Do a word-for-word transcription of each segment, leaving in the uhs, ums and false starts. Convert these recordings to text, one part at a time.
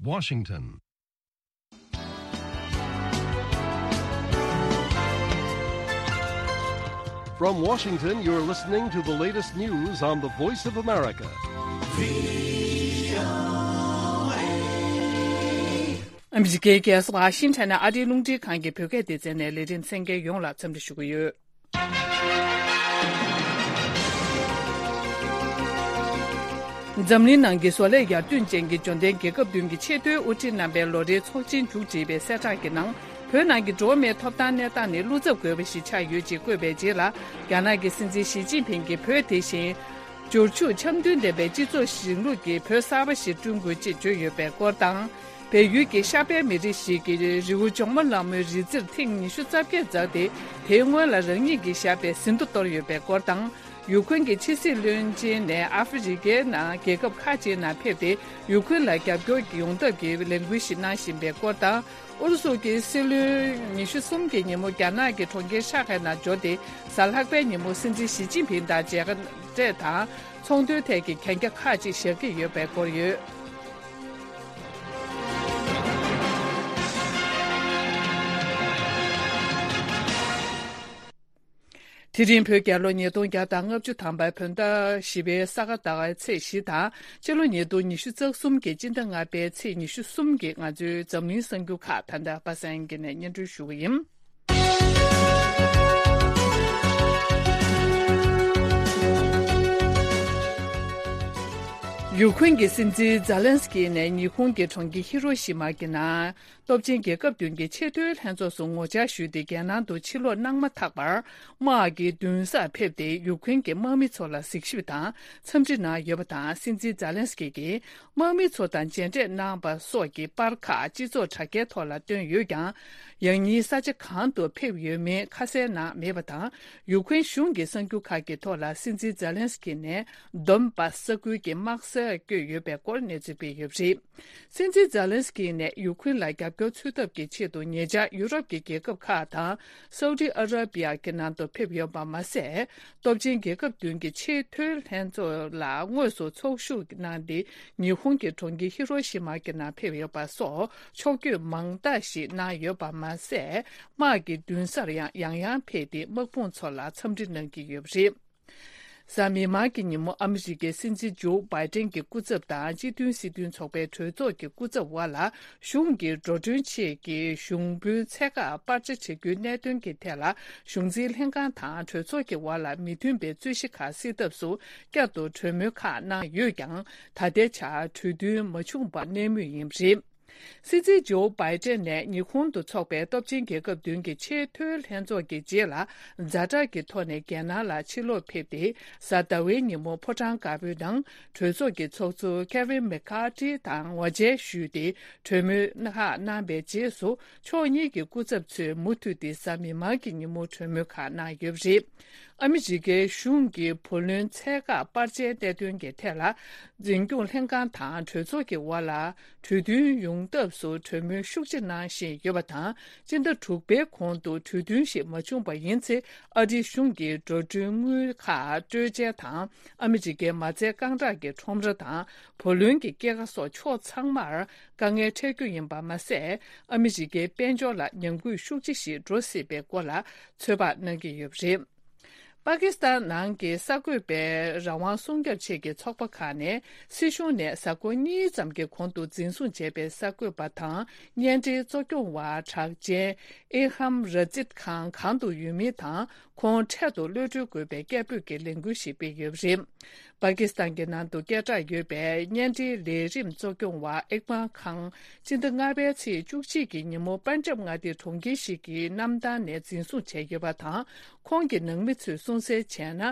Washington. From Washington, you're listening to the latest news on the Voice of America. ཨ་མི་རི་ཀའི་རྒྱལ་ས་ཝ་ཤིང་ཊོན་ནས་ཨ་རིའི་རླུང་འཕྲིན་ཁང་གི་བོད་སྐད་སྡེ་ཚན་ནས་ལས་རིམ་གསན་མཁན་ཡོངས་ལ་འཚམས་འདྲི་ཞུ་གི་ཡོད། འཛམ་གླིང་ནང་གི་བཟོ་ལས་ཡར་ཐོན་ཅན་གྱི་འབྱོར་ལྡན་རྒྱལ་ཁབ་བདུན་གྱི་ཆེས་མཐོའི་དབུ་ཁྲིད་རྣམ་པའི་ལོ་རེའི་ཚོགས་ཆེན་མཇུག་བསྒྲིལ་བའི་གསལ་བསྒྲགས་ཀྱི་ནང་། བོད་ནང་གི་འགྲོ་བ་མིའི་ཐོབ་ཐང་གནས་སྟངས་ནི་བློ་འཚབ་དགོས་པ་ཞིག་ཆགས་ཡོད་ཅེས་བཀོད་པའི་རྗེས་ལ། རྒྱ་ནག་གི་སྲིད་འཛིན་ཞི་ཅིན་ཕིང་གིས་བོད་དེ་བཞིན། འབྱོར་ཕྱུག་འཆམ་མཐུན་ལྡན་པའི་སྤྱི་ཚོགས་རིང་ལུགས་ཀྱི་བོད་གསར་པ་ཞིག་བསྐྲུན་དགོས་ཅེས་བརྗོད་ཡོད་པའི་སྐོར་དང་། བལ་ཡུལ་གྱི་ཤར་པའི་མི་རིགས་ཤིག་གི་རི་བོ་ཇོ་མོ་གླང་མའི་རི་རྩེར་ཐེངས་ཉི་ཤུ་རྩ་བརྒྱད་འཛེགས་ཏེ། དེའི་སྔོན་ལ་རང་ཉིད་ཀྱི་ཞབས་པད་ཟིན་ཐོ་གཏོར་ཡོད་པའི་སྐོར་དང་། ཡུ་ཁུན་གྱི་ཕྱི་སྲིད་བློན་ཆེན་ནས་ཨ་ཧྥེ་རི་ཁའི་ནང་རྒྱལ་ཁབ་ཁག་ཅིག་ནང་ཕེབས་ཏེ། ཡུ་ཁུན་ལ་རྒྱབ་སྐྱོར་ཡོང་ཐབས་ཀྱི་ལས་འགུལ་ཞིག་གནང་བཞིན་པའི་སྐོར་དང་། ཨུ་རུ་སུ་གྱི་སྲིད་བློན་ཉི་ཤུ་གསུམ་གྱི་ཉིན་མོ་རྒྱ་ནག་གི་གྲོང་ཁྱེར་ཧྲང་ཧའེ་ནང་འབྱོར་ཏེ། གཟའ་ལྷག་པའི་ཉིན་མོ་སྲིད་འཛིན་ཞི་ཅིན་ཕིང་དང་མཇལ་འཕྲད་དང་། ཚོང་དོན་ཐད་ཀྱི་གན་རྒྱ་ཁག་ཅིག་བཞག་གི་ཡོད་པའི་སྐོར་ཡོད། དེ་རིང་བོད་རྒྱལ་ལོ་ཉིས་སྟོང་བརྒྱ་དང་ལྔ་བཅུ་ཐམ་པའི་བོད་ཟླ་བཞི་པའི་ས་ག་ཟླ་བའི་ཚེས་བཞི་དང་། ཕྱི་ལོ་ཉིས་སྟོང་ཉི་ཤུ་རྩ་གསུམ་གྱི་སྤྱི་ཟླ་ལྔ་པའི་ཚེས་ཉི་ཤུ་གསུམ་གྱི་ང་ཚོའི་འཛམ་གླིང་གསར་འགྱུར་ཁག་ད་ལྟ་པ་སངས་སྐྱིད་ནས་སྙན་སྒྲོན་ཞུ་གི་ཡིན། ཡུ་ཁུན་གྱི་སྲིད་འཛིན་ཛ་ལན་སི་ཀི་ནས་ཉི་ཧོང་གི་གྲོང་ཁྱེར་ཧི་རོ་ཤི་མ་གི་ནང་། སྟོབས་ཆེན་རྒྱལ་ཁབ་བདུན་གྱི་ཆེས་མཐོའི་ལྷན་ཚོགས་སུ་ངོ་བཅར་ཞུས་ཏེ། རྒྱལ་ནང་དུ་ཕྱིར་ལོག་གནང་མ་ཐག་པར། དམག་གི་མདུན་སར་ཕེབས་ཏེ། ཡུ་ཁུན་གྱི་དམག་མི་ཚོ་ལ་གཟིགས་ཞིབ་དང་འཚམས་འདྲི་གནང་ཡོད་པ་དང་། སྲིད་འཛིན་ཛ་ལན་སི་ཀི་གིས་དམག་མི་ཚོ་དང་མཇལ་འཕྲད་གནང་པ་སོགས་ཀྱི་པར་ཁག་སྤྱི་ཚོགས་དྲ་རྒྱའི་ཐོག་ལ་བཏོན་ཡོད་ཀྱང་། ཡང་སྙིང་ས་ཆ་གང་དུ་ཕེབས་ཡོད་མེད་ཁ་གསལ་གནང་མེད་པ་དང་། ཡུ་ཁུན་གཞུང་གི་གསར་འགྱུར་ཁག་གི་ཐོག་ལ་སྲིད་འཛིན་ཛ་ལན་སི་ཀི་ནས་དོན་པ་ས་ཁུལ་གྱི་དམག་སར་བསྐྱོད་ཡོད་པའི་སྐོར་གནས་ཚུལ་སྤེལ་ཡོད་པ་རེད། སྲིད་འཛིན་ཛ་ལན་སི་ཀི་ནས་ཡུ་ཁུན་ལ་རྒྱབ་སྐྱོར་འཚོལ་ཐབས་ཀྱི་ཆེད་དུ། ཉེ་ཆར་ཡུ་རོབ་ཀྱི་རྒྱལ་ཁབ་ཁག་དང་སའུ་ཏི་ཨ་ར་པི་ཡ་གི་ནང་དུ་ཕེབས་ཡོད་པ་མ་ཟད། སྟོབས་ཆེན་རྒྱལ་ཁབ་བདུན་གྱི་ཆེས་མཐོའི་ལྷན་ཚོགས་ལ་དངོས་སུ་ཚོགས་ཞུགས་གནང་སྟེ། ཉི་ཧོང་གི་གྲོང་ཁྱེར་ཧི་རོ་ཤི་མ་གི་ནང་ཕེབས་ཡོད་པ་སོགས་ཕྱོགས་བསྐྱོད་མང་དག་ཞིག་གནང་ཡོད་པ་མ་ཟད། དམག་གི་མདུན་སར་ཡང་ཡང་ཡང་ཕེབས་ཏེ། དམག་དཔུང་ཚོ་ལ་འཚམས་འདྲི་གནང་གི་ཡོད་པ་རེད། གཟའ་མིག་དམར་གྱི་ཉིན་མོ། ཨ་མི་རི་ཀའི་སྲིད་འཛིན་ཇོ་བྷའི་ཏན་གྱི་སྐུ་ཚབ་དང་སྤྱི་མཐུན་སྲིད་དོན་ཚོགས་པའི་གྲོས་ཚོགས་ཀྱི་སྐུ་ཚབ་དབར་ལ། གཞུང་གི་འགྲོ་གྲོན་ཆེད་ཀྱི་གཞུང་དཔོན་ཚད་བཀག་སྤར་ཆ་བྱ་རྒྱུའི་གནད་དོན་གྱི་ཐད་ལ། གཞུང་འཛིན་ལྷན་ཁང་དང་གྲོས་ཚོགས་ཀྱི་དབར་ལ་མི་མཐུན་པའི་རྩོད་གཞི་ཁག་སེལ་ཐབས་སུ། བསྐྱར་དུ་གྲོས་མོལ་ཁག་གནང་ཡོད་ཀྱང་། ད་ལྟའི་ཆར་གྲོས་མཐུན་མ་བྱུང་བར་གནས་མུས་ཡིན་པ་རེད། སྲིད་འཛིན་ཇོ་བྷའི་ཏན་ནས་ཉི་ཧོང་དུ་འཚོགས་པའི་སྟོབས་ཆེན་རྒྱལ་ཁབ་བདུན་གྱི་ཆེས་མཐོའི་ལྷན་ཚོགས་ཀྱི་རྗེས་ལ། ཛ་དྲག་གི་ཐོག་ནས་རྒྱལ་ནང་ལ་ཕྱིར་ལོག་ཕེབས་ཏེ། གཟའ་ཟླ་བའི་ཉིན་མོ་ཕོ་བྲང་དཀར་པོའི་ནང་གྲོས་ཚོགས་ཀྱི་ཚོགས་གཙོ་ཁེ་ཝིན་མེ་ཁ་ཏི་དང་ངོ་མཇལ་ཞུས་ཏེ། གྲོས་མོལ་ཁག་གནང་བའི་རྗེས་སུ། ཕྱོགས་གཉིས་ཀྱི་སྐུ་ཚབ་ཚོས་མུ་མཐུད་དེ་གཟའ་མིག་དམར་གྱི་ཉིན་མོ་གྲོས་མོལ་ཁག་གནང་ཡོད་པ་རེད། ཨ་མི་རི་ཀའི་གཞུང་གི་བུ་ལོན་ཚད་བཀག་སྤར་ཆའི་གནད་དོན་གྱི་ཐད་ལ། འཛིན་སྐྱོང་ལྷན་ཁང་དང་གྲོས་ཚོགས་ཀྱི་དབར་ལ་གྲོས་མཐུན་ཡོང་ཐབས་སུ་གྲོས་མོལ་ཤུགས་ཆེ་གནང་བཞིན་ཡོད་པ་དང་། སྤྱི་ཟླ་དྲུག་པའི་གོང་དུ་གྲོས་མཐུན་ཞིག་མ་བྱུང་པ་ཡིན་ཚེ། ཨ་རིའི་གཞུང་གིས་འགྲོ་གྲོན་དངུལ་ཁག་སྤྲོད་འཇལ་དང་། ཨ་མི་རི་ཀའི་མ་རྩའི་རྐང་གྲངས་ཀྱི་ཁྲོམ་ར་དང་། བུ་ལོན་གྱི་སྐྱེད་ཀ་སོགས་ཕྱོགས་ཚང་མར་དཀའ་ངལ་འཕྲད་རྒྱུ་ཡིན་པ་མ་ཟད། ཨ་མི་རི་ཀའི་དཔལ་འབྱོར་ལ་ཉམས་རྒུད་ཤུགས་ཆེ་ཞིག་འགྲོ་སྲིད་པའི་སྐོར་ལ་ཚོད་དཔག་གནང་གི་ཡོད་པ་རེད། པ་ཀི་སི་ཐན་ནང་གི་གསར་འགོད་པའི་རང་དབང་སྲུང་སྐྱོབ་ཆེད་ཀྱི་ཚོགས་པ་ཁག་ནས། སྲིད་གཞུང་ནས་གཟའ་འཁོར་གཉིས་ཙམ་གྱི་གོང་དུ་འཛིན་བཟུང་བྱས་པའི་གསར་འགོད་པ་དང་བརྙན་འཕྲིན་གཙོ་སྐྱོང་བ་གྲགས་ཅན་ཨེ་ཧམ་ར་ཛིད་ཁང་གང་དུ་ཡོད་མིན་དང་། ཁོང་འཕྲལ་དུ་གློད་གྲོལ་དགོས་པའི་སྐད་འབོད་ཀྱི་ལས་འགུལ་ཞིག་སྤེལ་ཡོད་པ་རེད། པ་ཀི་སི་ཐན་གྱི་ནང་དུ་སྐད་གྲགས་ཡོད་པའི་བརྙན་འཕྲིན་ལས་རིམ་གཙོ་སྐྱོང་བ་ཨེག་མཱ་ཁང་། སྤྱི་ཟླ་ལྔ་པའི་ཚེས་བཅུ་གཅིག་གི་ཉིན་མོ། པན་ཇབ་མངའ་སྡེའི་གྲོང་ཁྱེར་ཞིག་གི་གནམ་ཐང་ནས་འཛིན་བཟུང་བྱས་ཡོད་པ་དང་། ཁོང་གི་ནང་མི་ཚོས་གསུངས་གསལ་བྱས་ན།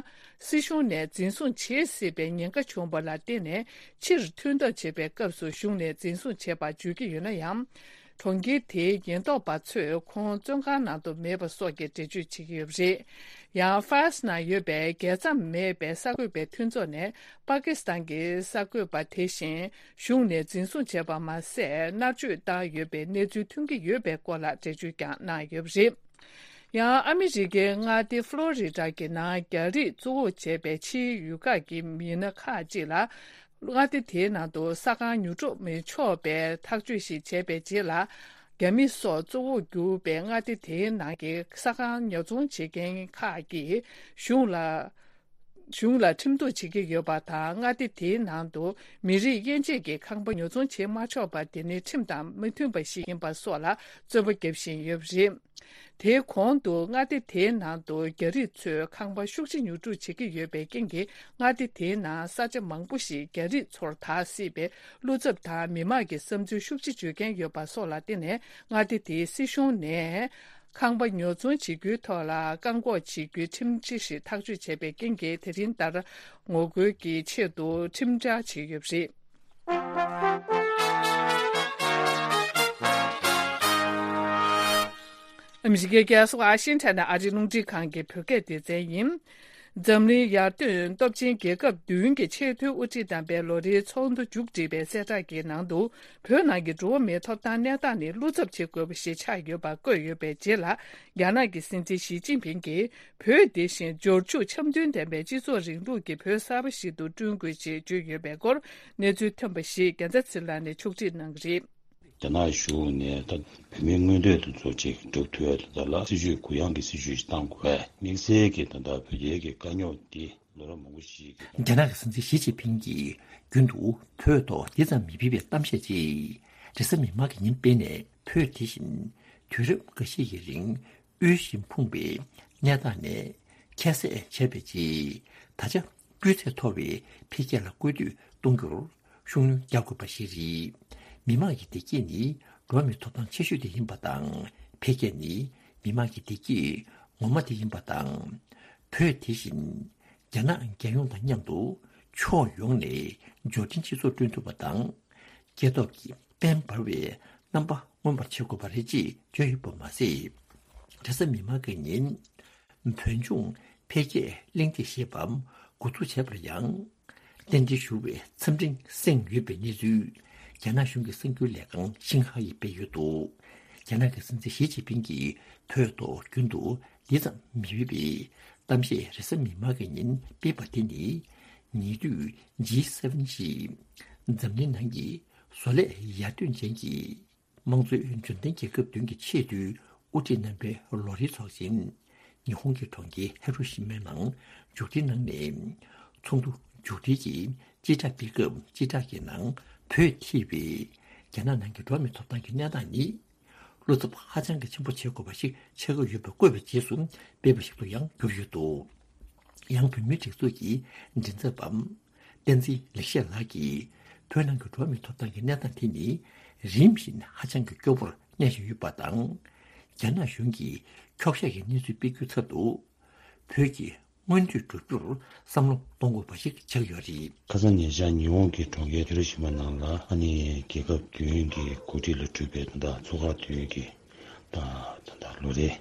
སྲིད་གཞུང་ནས་འཛིན་བཟུང་བྱེད་སྲིད་པའི་ཉེན་ཁ་བྱུང་བ་ལ་བརྟེན་ནས། ཕྱིར་ཐོན་ཐབས་བྱེད་པའི་སྐབས་སུ། གཞུང་ནས་འཛིན་བཟུང་བྱས་པ་བརྗོད་ཀྱི་ཡོད་ན་ཡང་། གྲོང་ཁྱེར་དེའི་ཉེན་རྟོག་པ་ཚོས་ཁོང་བཙོན་ཁང་ནང་དུ་མེད་པ་སོགས་ཀྱི་འགྲེལ་བརྗོད་བྱེད་ཀྱི་ཡོད་པ་རེད། ཡང་ཧྥ་རན་སི་ནང་ཡོད་པའི་རྒྱལ་མཚམས་མེད་པའི་གསར་འགོད་པའི་མཐུན་ཚོགས་ནས། པ་ཀི་སི་ཐན་གྱི་གསར་འགོད་པ་དེ་བཞིན་གཞུང་ནས་འཛིན་བཟུང་བྱས་པ་མ་ཟད། མནར་གཅོད་བཏང་ཡོད་པའི་གནས་ཚུལ་ཐོན་གྱི་ཡོད་པའི་སྐོར་ལ་འགྲེལ་བརྗོད་ཀྱང་གནང་ཡོད་པ་རེད། ཡང་ཨ་མི་རི་ཀའི་མངའ་སྡེ་ཕློ་རི་ཌ་གི་ནང་རྒྱ་རིགས་གཙོ་བོ་བྱས་པའི་ཕྱིའི་ཡུལ་ཁག་གི་མི་སྣ་ཁག་ཅིག་ལ། མངའ་སྡེ་དེའི་ནང་དུ་ས་ཁང་ཉོ་སྒྲུབ་མི་ཆོག་པའི་ཐག་གཅོད་ཞིག་བྱས་པའི་རྗེས་ལ། རྒྱ་མི་སོགས་གཙོ་བོར་གྱུར་པའི་མངའ་སྡེ་དེའི་ནང་གི་ས་ཁང་ཉོ་ཚོང་བྱེད་མཁན་ཁག་གིས་གཞུང་ལ། གཞུང་ལ་ཁྲིམས་གཏུག་བྱེད་ཀྱི་ཡོད་པ་དང་། མངའ་སྡེ་དེའི་ནང་དུ་མི་རིགས་དབྱེ་འབྱེད་ཀྱི་ཁང་པ་ཉོ་ཚོང་བྱེད་མ་ཆོག་པ་དེ་ནི་ཁྲིམས་དང་མི་མཐུན་པ་ཞིག་ཡིན་པ་སོགས་ལ་རྩོད་པ་རྒྱབ་བཞིན་ཡོད་པ་རེད། དེའི་གོང་དུ་མངའ་སྡེ་དེའི་ནང་དུ་རྒྱ་རིགས་ཚོས་ཁང་པ་ཤུགས་ཆེ་ཉོ་སྒྲུབ་བྱེད་ཀྱི་ཡོད་པའི་རྐྱེན་གྱིས། མངའ་སྡེ་དེའི་ནང་ས་ཆ་མང་པོ་ཞིག་རྒྱ་རིགས་ཚོར་བདག་སྲིད་པའི་བློ་འཚབ་དང་། མི་མང་གི་བསམ་ཚུལ་ཤུགས་ཆེ་བརྗོད་མཁན་ཡོད་པ་སོགས་ལ་བརྟེན་ནས། མངའ་སྡེ་དེའི་སྲིད་གཞུང་ནས་ཁང་པ་ཉོ་ཚོང་བྱེད་རྒྱུའི་ཐོག་ལ་བཀག་འགོག་བྱེད་རྒྱུའི་ཁྲིམས་གཞི་ཞིག་ཐག་གཅོད་བྱས་པའི་རྐྱེན་གྱིས། དེ་རིང་ལྟར་ངོ་རྒོལ་གྱི་ཆེད་དུ་ཁྲིམས་འཆར་བྱས་ཡོད་པ་རེད། ཨ་མི་རི་ཀའི་རྒྱལ་ས་ཝ་ཤིང་ཊོན་ནས་ཨ་རིའི་རླུང་འཕྲིན་ཁང་གི་བོད་སྐད་སྡེ་ཚན་ཡིན། འཛམ་གླིང་ཡར་ཐོན་སྟོབས་ཆེན་རྒྱལ་ཁབ་བདུན་གྱི་ཆེས་མཐོའི་དབུ་ཁྲིད་རྣམ་པའི་ལོ་རེའི་ཚོགས་འདུ་མཇུག་སྒྲིལ་བའི་གསལ་བསྒྲགས་ཀྱི་ནང་དུ། བོད་ནང་གི་འགྲོ་བ་མིའི་ཐོབ་ཐང་གནས་སྟངས་ནི་བློ་འཚབ་བྱེད་དགོས་པ་ཞིག་ཆགས་ཡོད་པ་བཀོད་ཡོད་པའི་རྗེས་ལ། རྒྱ་ནག་གི་སྲིད་འཛིན་ཞི་ཅིན་ཕིང་གིས། བོད་འདི་བཞིན་འབྱོར་ཕྱུག་འཆམ་མཐུན་ལྡན་པའི་སྤྱི་ཚོགས་རིང་ལུགས་ཀྱི་བོད་གསར་པ་ཞིག་ཏུ་བསྐྲུན་དགོས་ཞེས་བརྗོད་ཡོད་པའི་སྐོར། གནས་ཚུལ་ཐོན་པ་ཞིག་རྒྱལ་མཚན་ཚེ་རིང་ལགས་ནས་ཕྱོགས་སྒྲིག་གནང་གི་རེད། རྒྱ་ནག་གཞུང་ནས་ད་བོད་མིའི་མངོན་འདོད་དེ་ཚོ་ཅིག་སྒྲུབ་ཐུབ་ཡ་དེ་དག་ལ་སྲིད་ཇུས་གུ་ཡངས་ཀྱི་སྲིད་ཇུས་ཤིག་བཏང་དགོས་པས། དམིགས་བསལ་གྱི་ད་ལྟ་བོད་རྒྱའི་གི་དཀའ་རྙོག་འདི་ལོ་རབས་མང་པོ་ཞིག་གི། རྒྱ་ནག་གི་སྲིད་འཛིན་ཞི་ཅིན་ཕིང་གིས་རྒྱུན་དུ་བོད་ཐོག་འདི་ཙམ་མི་ཕན་པའི་གཏམ་བཤད་ཅིག་རེས་གཟའ་མིག་དམར་གྱི་ཉིན་སྤེལ་ནས། བོད་དེ་བཞིན་དུས་རབས་འགའ་ཤས་ཀྱི་རིང་དབུལ་ཞིང་ཕོངས་པའི་གནས་སྟངས་ནས་ཁྱད་བསད་བྱས་པའི་རྗེས། ད་ཆ་སྤུས་ཚད་མཐོ་བའི་འཕེལ་རྒྱས་ལ་སྐུལ་འདེད་གཏོང་རྒྱུར་ཤུགས་སྣོན་རྒྱག་དགོས་པ་ཞིག་རེད། མི་དམངས་ཀྱི་བདེ་སྐྱིད་ནི་འགྲོ་བ་མིའི་ཐོབ་ཐང་ཆེ་ཤོས་དེ་ཡིན་པ་དང་། འཕེལ་རྒྱས་ནི་མི་དམངས་ཀྱི་བདེ་སྐྱིད་ངོ་མ་དེ་ཡིན་པ་དང་། བོད་དེ་བཞིན་རྒྱ་ནག་རྒྱལ་ཡོངས་དང་མཉམ་དུ་ཕྱོགས་ཡོངས་ནས་འབྱོར་ལྡན་སྤྱི་ཚོགས་བསྐྲུན་ཐུབ་པ་དང་། སྐྱེ་སྟོབས་ཀྱི་དཔལ་འབར་བའི་རྣམ་པ་མངོན་པར་བྱེད་དགོས་པ་རེད་ཅེས་བརྗོད་ཡོད་པ་མ་ཟད། རེས་གཟའ་མིག་དམར་གྱི་ཉིན་བོད་ལྗོངས་འཕེལ་རྒྱས་གླེང་སྟེགས་ཞེས་པ་འགོ་འཛུགས་བྱས་པར་ཡང་། རྟེན་འབྲེལ་ཞུ་བའི་འཚམས་འཕྲིན་གསན་ཡོད་པའི་གནས་ཚུལ་རྒྱ་ནག་གཞུང་གི་གསར་འགྱུར་ལས་ཁང་ཤིན་ཧྭ་ཡིས་སྤེལ་ཡོད་འདུག་རྒྱ་ནག་གི་སྲིད་འཛིན་ཞི་ཅིན་ཕིང་གིས་བོད་ཐོག་རྒྱུན་དུ་འདི་ཙམ་མི་ཕན་པའི་གཏམ་བཤད་རེས་གཟའ་མིག་དམར་གྱི་ཉིན་སྤེལ་བ་དེ་ནི། ཉེ་དུས་ཇི་སེ་བན་ཞེས་འཛམ་གླིང་ནང་གི་བཟོ་ལས་ཡར་ཐོན་ཅན་གྱི་དམངས་གཙོའི་འབྱོར་ལྡན་རྒྱལ་ཁབ་བདུན་གྱི་ཆེས་མཐོའི་དབུ་ཁྲིད་རྣམ་པའི་ལོ་རེའི་ཚོགས་ཆེན་ཉི་ཧོང་གི་གྲོང་ཁྱེར་ཧི་རོ་ཤི་མའི་ནང་མཇུག་སྒྲིལ་གནང་ནས། ཚོགས་འདུ་མཇུག་སྒྲིལ་གྱི་སྤྱི་བསྒྲགས་སྤེལ་སྐབས། སྤྱི་བསྒྲགས་ཀྱི་ནང་བོད་ཐེ་བའི་རྒྱ་ནག་ནང་གི་འགྲོ་བ་མིའི་ཐོབ་ཐང་གི་གནས་སྟངས་ནི། བློ་འཚབ་ཧ་ཅང་གི་ཆེན་པོ་བྱེད་དགོས་པ་ཞིག་ཆགས་ཀྱི་ཡོད་པ་བཀོད་པའི་རྗེས་སུ་སྤེལ་བ་ཞིག་ཏུ་ཡང་གྱུར་ཡོད་འདུག་ཡང་བོད་མིའི་སྒྲིག་འཛུགས་ཀྱི་མགྲིན་ཚབ་པ་བསྟན་འཛིན་ལེགས་བཤད་ལགས་ཀྱིས། བོད་ནང་གི་འགྲོ་བ་མིའི་ཐོབ་ཐང་གི་གནས་སྟངས་དེ་ནི་རིམ་བཞིན་ཧ་ཅང་གི་སྐྱོ་པོར་གནས་བཞིན་ཡོད་པ་དང་། རྒྱ་ནག་གཞུང་གིས་འཁྱོག་བཤད་ཀྱི་གནས་ཚུལ་སྤེལ་རྒྱུའི་ཚབ་ཏུ། བོད་ཀྱི་མངོན་འདོད་བསྒྲུབ་རྒྱུར་བསམ་བློ་གཏོང་དགོས་པ་ཞིག་ཆགས་ཡོད་རེད། ཁ་སང་ཉེ་ཆར་ཉི་ཧོང་གི་གྲོང་ཁྱེར་ཧི་རོ་ཤི་མ་ནང་ལ། ཨ་ནི་རྒྱལ་ཁབ་བདུན་གྱི་འགོ་ཁྲིད་ལ་གྲུབ་པའི་ད་ལྟ་ཚོགས་ཁག་བདུན་གྱི་ད་ད་ལྟ་ལོ་རེའི་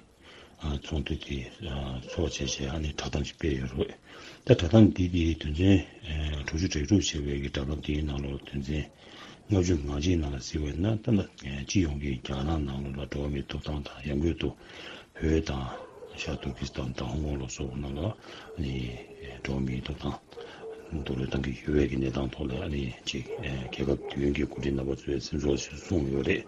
ཨ་ཚོགས་འདུ་དེ་ཨ་ཚོགས་བྱས་བྱས། ཨ་ནི་བསྒྲགས་གཏམ་ཞིག་སྤེལ་ཡོད་རེད། ད་བསྒྲགས་གཏམ་འདི་དེའི་དོན་ཚན་ཨ་དྲུག་ཅུ་རེ་དྲུག་བྱས་པའི་གི་བསྒྲགས་གཏམ་དེའི་ནང་ལོགས་དོན་ཚན་ལྔ་བཅུ་ང་གཅིག་ནང་ལ་གཟིགས་པ་ཡིན་ན། ད་ལྟ་སྤྱི་ཡོངས་ཀྱི་རྒྱ་ནག་ནང་ལོགས་ལ་འགྲོ་བ་མིའི་ཐོབ་ཐང་དང་། ཡང་སྒོས་སུ་བོད་དང་ཤར་ཏུར་ཀི་སི་ཐན་དང་ཧོང་ཀོང་ལ་སོགས་པ་ནང་ལ་ཨ་ནི་འགྲོ་བ་མིའི་ཐོབ་ཐང་རྡོག་རོལ་བཏང་གི་ཡོད་པའི་གི་གནས་སྟངས་ཐོག་ལ། ཨ་ནི་ཅིག་རྒྱལ་ཁབ་བདུན་གྱི་འགོ་ཁྲིད་རྣམ་པ་ཚོས་སེམས་ཚོར་ཞིག་གསུངས་ཡོད་རེད།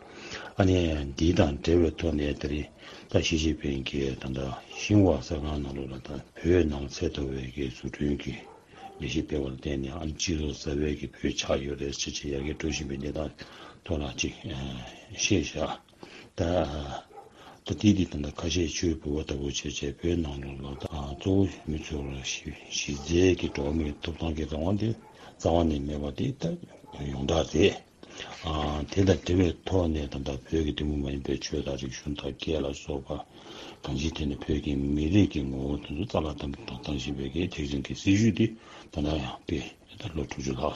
ཨ་ནི་འདི་དང་འབྲེལ་བའི་ཐོག་ནས་དེ་རིང་ད་ཞི་ཅིན་ཕིང་གིས་ད་ལྟ་ཤིན་ཧྭ་གསར་ཁང་ནང་ལོགས་ལ། ད་བོད་ནང་ཚད་མཐོ་བའི་གི་བཟོ་སྐྲུན་གྱི་ལས་གཞི་སྤེལ་བ་ལ་བརྟེན་ནས། ཨ་ནི་སྤྱི་ཚོགས་གསར་པའི་གི་བོད་ཆགས་ཡོད་རེད་ཟེར་བྱས་ཡར་རྒྱས་འགྲོ་བཞིན་པའི་གནས་སྟངས་ཐོག་ལ་ཅིག་ཨ་བཤད་བཞག་ད་ད་དེ་དེ་ད་ལྟ་ཁ་ཤས་ཆུའི་ལྦུ་བ་ལྟ་བུ་བྱས་བྱས་བོད་ནང་ལོགས་ལ། ད་གཙོ་བོ་མི་ཚོར་གཞི་གཞི་རྩའི་གི་འགྲོ་བ་མིའི་ཐོབ་ཐང་གི་རང་དབང་དེ་རྩ་བ་ནས་མེད་པ་དེ་ད་ཡོངས་གྲགས་རེད། ཨ་དེ་དང་འབྲེལ་བའི་ཐོག་ནས་ད་ལྟ་བོད་ཀྱི་ཐུན་མོང་མ་ཡིན་པའི་ཆོས་དང་རིག་གཞུང་དང་སྐད་ལ་སོགས་པ། གང་ཅིའི་ཐད་ནས་བོད་ཀྱི་མི་རིགས་ཀྱི་ངོ་བོ་དེ་ཚོ་རྩ་བརླག་གཏོང་གཏོང་བཞིན་པའི་གི་ཐེག་ཆེན་གྱི་སྲིད་བྱུས་དེ་ད་ལྟ་ཡང་སྤེལ། ད་ལོ་དྲུག་ཅུ་ལྷག་ཨ་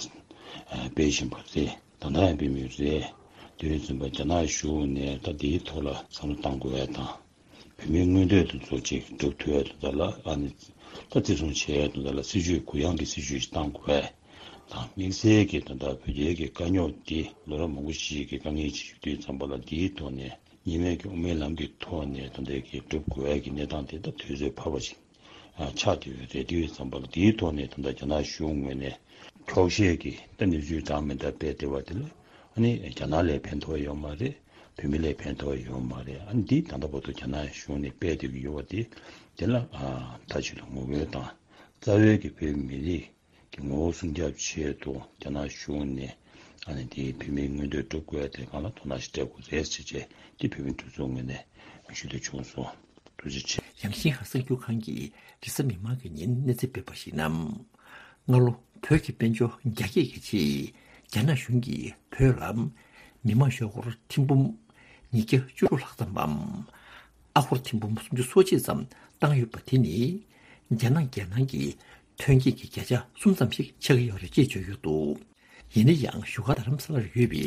སྤེལ་བཞིན་པ་རེད། ད་ལྟ་ཡང་སྤེལ་མུས་རེད། དེ་བས་བཙུན་པ་རྒྱ་ནག་གཞུང་ནས་ད་འདིའི་ཐོག་ལ་བསམ་བློ་གཏང་དགོས་ཡ་དང་། བོད་མིའི་མངོན་འདོད་དེ་ཚོ་ཅིག་སྒྲུབ་ཐུབ་ཡ་དེ་དག་ལ། ཨ་ནི་ད་བརྩི་སྲུང་བྱེད་ཡ་དེ་དག་ལ་སྲིད་བྱུས་གུ་ཡངས་ཀྱི་སྲིད་བྱུས་ཤིག་གཏང་དགོས་ཡ་དང་། དམིགས་བསལ་གྱིས་ད་ལྟ་བོད་རྒྱའི་གི་དཀའ་རྙོག་འདི་ལོ་རབས་མང་པོ་ཞིག་གི་དཀའ་ངལ་ཅིག་ཡོད་དུས་ཙམ་པ་ལ། འདིའི་ཐོག་ནས་གཉིས་སྨན་གྱི་དབུ་མའི་ལམ་གྱི་ཐོག་ནས་ད་ལྟའི་གི་སྒྲུབ་དགོས་ཡ་གི་གནས་སྟངས་དེ་ད་དུས་ཚོད་འཕར་བ་ཞིག་ཨ་ཆགས་བསྡད་ཡོད་རེད། དེ་ཡོད་ཙམ་པ་ལ་དེའི་ཐོག་ནས་ད་ལྟ་རྒྱ་ནག་གཞུང་ངོས་ནས་ འཁྱོག་བཤད་ཀྱི་ད་གནས་ཚུལ་གྲངས་མེད་ད་སྤེལ་བསྡད་པ་དེ་ལ་ཨ་ནི་རྒྱ་ནག་ལ་ཕན་ཐོགས་ཡོད་མ་རེད། བོད་མི་ལ་ཕན་ཐོགས་ཡོད་མ་རེད། ཨ་ནི་འདི་ད་ལྟ་བར་དུ་རྒྱ་ནག་གཞུང་ནས་སྤེལ་བསྡད་ཀྱི་ཡོད་པ་དེ་དེ་ལ་ཨ་མཐའ་གཅིག་ཏུ་ངོ་རྒོལ་དང་རྩ་བའི་གི་བོད་མི་རིགས་ཀྱི་ངོ་བོ་སྲུང་སྐྱོབ་ཆེད་དུ་རྒྱ་ནག་གཞུང་ནས་ཨ་ནི་དེའི་བོད་མིའི་མངོན་འདོད་སྒྲུབ་དགོས་དེ་སྒང་ལ་དོ་སྣང་ཞིག་སྤྲད་དགོས་རེད་ཟེར་བྱས་དེ་བོད་མི་སྒྲིག་འཛུགས་ངོས་ནས་ཞུ་འདོད་བྱུང་སོང་། ཐུགས་རྗེ་ཆེ། ཡང་ཤིན་ཧྭ་གསར་འགྱུར་ཁང་གིས་རེས་གཟའ་མིག་དམར་གྱི་ཉིན་གནས་ཚུལ་སྤེལ་བར་གཞིགས་ན། སྔ་ལོ་བོད་ཀྱི་དཔལ་འབྱོར་རྒྱ་སྐྱེད་ཀྱི་ཆེད་རྒྱ་ནག་གཞུང་གིས་བོད་ལ་མི་དམངས་ཤོག་སྒོར་ཐེར་འབུམ་ཉིས་བརྒྱ་བཅུ་དྲུག་ལྷག་ཙམ་པའམ། ཨ་སྒོར་ཐེར་འབུམ་སུམ་ཅུ་སོ་གཅིག་ཙམ་བཏང་ཡོད་པ་དེ་ནི་རྒྱ་ནག་རྒྱལ་ནང་གི་ཐོན་སྐྱེད་ཀྱི་བརྒྱ་ཆ་གསུམ་ཙམ་ཞིག་ཆགས་ཀྱི་ཡོད་རེད་ཅེས་བརྗོད་ཡོད་འདུག་ཡིན་ན་ཡང་བཞུགས་སྒར་རྡ་རམ་ས་ལར་ཡོད་པའི་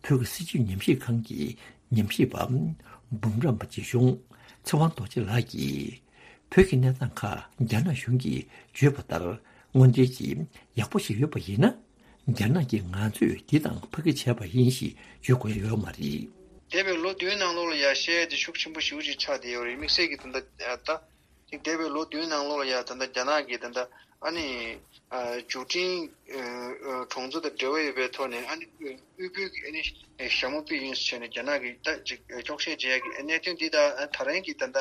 བོད་ཀྱི་སྲིད་བྱུས་ཉམས་ཞིབ་ཁང་གི་ཉམས་ཞིབ་པ་འབུམ་རམས་པ་རྗེ་གཞུང་ཚེ་དབང་རྡོ་རྗེ་ལགས་ཀྱིས། བོད་ཀྱི་གནས་སྟངས་ཁག་རྒྱ་ནག་གཞུང་གིས་བརྗོད་པ་ལྟར་དངོས་འབྲེལ་གྱིས་ཡག་པོ་ཞིག་ཡོད་པ་ཡིན་ན། རྒྱ་ནག་གིས་ང་ཚོས་འདི་དང་ཕ་གི་བྱས་པ་ཡིན་ཞེས་བརྗོད་དགོས་ཡ་ཡོད་མ་རེད། འདས་པའི་ལོ་བདུན་ནང་ལོགས་ལ་ཡ་བཤད་ཡ་དེ་ཤུགས་ཆེན་པོ་ཞེ་པོ་ཅིག་ཆགས་བསྡད་ཡོད་རེད། དམིགས་བསལ་གྱི་ད་ལྟ་ད་ཅིག་འདས་པའི་ལོ་བདུན་ནང་ལོགས་ལ་ཡ་ད་ལྟ་རྒྱ་ནག་གིས་ད་ལྟ་ཨ་ནི་ཨ་འབྱོར་འབྲིང་ཨ་ཨ་གྲོང་ཚོ་དང་འབྲེལ་བ་ཡོད་པའི་ཐོག་ནས་ཨ་ནི་དབུལ་པོའི་གི་ཨ་ནི་ཞྭ་མོ་པི་ཡིན་ཟེར་ནས་རྒྱ་ནག་གིས་ད་ཅིག་འཁྱོག་བཤད་བྱེད་ཡ་གི་གནད་དོན་འདི་དང་ད་རིང་གི་ད་ལྟ་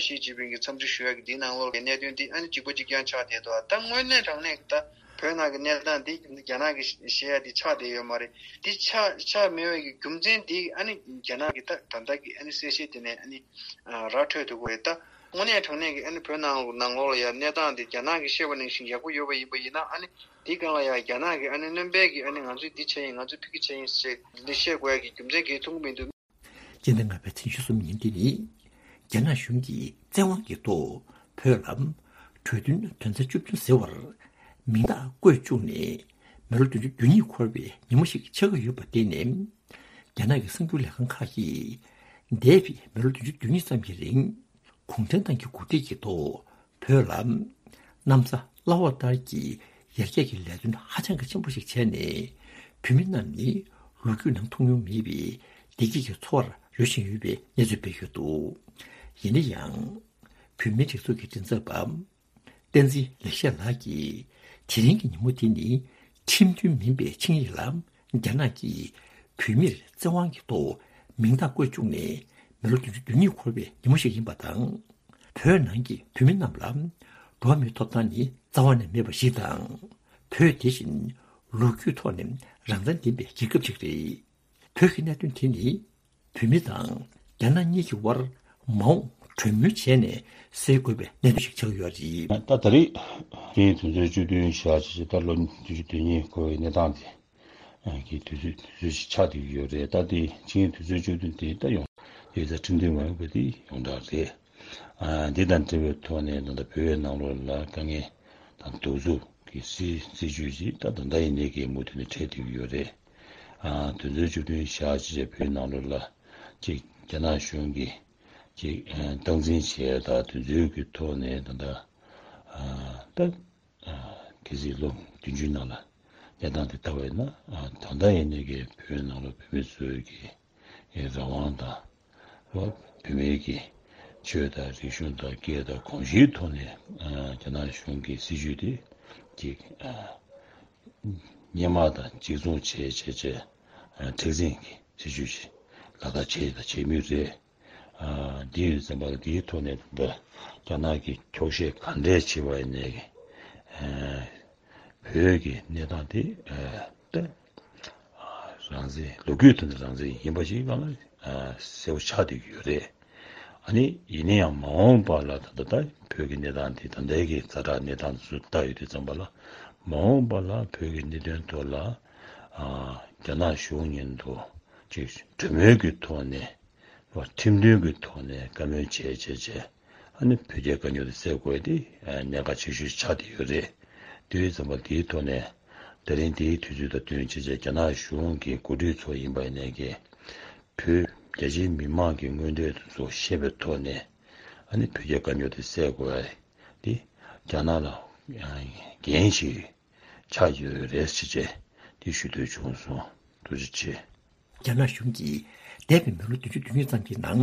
ཞི་ཅིན་ཕིང་གི་འཚམས་འདྲི་ཞུ་ཡ་གི་འདི་ནང་ལོགས་ཀྱི་གནད་དོན་འདི་ཨ་ནི་གཅིག་པ་གཅིག་རྐྱང་ཆགས་བསྡད་འདུག་ད་དངོས་གནས་དྲང་གནས་ཀྱི་ད་བོད་ནང་གི་གནས་སྟངས་འདི་རྒྱ་ནག་གིས་བཤད་ཡ་འདི་ཆགས་བསྡད་ཡོད་མ་རེད། འདི་ཆགས་ཆགས་མེད་པའི་གི་རྒྱུ་མཚན་འདི་ཨ་ནི་རྒྱ་ནག་གི་ད་ད་ལྟ་གི་ཨ་ནི་གསལ་བཤད་དེ་ནས་ཨ་ནི་ར་འཕྲོད་ཐུབ་ཀྱི་རེད། ད་དངོས་གནས་དྲང་གནས་ཀྱི་ཨ་ནི་བོད་ནང་ནང་ལོགས་ལ་ཡ་གནས་སྟངས་འདི་རྒྱ་ནག་གིས་བཤད་པ་ནང་བཞིན་ཡག་པོ་ཡོད་པ་ཡིན་པ་ཡིན་ན་ཨ་ནི་འདི་སྒང་ལ་ཡ་རྒྱ་ནག་གིས་ཨ་ནི་སྣོན་པའི་གི་ཨ་ནི་ང་ཚོས་འདི་བྱས་ཡིན་ང་ཚོས་ཕ་གི་བྱས་ཡིན་ཞེས་འདི་བཤད་དགོས་ཡ་གི་རྒྱུ་མཚན་གང་ཡང་མཐོང་གི་མི་འདུག་སྤྱི་ཟླ་ལྔ་པའི་ཚེས་ཉི་ཤུ་གསུམ་ཉིན་འདི་ནི་རྒྱ་ནག་གཞུང་གིས་བཙན་དབང་གི་ཐོག་བོད་ལ་གྲོས་མཐུན་དོན་ཚན་བཅུ་བདུན་ཟེར་བར་མིང་རྟགས་བཀོད་བཅུག་ནས་མི་ལོ་བདུན་ཅུ་དོན་གཉིས་འཁོར་བའི་ཉིན་མོ་ཞིག་ཆགས་ཀྱི་ཡོད་པ་དེ་ནི། རྒྱ་ནག་གི་གསར་འགྱུར་ལས་ཁང་ཁག་གིས་འདས་པའི་མི་ལོ་བདུན་ཅུ་དོན་གཉིས་ཙམ་གྱི་རིང་གུང་ཁྲན་ཏང་གི་འགོ་ཁྲིད་ཀྱི་ཐོག་བོད་ལ་གནམ་ས་བླ་འོག་ལྟར་གྱི་ཡར་རྒྱས་ཀྱི་ལས་དོན་ཧ་ཅང་གི་ཆེན་པོ་ཞིག་བྱས་ནས་བོད་མི་རྣམས་ནི་ལོ་རྒྱུས་ནང་མཐོང་མྱོང་མེད་པའི་བདེ་སྐྱིད་ཀྱི་འཚོ་བར་རོལ་བཞིན་ཡོད་པའི་གནས་ཚུལ་སྤེལ་ཡོད་འདུག་ཡིན་ན་ཡང་། བོད་མིའི་སྒྲིག་འཛུགས་ཀྱི་མགྲིན་ཚབ་པ། བསྟན་འཛིན་ལེགས་བཤད་ལགས་ཀྱིས་དེ་རིང་གི་ཉིན་མོ་དེ་ནི་ཁྲིམས་མཐུན་མིན་པའི་ཆིངས་ཡིག་ལ་རྒྱ་ནག་གིས་བོད་མིར་བཙན་དབང་གི་ཐོག་མིང་རྟགས་བཀོད་བཅུག་ནས་མི་ལོ་བདུན་ཅུ་དོན་གཉིས་འཁོར་བའི་ཉིན་མོ་ཞིག་ཡིན་པ་དང་། བོད་ནང་གི་བོད་མི་རྣམས་ལ་འགྲོ་བ་མིའི་ཐོབ་ཐང་ནི་རྩ་བ་ནས་མེད་པ་ཞིག་དང་། བོད་དེ་བཞིན་ལོ་རྒྱུས་ཐོག་ནས་རང་བཙན་ལྡན་པའི་རྒྱལ་ཁབ་ཅིག་རེད། བོད་ཀྱི་གནད་དོན་དེ་ནི་བོད་མི་དང་རྒྱ་ནག་གཉིས་ཀྱི་དབར་མ་འོངས་གྲོས་མོལ་བྱས་ནས་སེལ་དགོས་པའི་གནད་དོན་ཞིག་ཆགས་ཡོད་རེད། ད་ད་རེས་ཆིངས་ཡིག་དོན་ཚན་བཅུ་བདུན་བཞག་བྱས་ད་ལོ་བདུན་ཅུ་དོན་གཉིས་འཁོར་བའི་གནས་སྟངས་དེ་གི་དུས་ཚོད་དུས་ཚོད་ཞིག་ཆགས་བསྡད་ཡོད་རེད། ད་དེ་ཆིངས་ཡིག་དོན་ཚན་བཅུ་བདུན་དེ་ད་ཡོང་དེ་ད་ཁྲིམས་མཐུན་མ་ཡིན་པ་དེ་ཡོངས་གྲགས་རེད། འདི་དང་འབྲེལ་བའི་ཐོག་ནས་ད་ལྟ་བོད་ནང་ལོགས་ལ་དཀའ་ངལ་དང་གདུག་རྩུབ་ཀྱི་སྲིད་སྲིད་བྱུས་ཤིག་ད་ད་ལྟ་ཡིན་ནའི་གི་མུ་མཐུད་ནས་འཕྲད་བསྡད་ཀྱི་ཡོད་རེད། ཨ་དོན་ཚན་བཅུ་བདུན་བཞག་ཅེས་བོད་ནང་ལོགས་ལ་ཅིག་རྒྱ་ནག་གཞུང་གིས་ཅིག་ཨ་སྟངས་འཛིན་བྱས་ད་དོན་ཚན་གྱི་ཐོག་ནས་ད་ལྟ་ཨ་ད་ཨ་གལ་སྲིད་ལོ་བདུན་ཅུའི་ནང་ལ་གནས་སྟངས་དེ་ལྟ་བས་ན་ཨ་ད་ལྟ་ཡིན་ནའི་གི་བོད་ནང་ལ་བོད་མི་ཚོའི་གི་རང་དབང་དང་། བོད་མིའི་གི་ཆོས་དང་རིག་གཞུང་དང་སྐད་དང་གོམས་གཤིས་ཐོག་ནས་ཨ་རྒྱ་ནག་གཞུང་གི་སྲིད་བྱུས་དེ་ཅིག་ཨ་སྔོན་མ་དང་གཅིག་མཚུངས་བྱས་བྱས་བྱས་ཨ་མཁྲེགས་འཛིན་གྱི་སྲིད་བྱུས་ཤིག་ལག་བསྟར་བྱས་དང་བྱེད་མུས་རེད། ཨ་འདི་ཡོད་ཙམ་པ་ལ་འདིའི་ཐོག་ནས་འདི་རྒྱ་ནག་གི་འཁྱོག་བཤད་ག་འདྲས་བྱས་པ་ཡིན་ནའི་ཨ་བོད་ཀྱི་གནས་སྟངས་དེ་ཨ་ད་རང་བཙན་ལོ་རྒྱུས་ཐོག་ནས་རང་བཙན་ཡིན་པ་ཞིག་ལ་གསལ་པོ་ཆགས་བསྡད་ཀྱི་ཡོད་རེད། ཨ་ནི་ཡིན་ན་ཡང་མ་འོངས་པ་ལ་ད་ལྟ་ད་བོད་ཀྱི་གནས་སྟངས་དེ་ད་ལྟའི་གི་ཛ་དྲག་གནས་སྟངས་ཚོ་ལྟ་ཡོད་དུས་ཙམ་པ་ལ་མ་འོངས་པ་ལ་བོད་ཀྱི་གནད་དོན་ཐོག་ལ་ཨ་རྒྱ་ནག་གཞུང་མཉམ་དུ་ཅིག་གྲོས་མོལ་གྱི་ཐོག་ནས། ཁྲིམས་མཐུན་གྱི་ཐོག་ནས་བཀའ་མོལ་བྱས་བྱས་བྱས་ཨ་ནི་བོད་རྒྱའི་དཀའ་རྙོག་དེ་སེལ་དགོས་དེ་གནད་འགག་ཆེ་ཤོས་ཆགས་བསྡད་ཡོད་རེད། དེ་ཡོད་ཙམ་པ་དེའི་ཐོག་ནས་ད་རིང་དེའི་དུས་ཚོད་དང་བསྟུན་བྱས་བྱས་རྒྱ་ནག་གཞུང་གི་འགོ་ཁྲིད་ཚོ་ཡིན་པ་ཡིན་ནའི་གི་བོད་རྒྱ་ཆེའི་མི་མང་གི་མངོན་འདོད་དེ་ཚོ་ཤེས་པའི་ཐོག་ནས་ཨ་ནི་བོད་རྒྱའི་དཀའ་རྙོག་དེ་སེལ་དགོས་དེ་རྒྱ་ནག་ལ་འགན་ཞིག་ཆགས་ཡོད་རེད་ཟེར་བྱས་དེ་ཞུ་འདོད་བྱུང་སོང་། ཐུགས་རྗེ་ཆེ། རྒྱ་ནག་གཞུང་གིས་འདས་པའི་མི་ལོ་བདུན་ཅུ་དོན་གཉིས་ཙམ་གྱི་ནང་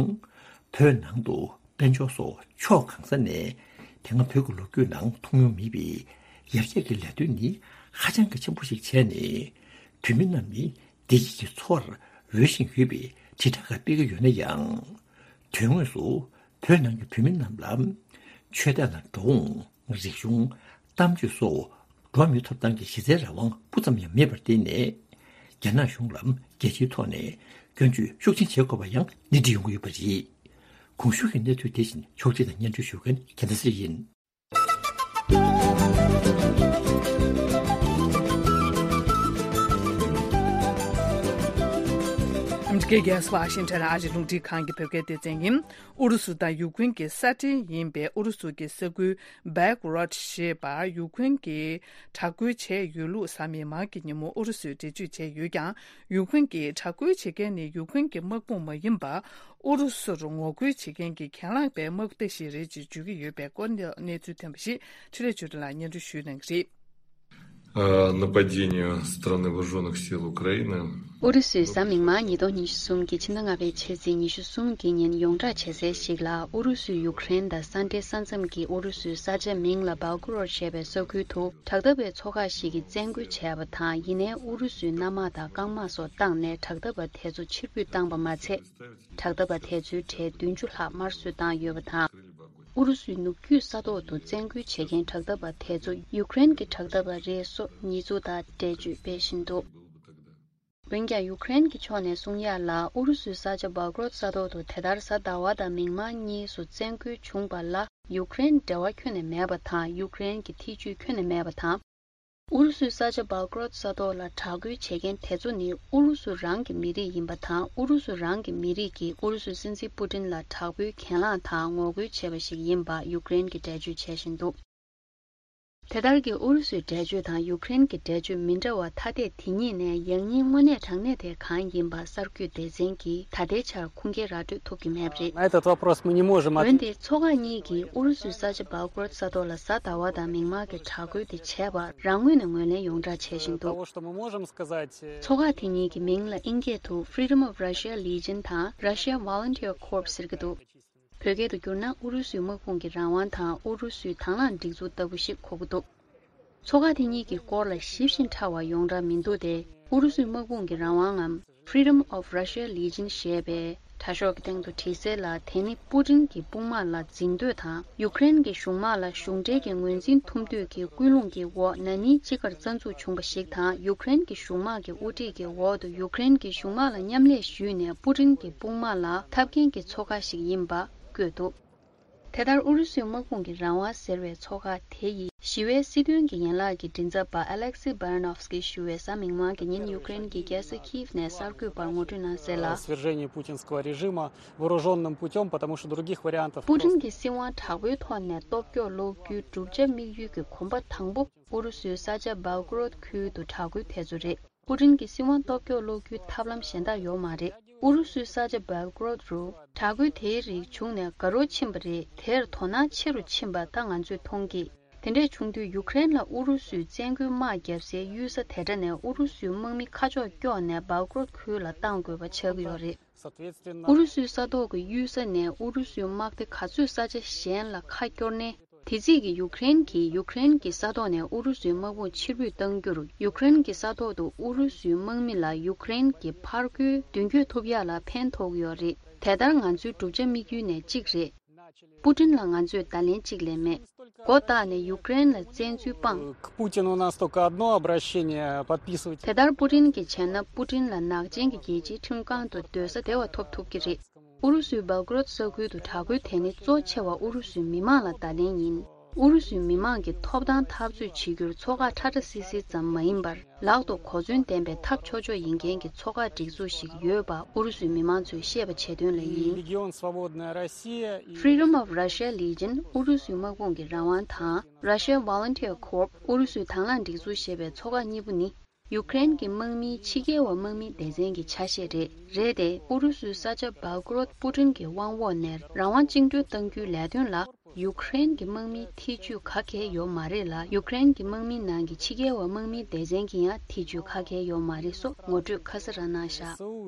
བོད་ནང་དུ་དཔལ་འབྱོར་སོགས་ཕྱོགས་གང་ས་ནས་དེ་སྔ་བོད་ཀྱི་ལོ་རྒྱུས་ནང་མཐོང་མྱོང་མེད་པའི་ཡར་རྒྱས་ཀྱི་ལས་དོན་ནི་ ཧ་ཅང་གི་ཆེན་པོ་ཞིག་བྱས་ནས། བོད་མི་རྣམས་ནི་བདེ་སྐྱིད་ཀྱི་འཚོ་བར་འོས་ཤིང་ཡོད་པའི་དྲིལ་བསྒྲགས་ཁག་སྤེལ་གྱི་ཡོད་ན་ཡང་། དོན་དངོས་སུ་བོད་ནང་གི་བོད་མི་རྣམས་ལ་ཆོས་དད་དང་འགྲོ་འོང་། རིག་གཞུང་། གཏམ་བརྗོད་སོགས་འགྲོ་བ་མིའི་ཐོབ་ཐང་གི་གཞི་རྩའི་རང་དབང་སྤུ་ཙམ་ཡང་མེད་པར་བརྟེན་ནས། རྒྱ་ནག་གཞུང་ལ་རྒྱལ་སྤྱིའི་ཐོག་ནས་སྐྱོན་བརྗོད་ཤུགས་ཆེན་བྱེད་དགོས་པ་ཡང་སྣེ་ཁྲིད་ཡོང་གི་ཡོད་པ་རེད། གོང་ཞུས་ཀྱི་གནས་ཚུལ་དེ་བཞིན་ཕྱོགས་སྒྲིག་དང་སྙན་སྒྲོན་ཞུ་མཁན་རྒྱལ་མཚན་ཚེ་རིང་ཡིན། ཨ་མི་རི་ཀའི་རྒྱལ་ས་ཝ་ཤིང་ཊོན་ཨ་རིའི་རླུང་འཕྲིན་ཁང་གི་བོད་སྐད་སྡེ་ཚན་ཡིན། ཨུ་རུ་སུ་དང་ཡུཀ་རེན་གྱི་ས་འབྲེལ་ཡིན་པའི་ཨུ་རུ་སུ་གྱི་ས་ཁུལ་སྦེལ་ཀོ་རོད་ཞེས་པར་ཡུཀ་རེན་གྱིས་དྲག་རྒོལ་བྱས་ཡོད་ལུགས་གཟའ་མིག་དམར་གྱི་ཉིན་མོ་ཨུ་རུ་སུས་འགྲེལ་བརྗོད་བྱས་ཡོད་ཀྱང་། ཡུཀ་རེན་གྱིས་དྲག་རྒོལ་བྱེད་མཁན་ནི་ཡུཀ་རེན་གྱི་དམག་དཔུང་མ་ཡིན་པར། ཨུ་རུ་སུར་ངོ་རྒོལ་བྱེད་མཁན་གྱི་གྱེན་ལངས་པའི་དམག་སྡེ་ཞིག་རེད་ཅེས་བརྗོད་ཀྱི་ཡོད་པའི་སྐོར་གནས་ཚུལ་ཐོན་པ་ཞིག་འཕྲིན་ལས་ཆོས་སྒྲོན་ལགས་སྙན་སྒྲོན་ཞུ་གནང་གི་རེད། Э, нападение со стороны вооружённых сил Украины. ཨུ་རུ་སུས་གཟའ་མིག་དམར་ཉིས་སྟོང་ཉི་ཤུ་གསུམ་གྱི་ཕྱི་ཟླ་ལྔ་པའི་ཕྱི་ཚེས་ཉི་ཤུ་གསུམ་གྱི་ཉིན་ཡོངས་བསྒྲགས་བྱེད་གསལ་ཞིག་ལ། ཨུ་རུ་སུས་ཡུཀ་རེན་དང་ས་འབྲེལ་ས་མཚམས་ཀྱི་ཨུ་རུ་སུའི་ས་ཆ་མིང་ལ་སྦེལ་ཀོ་རོད་ཞེས་པའི་ས་ཁུལ་དུ་དྲག་འཐབ་པའི་ཚོགས་ཁག་ཞིག་གིས་བཙན་རྒོལ་བྱས་པ་དང་། ཡིན་ནའི་ཨུ་རུ་སུས་གནམ་དམག་དང་རྐང་དམག་སོགས་བཏང་ནས་དྲག་འཐབ་པ་དེ་ཚོ་ཕྱིར་འབུད་བཏང་པ་མ་ཚད། དྲག་འཐབ་པ་དེ་ཚོའི་གྲས་བདུན་ཅུ་ལྷག་དམར་གསོད་བཏང་ཡོད་པ་དང་། ཨུ་རུ་སུའི་ནུབ་རྒྱུད་ས་ཐོག་ཏུ་བཙན་རྒོལ་བྱེད་མཁན་དྲག་འཐབ་པ་དེ་ཚོ་ཡུཀ་རེན་གྱི་དྲག་འཐབ་པ་རེད་སོགས་ཉེས་འཛུགས་དང་འགྲེལ་བརྗོད་སྤེལ་བཞིན་འདུག་འོན་ཀྱང་ཡུཀ་རེན་གྱི་ཕྱོགས་ནས་གསུང་ཡག་ལ། ཨུ་རུ་སུའི་ས་ཆ་སྦེལ་ཀོ་རོད་ས་ཐོག་ཏུ་དེ་ལྟར་གཟའ་ཟླ་བ་དང་མིག་དམར་གཉིས་སུ་བཙན་རྒོལ་བྱུང་བ་ལ་ཡུཀ་རེན་འབྲེལ་བ་ཁྱོན་ནས་མེད་པ་དང་། ཡུཀ་རེན་གྱི་ཐེ་ཇུས་ཁྱོན་ནས་མེད་པ་དང་། ཨུ་རུ་སུའི་ས་ཆ་སྦེལ་ཀོ་རོད་ས་ཐོག་ལ་དྲག་རྒོལ་བྱེད་མཁན་དེ་ཚོ་ནི་ཨུ་རུ་སུ་རང་གི་མི་རིགས་ཡིན་པ་དང་། ཨུ་རུ་སུ་རང་གི་མི་རིགས་ཀྱིས་ཨུ་རུ་སུའི་སྲིད་འཛིན་པུ་ཏིན་ལ་དྲག་པོའི་གྱེན་ལངས་དང་ངོ་རྒོལ་བྱས་པ་ཞིག་ཡིན་པ་ཡུཀ་རེན་གྱིས་འགྲེལ་བརྗོད་བྱེད་བཞིན་འདུག་དེ་ལྟར་གྱི་ཨུ་རུ་སུའི་འགྲེལ་བརྗོད་དང་ཡུཀ་རེན་གྱི་འགྲེལ་བརྗོད་མི་འདྲ་བ་ཐ་དད་དེ་གཉིས་ནས་ཡང་སྙིང་དངོས་གནས་དྲང་གནས་དེ་གང་ཡིན་པ་གསར་འགོད་སྡེ་ཚན་གྱིས་ད་ལྟའི་ཆར་ཁུངས་སྐྱེལ་ར་སྤྲོད་ཐུབ་ཀྱི་མེད་པ་རེད། На этот вопрос мы не можем ответить. འོན་ཏེ་ཚོགས་ཁག་གཉིས་ཀྱིས་ཨུ་རུ་སུའི་ས་ཆ་སྦེལ་ཀོ་རོད་ས་ཐོག་ལ་གཟའ་ཟླ་བ་དང་མིག་དམར་གྱི་དྲག་རྒོལ་དེ་བྱས་པར་རང་ངོས་ནས་ངོས་ལེན་ཡོངས་གྲགས་བྱེད་བཞིན་འདུག Того, что мы можем сказать, э, ཚོགས་ཁག་དེ་གཉིས་ཀྱི་མིང་ལ་ཨིན་སྐད་དུ་Freedom of Russia Legion དང་Russia Volunteer Corps ཟེར་གྱི་འདུག་བོད་སྐད་དུ་བསྒྱུར་ན་ཨུ་རུ་སུའི་དམག་དཔུང་གི་རང་དབང་དང་ཨུ་རུ་སུའི་དང་བླངས་སྒྲིག་འཛུགས་ལྟ་བུ་ཞིག་གོ་གི་འདུག་ཚོགས་ཁག་དེ་གཉིས་ཀྱི་སྐོར་ལ་ཞིབ་ཅིང་ཕྲ་བ་ཡོངས་གྲགས་མི་འདུག་སྟེ། ཨུ་རུ་སུའི་དམག་དཔུང་གི་རང་དབང་ངམ་Freedom of Russia Legion ཞེས་པའི་དྲ་ཤོག་གི་སྟེང་དུ་བྲིས་གསལ་ལ། དེ་ནི་པུ་ཏིན་གྱི་དཔུང་དམག་ལ་འཛིང་འདོད་དང་། ཡུཀ་རེན་གྱི་གཞུང་དམག་ལ་གཞུང་འབྲེལ་གྱི་ངོས་འཛིན་ཐུབ་འདོད་ཀྱི་ཀུན་སློང་གི་འོག་ན་ནིང་དཔྱིད་ཀར་རྩ་འཛུགས་བྱུང་བ་ཞིག་དང་། ཡུཀ་རེན་གྱི་གཞུང་དམག་གི་དབུ་ཁྲིད་ཀྱི་འོག་ཏུ་ཡུཀ་རེན་གྱི་གཞུང་དམག་ལ་མཉམ་ལས་ཞུས་ནས་པུ་ཏིན་གྱི་དཔུང་དམག་ལ་འཐབ་མཁན་གྱི་ཚོགས་ཁག་ཞིག་ཡིན་པ་བཀོད་འདུག་དེ་ལྟར་ཨུ་རུ་སུའི་དམག་དཔུང་གི་རང་དབང་ཟེར་བའི་ཚོགས་ཁག་དེ་ཡིས་ཞི་བའི་སྲིད་དོན་གྱི་ཡན་ལག་གི་མགྲིན་ཚབ་པ་Alexei Baranovsky ཞུ་བས་གཟའ་མིག་དམར་གྱི་ཉིན་ཡུཀ་རེན་གྱི་རྒྱལ་ས་Kyiv ནས་གསར་འགོད་པར་ངོ་སྤྲོད་གནང་གསལ་ལ། Свержение путинского режима вооружённым путём, потому что других вариантов просто. པུ་ཏིན་གྱི་སྲིད་དབང་དྲག་པོའི་ཐོག་ནས་སྟོབས་སྐྱོང་སློག་རྒྱུའི་བསྒྲུབ་བྱ་དམིགས་ཡུལ་གྱི་གོམ་པ་དང་པོ་ཨུ་རུ་སུའི་ས་ཆ་སྦེལ་ཀོ་རོད་ཁུལ་དུ་དྲག་རྒོལ་དེ་ཚོ་རེད། པུ་ཏིན་གྱི་སྲིད་དབང་སྟོབས་སྐྱོང་སློག་རྒྱུའི་ཐབས་ལམ་གཞན་དག་ཡོད་མ་རེད། ཨུ་རུ་སུའི་ས་ཆ་སྦེལ་ཀོ་རོད་རུ་དྲག་རྒོལ་དེའི་རིགས་བྱུང་ནས་དགའ་རབ་ཕྱིན་པ་རེད། དེར་དོ་སྣང་ཆེ་རུ་ཕྱིན་པ་ད་ང་ཚོས་མཐོང་གི། དེ་འདྲས་བྱུང་དུས་ཡུཀ་རེན་ལ་ཨུ་རུ་སུས་བཙན་རྒོལ་དམག་བརྒྱབ་སའི་གཡུལ་ས་དེ་འདྲ་ནས་ཨུ་རུ་སུའི་དམག་མི་ཁ་ཕྱོགས་སྐྱོག་ནས་སྦེལ་ཀོ་རོད་ཁུལ་ལ་གཏང་དགོས་པ་ཆགས་ཀྱི་ཡོད་རེད། ཨུ་རུ་སུའི་ས་ཐོག་གི་གཡུལ་ས་ནས་ཨུ་རུ་སུའི་དམག་སྡེ་ག་ཚོད་ས་ཆ་གཞན་ལ་ཁ་སྐྱོར་ནས། དེ་རྗེས་ཀྱི་ཡུཀ་རེན་གྱིས་ཡུཀ་རེན་གྱི་ས་ཐོག་ནས་ཨུ་རུ་སུའི་དམག་དཔུང་ཕྱིར་འབུད་གཏང་རྒྱུར། ཡུཀ་རེན་གྱི་ས་ཐོག་ཏུ་ཨུ་རུ་སུའི་དམག་མི་ལ་ཡུཀ་རེན་གྱི་ཕར་རྒོལ་མདུན་སྐྱོད་ཐུབ་ཡག་ལ་ཕན་ཐོགས་ཀྱི་ཡོད་རེད། དེ་ལྟར་ང་ཚོའི་བསྒྲུབ་བྱ་དམིགས་ཡུལ་ནས་གཅིག་རེད། པུ་ཏིན་ལ་ང་ཚོས་བརྡ་ལན་གཅིག་ལས་མེད། མགོ་བཏགས་ནས་ཡུཀ་རེན་ལ་བཙན་འཛུལ་སྤངས། К Путину у нас только одно обращение подписывать. དེ་ལྟར་པུ་ཏིན་གྱིས་བྱས་ན་པུ་ཏིན་ལ་ནག་ཅན་གྱི་རྒྱལ་སྤྱིའི་ཁྲིམས་ཁང་དུ་སྡོད་ས་བདེ་བ་ཐོབ་ཐུབ་ཀྱི་རེད། ཨུ་རུ་སུའི་སྦེལ་ཀོ་རོད་ས་ཁུལ་དུ་དྲག་རྒོལ་དེ་ནི་གཙོ་ཆེ་བ་ཨུ་རུ་སུའི་མི་མང་ལ་བརྡ་ལན་ཡིན། ཨུ་རུ་སུའི་མི་མང་གི་ཐོབ་ཐང་འཐབ་རྩོད་བྱེད་རྒྱུར་ཚོགས་ཁག་ཁྲ་ཁྲ་སིལ་སིལ་ཙམ་མ་ཡིན་པར། ལག་ཏུ་གོ་མཚོན་ལྡན་པའི་ཐབས་ཆོག་ཆོག་ཡིན་མཁན་གྱི་ཚོགས་ཁག་སྒྲིག་འཛུགས་ཤིག་ཡོད་པ་ཨུ་རུ་སུའི་མི་མང་ཚོས་ཤེས་པ་བྱེད་དོན་ལ་ཡིན། Легион Свободная Россия и Freedom of Russia Legion ཨུ་རུ་སུའི་དམག་དཔུང་གི་རང་དབང་དང་། Russia Volunteer Corps ཨུ་རུ་སུའི་དང་བླངས་སྒྲིག་འཛུགས་ཞེས་པའི་ཚོགས་ཁག་གཉིས་པོ་ནི། ཡུཀ་རེན་གྱི་དམག་མིའི་ཕྱི་རྒྱལ་བ་དམག་མི་སྡེ་ཚན་གྱི་ཆ་ཤས་རེད། རེད་དེ། ཨུ་རུ་སུའི་ས་ཆ་སྦེལ་ཀོ་རོད་པུ་ཏིན་གྱི་དབང་འོག་ནས་རང་དབང་བཅིངས་འགྲོལ་གཏང་རྒྱུའི་ལས་དོན་ལ་ཡུཀ་རེན་གྱི་དམག་མིའི་ཐེ་ཇུས་ག་གེ་ཡོད་མ་རེད་ལ། ཡུཀ་རེན་གྱི་དམག་མིའི་ནང་གི་ཕྱི་རྒྱལ་བ་དམག་མི་སྡེ་ཚན་གྱི་ཡང་ཐེ་ཇུས་ག་གེ་ཡོད་མ་རེད་སོགས་ངོ་སྤྲོད་ཁ་གསལ་རང་གནང་བཞག་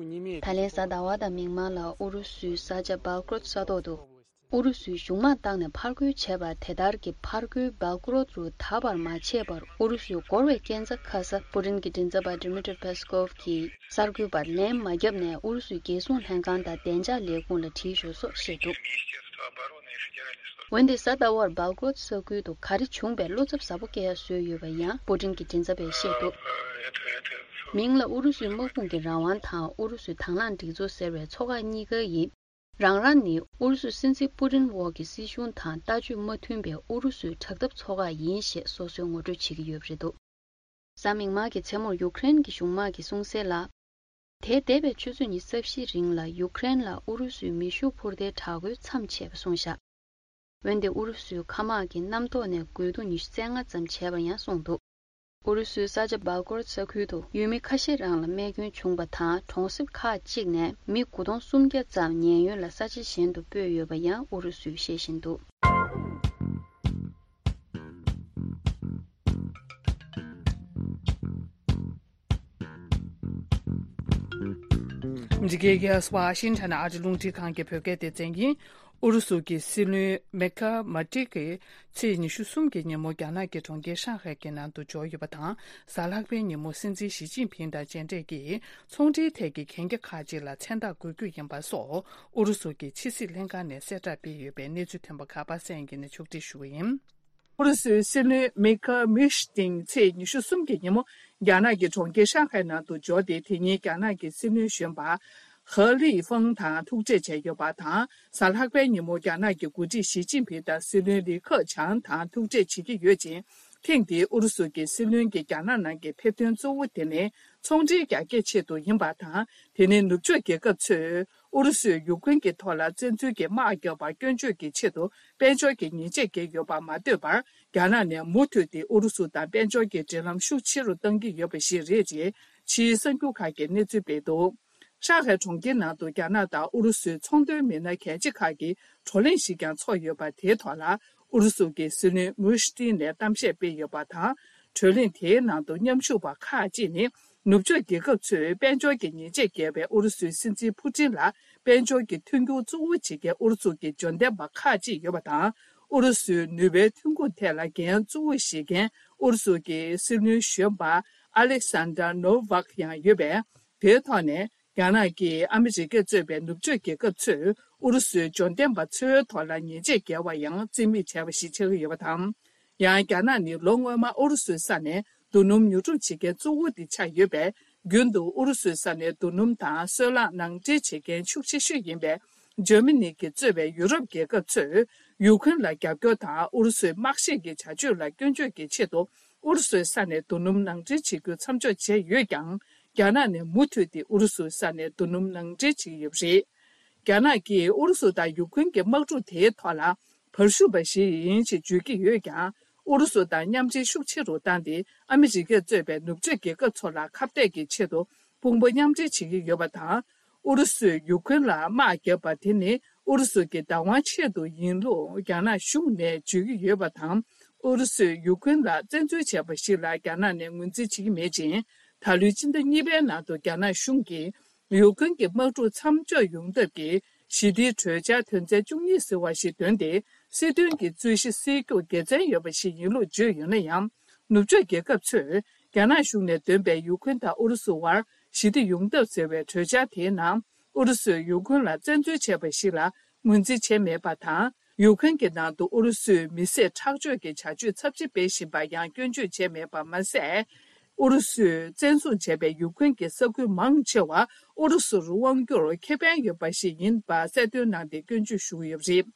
ད་ལན་གཟའ་ཟླ་བ་དང་མིག་དམར་ལ་ཨུ་རུ་སུའི་ས་ཆ་སྦེལ་ཀོ་རོད་ས་ཐོག་ཏུ། ཨུ་རུ་སུའི་གཞུང་དམག་བཏང་ནས་ཕར་རྒོལ་བྱས་པ་དེ་ལྟར་གྱི་ཕར་རྒོལ་སྦེལ་ཀོ་རོད་རུ་ད་བར་མ་བྱས་པར་ཨུ་རུ་སུས་འགོར་བའི་རྐྱེན་རྩ་ཁ་ས་པུ་ཏིན་གྱི་མགྲིན་ཚབ་པ་ཌི་མི་ཏྲི་པེ་སི་ཀོབ་ཀྱིས་གསར་འགོད་པར་ལན་མ་བརྒྱབ་ནས་ཨུ་རུ་སུའི་རྒྱལ་སྲུང་ལྷན་ཁང་དང་བདེ་འཇགས་ལས་ཁུངས་ལ་དྲིས་ཞུ་སོགས་བཤད་འདུག། འོན་ཏེ་གཟའ་ཟླ་བར་སྦེལ་ཀོ་རོད་ས་ཁུལ་དུ་ག་རེ་བྱུང་བའི་བློ་འཚབ་ཟབ་པོ་སྐྱེ་ཡ་བཟོས་ཡོད་པ་ཡང་པུ་ཏིན་གྱི་མགྲིན་ཚབ་པས་བཤད་འདུག། མིང་ལ་ཨུ་རུ་སུའི་དམག་དཔུང་གི་རང་དབང་དང་ཨུ་རུ་སུའི་དྭང་བླངས་སྒྲིག་འཛུགས་ཟེར་བའི་ཚོགས་ཁག་གཉིས་ཀ་ཡིན། རང་རང་ནི་ཨུ་རུ་སུའི་སྲིད་འཛིན་པུ་ཏིན་འོག་གི་སྲིད་གཞུང་དང་ལྟ་སྤྱོད་མ་མཐུན་པའི་ཨུ་རུ་སུའི་དྲག་འཐབ་ཚོགས་ཁག་ཡིན་ཞེས་སོ་སོས་ངོ་སྤྲོད་བྱེད་ཀྱི་ཡོད་པ་རེད་འདུག། གཟའ་མིག་དམར་གྱི་མཚན་མོར་ཡུཀ་རེན་གྱི་གཞུང་དམག་གིས་གསུངས་གསལ་ལ། དེའི་འདས་པའི་ཆུ་ཚོད་ཉི་ཤུ་རྩ་བཞིའི་རིང་ལ་ཡུཀ་རེན་ལ་ཨུ་རུ་སུའི་མེ་ཤུགས་འཕུར་མདེལ་དྲག་རྒོལ་མཚམས་ཆད་པ་གསུངས་བཞག། འོན་ཏེ་ཨུ་རུ་སུའི་མཁའ་དམག་གིས་གནམ་ཐོག་ནས་རྒོལ་རྡུང་ཉི་ཤུ་རྩ་ལྔ་ཙམ་བྱས་པ་ཡང་གསུངས་འདུག། ཨུ་རུ་སུའི་ས་ཆ་སྦེལ་ཀོ་རོད་ས་ཁུལ་དུ་ཡུལ་མི་ཁ་ཤས་རང་ལ་རྨས་སྐྱོན་བྱུང་བ་དང་གྲོང་གསེབ་ཁག་ཅིག་ནས་མི་དགུ་སྟོང་སུམ་བརྒྱ་ཙམ་ཉེན་གཡོལ་ལ་ས་ཆ་གཞན་དུ་སྤོས་ཡོད་པ་ཡང་ཨུ་རུ་སུས་བཤད་བཞིན་འདུག། འདི་གའི་གེ་སི་ཝ་ཤིང་ཊོན་ཨ་རི་རླུང་འཕྲིན་ཁང་གི་བོད་སྐད་སྡེ་ཚན་ཡིན། ཨུ་རུ་སུ་གྱི་སྲིད་བློན་མེ་ཁ་མ་ཏི་གིས་ཚེས་ཉི་ཤུ་གསུམ་གྱི་ཉིན་མོ་རྒྱ་ནག་གི་གྲོང་ཁྱེར་ཧྲང་ཧའེ་གྱི་ནང་དུ་འབྱོར་ཡོད་པ་དང་། གཟའ་ལྷག་པའི་ཉིན་མོ་སྲིད་འཛིན་ཞི་ཅིན་ཕིང་དང་མཇལ་འཕྲད་ཀྱིས་ཚོང་འབྲེལ་ཐད་ཀྱི་གན་རྒྱ་ཁག་ཅིག་ལ་མཚན་རྟགས་འགོད་རྒྱུ་ཡིན་པ་སོགས་ཨུ་རུ་སུ་གྱི་ཕྱི་སྲིད་ལྷན་ཁང་ནས་གསལ་བསྒྲགས་སྤེལ་ཡོད་པའི་གནས་ཚུལ་ཐོན་པ་ཁ་པ་སངས་སྐྱིད་ནས་ཕྱོགས་སྒྲིག་ཞུ་བ་ཡིན། ཨུ་རུ་སུའི་སྲིད་བློན་མེ་ཁ་མིཤ་ཏིང་ཚེས་ཉི་ཤུ་གསུམ་གྱི་ཉིན་མོ་རྒྱ་ནག་གི་གྲོང་ཁྱེར་ཧྲང་ཧའེ་ནང་དུ་འབྱོར་ཏེ། དེ་ཉིན་རྒྱ་ནག་གི་སྲིད་བློན་གཞོན་པ་ཧེ་ལི་ཧྥང་དང་ཐུག་འཕྲད་བྱས་ཡོད་པ་དང་། གཟའ་ལྷག་པའི་ཉིན་མོ་རྒྱ་ནག་གི་འགོ་ཁྲིད་ཞི་ཅིན་ཕིང་དང་སྲིད་བློན་ལི་ཁེ་ཆང་དང་ཐུག་འཕྲད་བྱེད་ཀྱི་ཡོད་ཅིང་། ཐེངས་འདིའི་ཨུ་རུ་སུ་གྱི་སྲིད་བློན་གྱི་རྒྱ་ནག་ནང་གི་ཕེབས་ཐོན་གཙོ་བོ་དེ་ནི་ཚོང་འབྲེལ་རྒྱ་སྐྱེད་ཆེད་དུ་ཡིན་པ་དང་། དེ་ནི་ནུབ་ཕྱོགས་རྒྱལ་ཁབ་ཚོས་ཨུ་རུ་སུས་ཡུཀ་རེན་གྱི་ཐོག་ལ་བཙན་འཛུལ་གྱི་དམག་བརྒྱབ་པར་སྐྱོན་བརྗོད་ཀྱི་ཆེད་དུ་དཔལ་འབྱོར་གྱི་ཉེས་ཆད་བཀལ་ཡོད་པ་མ་ལྟོས་པར། རྒྱ་ནག་ནས་མུ་མཐུད་དེ་ཨུ་རུ་སུ་དང་དཔལ་འབྱོར་གྱི་འབྲེལ་ལམ་ཤུགས་ཆེ་རུ་གཏང་གི་ཡོད་པ་ཞིག་རེད་ཅེས་ཕྱིའི་གསར་འགྱུར་ཁག་གིས་གནས་ཚུལ་སྤེལ་འདུག། ཧྲང་ཧའེ་གྲོང་ཁྱེར་ནང་དུ་རྒྱ་ནག་དང་ཨུ་རུ་སུའི་ཚོང་དོན་མི་སྣ་གལ་ཆེ་ཁག་གི་བགྲོ་གླེང་ཞིག་ཀྱང་ཚོགས་ཡོད་པ། དེའི་ཐོག་ལ་ཨུ་རུ་སུ་གྱི་སྲིད་བློན་མུ་ཤི་ཏིན་ནས་གཏམ་བཤད་སྤེལ་ཡོད་པ་དང་། བགྲོ་གླེང་དེའི་ནང་དུ་མཉམ་ཞུགས་པ་ཁག་ཅིག་ནི། ནུབ་ཕྱོགས་རྒྱལ་ཁབ་ཚོས་དཔལ་འབྱོར་གྱི་ཉེས་ཆད་བཀལ་བའི་ཨུ་རུ་སུའི་སྲིད་འཛིན་ཕུ་ཏིན་ལ་དཔལ་འབྱོར་གྱི་མཐུན་འགྱུར་གཙོ་བོ་བྱེད་མཁན་ཨུ་རུ་སུ་གྱི་འབྱོར་ལྡན་པ་ཁག་ཅིག་ཡོད་པ་དང་། ཨུ་རུ་སུའི་ནུས་པའི་ཐོན་ཁུངས་ཐད་ལ་འགན་གཙོ་བོ་བཞེས་མཁན་ཨུ་རུ་སུ་གྱི་སྲིད་བློན་གཞོན་པ་ཨ་ལེག་སན་དར་ནོ་ཝག་ཡང་ཡོད་པས། དེའི་ཐོག་ནས་རྒྱ་ནག་གིས་ཨ་མི་རི་ཀས་གཙོས་པའི་ནུབ་ཕྱོགས་རྒྱལ་ཁབ་ཚོས་ཨུ་རུ་སུའི་འབྱོར་ལྡན་པ་ཚོའི་ཐོག་ལ་ཉེས་ཆད་བཀལ་བ་ཡང་རྩིས་མེད་བྱས་པ་ཞིག་ཆགས་ཀྱི་ཡོད་པ་དང་། ཡང་རྒྱ་ནག་ནི་ལོ་སྔོན་མ་ཨུ་རུ་སུའི་ས་ནས་རྡོ་སྣུམ་ཉོ་སྒྲུབ་བྱེད་མཁན་གཙོ་བོ་དེ་ཆགས་ཡོད་པས། རྒྱུན་དུ་ཨུ་རུ་སུའི་ས་ནས་རྡོ་སྣུམ་དང་སོལ་རླངས་ནང་འདྲེན་བྱེད་མཁན་ཤུགས་ཆེ་ཤོས་ཡིན་པའི་འཇར་མ་ནི་གིས་གཙོས་པའི་ཡུ་རོབ་རྒྱལ་ཁབ་ཚོས་ཡུཀ་རེན་ལ་རྒྱབ་སྐྱོར་དང་ཨུ་རུ་སུའི་དམག་བཤེད་ཀྱི་བྱ་སྤྱོད་ལ་སྐྱོན་བརྗོད་ཀྱི་ཆེད་དུ་ཨུ་རུ་སུའི་ས་ནས་རྡོ་སྣུམ་ནང་འདྲེན་བྱེད་རྒྱུ་མཚམས་འཇོག་བྱས་ཡོད་ཀྱང་། རྒྱ་ནག་ནས་མུ་མཐུད་དེ་ཨུ་རུ་སུའི་ས་ནས་རྡོ་སྣུམ་ནང་འདྲེན་བྱེད་ཀྱི་ཡོད་པ་རེད། རྒྱ་ནག་གིས་ཨུ་རུ་སུ་དང་ཡུཀ་རེན་གྱི་དམག་འཁྲུག་དེའི་ཐོག་ལ་བར་ཞུགས་པ་ཞིག་ཡིན་ཞེས་བརྗོད་ཀྱི་ཡོད་ཀྱང་། ཨུ་རུ་སུ་དང་མཉམ་འབྲེལ་ཤུགས་ཆེ་རུ་བཏང་སྟེ། ཨ་མི་རི་ཀས་གཙོས་པའི་ནུབ་ཕྱོགས་རྒྱལ་ཁབ་ཚོ་ལ་ཁ་གཏད་ཀྱི་ཆེད་དུ་དཔུང་པ་མཉམ་འབྲེལ་བྱེད་ཀྱི་ཡོད་པ་དང་། ཨུ་རུ་སུས་ཡུཀ་རེན་ལ་དམག་བརྒྱབ་པ་དེ་ནི་ཨུ་རུ་སུ་གྱི་བདག་དབང་ཆེད་དུ་ཡིན་ལུགས་རྒྱ་ནག་གཞུང་ནས་བརྗོད་ཀྱི་ཡོད་པ་དང་། ཨུ་རུ་སུས་ཡུཀ་རེན་ལ་བཙན་འཛུལ་བྱས་པ་ཞིག་ལ་རྒྱ་ནག་ནས་ངོས་འཛིན་བྱེད་ཀྱི་མེད་ཅིང་། ད་ལོའི་སྤྱི་ཟླ་གཉིས་པའི་ནང་དུ་རྒྱ་ནག་གཞུང་གིས། ཡུཀ་རེན་གྱི་དམག་འཁྲུག་མཚམས་འཇོག་ཡོང་ཐབས་ཀྱི་ཞི་བདེའི་གྲོས་འཆར་དོན་ཚན་བཅུ་གཉིས་ཟེར་བ་ཞིག་བཏོན་ཏེ། སྲིད་དོན་གྱི་རྩོད་གཞི་སེལ་རྒྱུར་དགེ་མཚན་ཡོད་པ་ཞིག་ཡིན་ལུགས་བརྗོད་ཡོད་ན་ཡང་། ནུབ་ཕྱོགས་རྒྱལ་ཁབ་ཚོས་རྒྱ་ནག་གཞུང་ནས་འདོན་པའི་ཡུཀ་རེན་དང་ཨུ་རུ་སུ་བར་ཞི་བདེ་ཡོང་ཐབས་ཟེར་བའི་གྲོས་འཆར་དེའི་ནང་། ཨུ་རུ་སུས་ཡུཀ་རེན་ལ་བཙན་འཛུལ་བྱས་པ་ཞིག་ལ་ངོས་འཛིན་བྱས་མེད་པ་དང་། ཡུཀ་རེན་གྱི་ནང་དུ་ཨུ་རུ་སུས་མི་བསད་ཁྲག་སྦྱོར་གྱི་བྱ་སྤྱོད་ཚབས་ཆེ་སྤེལ་བཞིན་པར་ཡང་སྐྱོན་བརྗོད་བྱས་མེད་པ་མ་ཟད། ཨུ་རུ་སུས་བཙན་བཟུང་བྱས་པའི་ཡུཀ་རེན་གྱི་ས་ཁུལ་མང་ཆེ་བ་ཨུ་རུ་སུར་དབང་སྒྱུར་ཁེ་ཕན་ཡོད་པ་ཞིག་ཡིན་པ་གསལ་སྟོན་གནང་སྟེ་སྐྱོན་བརྗོད་ཞུ་གི་ཡོད་པ་རེད།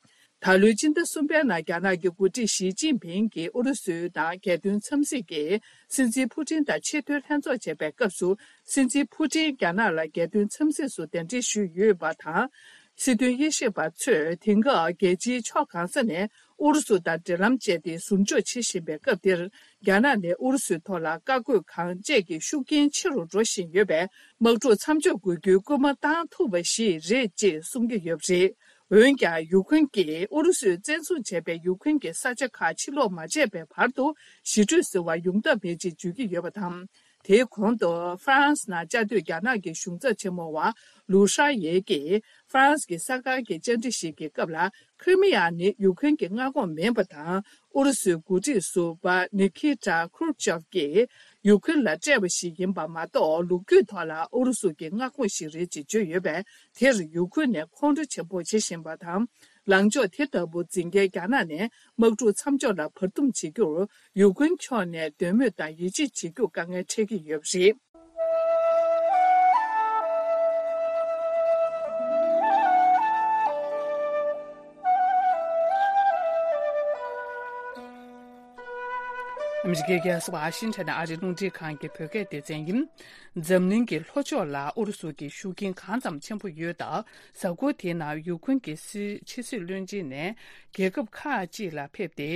ད་ལོའི་སྤྱི་ཟླ་གསུམ་པའི་ནང་རྒྱ་ནག་གི་འགོ་ཁྲིད་ཞི་ཅིན་ཕིང་གིས་ཨུ་རུ་སུ་དང་རྒྱལ་དོན་འཚམས་གཟིགས་ཀྱི་སྲིད་འཛིན་ཕུ་ཏིན་དང་ཆེས་མཐོའི་ལྷན་ཚོགས་བྱས་པའི་སྐབས་སུ། སྲིད་འཛིན་ཕུ་ཏིན་རྒྱ་ནག་ལ་རྒྱལ་དོན་འཚམས་གཟིགས་སུ་གདན་འདྲེན་ཞུས་ཡོད་པ་དང་། སྲིད་དོན་དབྱེ་ཞིབ་པ་ཚོས་དེང་སྐབས་རྒྱལ་སྤྱིའི་ཕྱོགས་གང་ས་ནས་ཨུ་རུ་སུ་དང་འབྲེལ་ལམ་བཅད་དེ་ཟུར་འཇོག་བྱེད་བཞིན་པའི་སྐབས་འདིར། རྒྱ་ནག་ནས་ཨུ་རུ་སུའི་ཐོག་ལ་བཀའ་བཀོད་གང་བཅས་ཀྱི་ཤུགས་རྐྱེན་ཆེ་རུ་འགྲོ་བཞིན་ཡོད་པས། དམག་འཁྲུག་མཚམས་འཇོག་དགོས་རྒྱུའི་སྐུལ་མ་བཏང་ཐུབ་པ་ཞིག་རེད་ཅེས་གསུང་གི་ཡོད་པ་རེད། འོན་ཀྱང་། ཡུཀ་རེན་གྱིས་ཨུ་རུ་སུས་བཙན་བཟུང་བྱས་པའི་ཡུཀ་རེན་གྱི་ས་ཆ་ཁག་ཕྱིར་སློག་མ་བྱས་པའི་བར་དུ། ཞི་གྲོས་ཟེར་བ་ཡོང་ཐབས་མེད་ཅེས་བརྗོད་ཀྱི་ཡོད་པ་དང་། དེའི་གོང་དུ་ཧྥ་རན་སི་ནང་བཅའ་སྡོད་རྒྱ་ནག་གི་གཞུང་ཚབ་ཆེན་མོ་བ་ལུའུ་ཧྲ་ཡེ་གིས་ཧྥ་རན་སི་གི་གསར་ཁང་གི་བཅར་འདྲི་ཞིག་གི་སྐབས་ལ། ཁི་རི་མི་ཡ་ནི་ཡུ་ཁུན་གྱི་མངའ་ཁོངས་མིན་པ་དང་། ཨུ་རུ་སུའི་འགོ་ཁྲིད་ཟུར་པ་ནི་ཁི་ཏྲ་ཁུར་ཆོབ་ཀྱིས་ཡུ་ཁུན་ལ་སྤྲད་པ་ཞིག་ཡིན་པ་མ་གཏོགས། ལོ་རྒྱུས་ཐོག་ལ་ཨུ་རུ་སུ་གི་མངའ་ཁོངས་ཤིག་རེད་ཅེས་བརྗོད་ཡོད་པས། དེར་ཡུ་ཁུན་ནས་ཁོང་ཁྲོ་ཆེན་པོ་བྱེད་བཞིན་པ་དང་། ལངས་ཕྱོགས་དེ་ལྟ་བུ་འཛིན་མཁན་རྒྱ་ནག་ནས་དམག་འཁྲུག་མཚམས་འཇོག་ལ་བར་འདུམ་བྱེད་རྒྱུར་ཡུ་ཁུན་ཕྱོགས་ནས་འདོད་མོས་དང་ཡིད་ཆེས་བྱེད་རྒྱུར་དཀའ་ངལ་འཕྲད་ཀྱི་ཡོད་པ་རེད། ཨ་མི་རི་ཀའི་རྒྱལ་ས་ཝ་ཤིང་ཊོན་ནས་ཨ་རིའི་རླུང་འཕྲིན་ཁང་གི་བོད་སྐད་སྡེ་ཚན་ཡིན། འཛམ་གླིང་གི་ལྷོ་ཕྱོགས་ལ་ཨུ་རུ་སུ་གི་ཤུགས་རྐྱེན་གང་ཙམ་ཆེན་པོ་ཡོད་སྟབས། གཟའ་འཁོར་དེའི་ནང་ཡུ་ཁུན་གྱི་སྲིད་ཕྱི་སྲིད་བློན་ཆེན་ནས་རྒྱལ་ཁབ་ཁག་ཅིག་ལ་ཕེབས་ཏེ།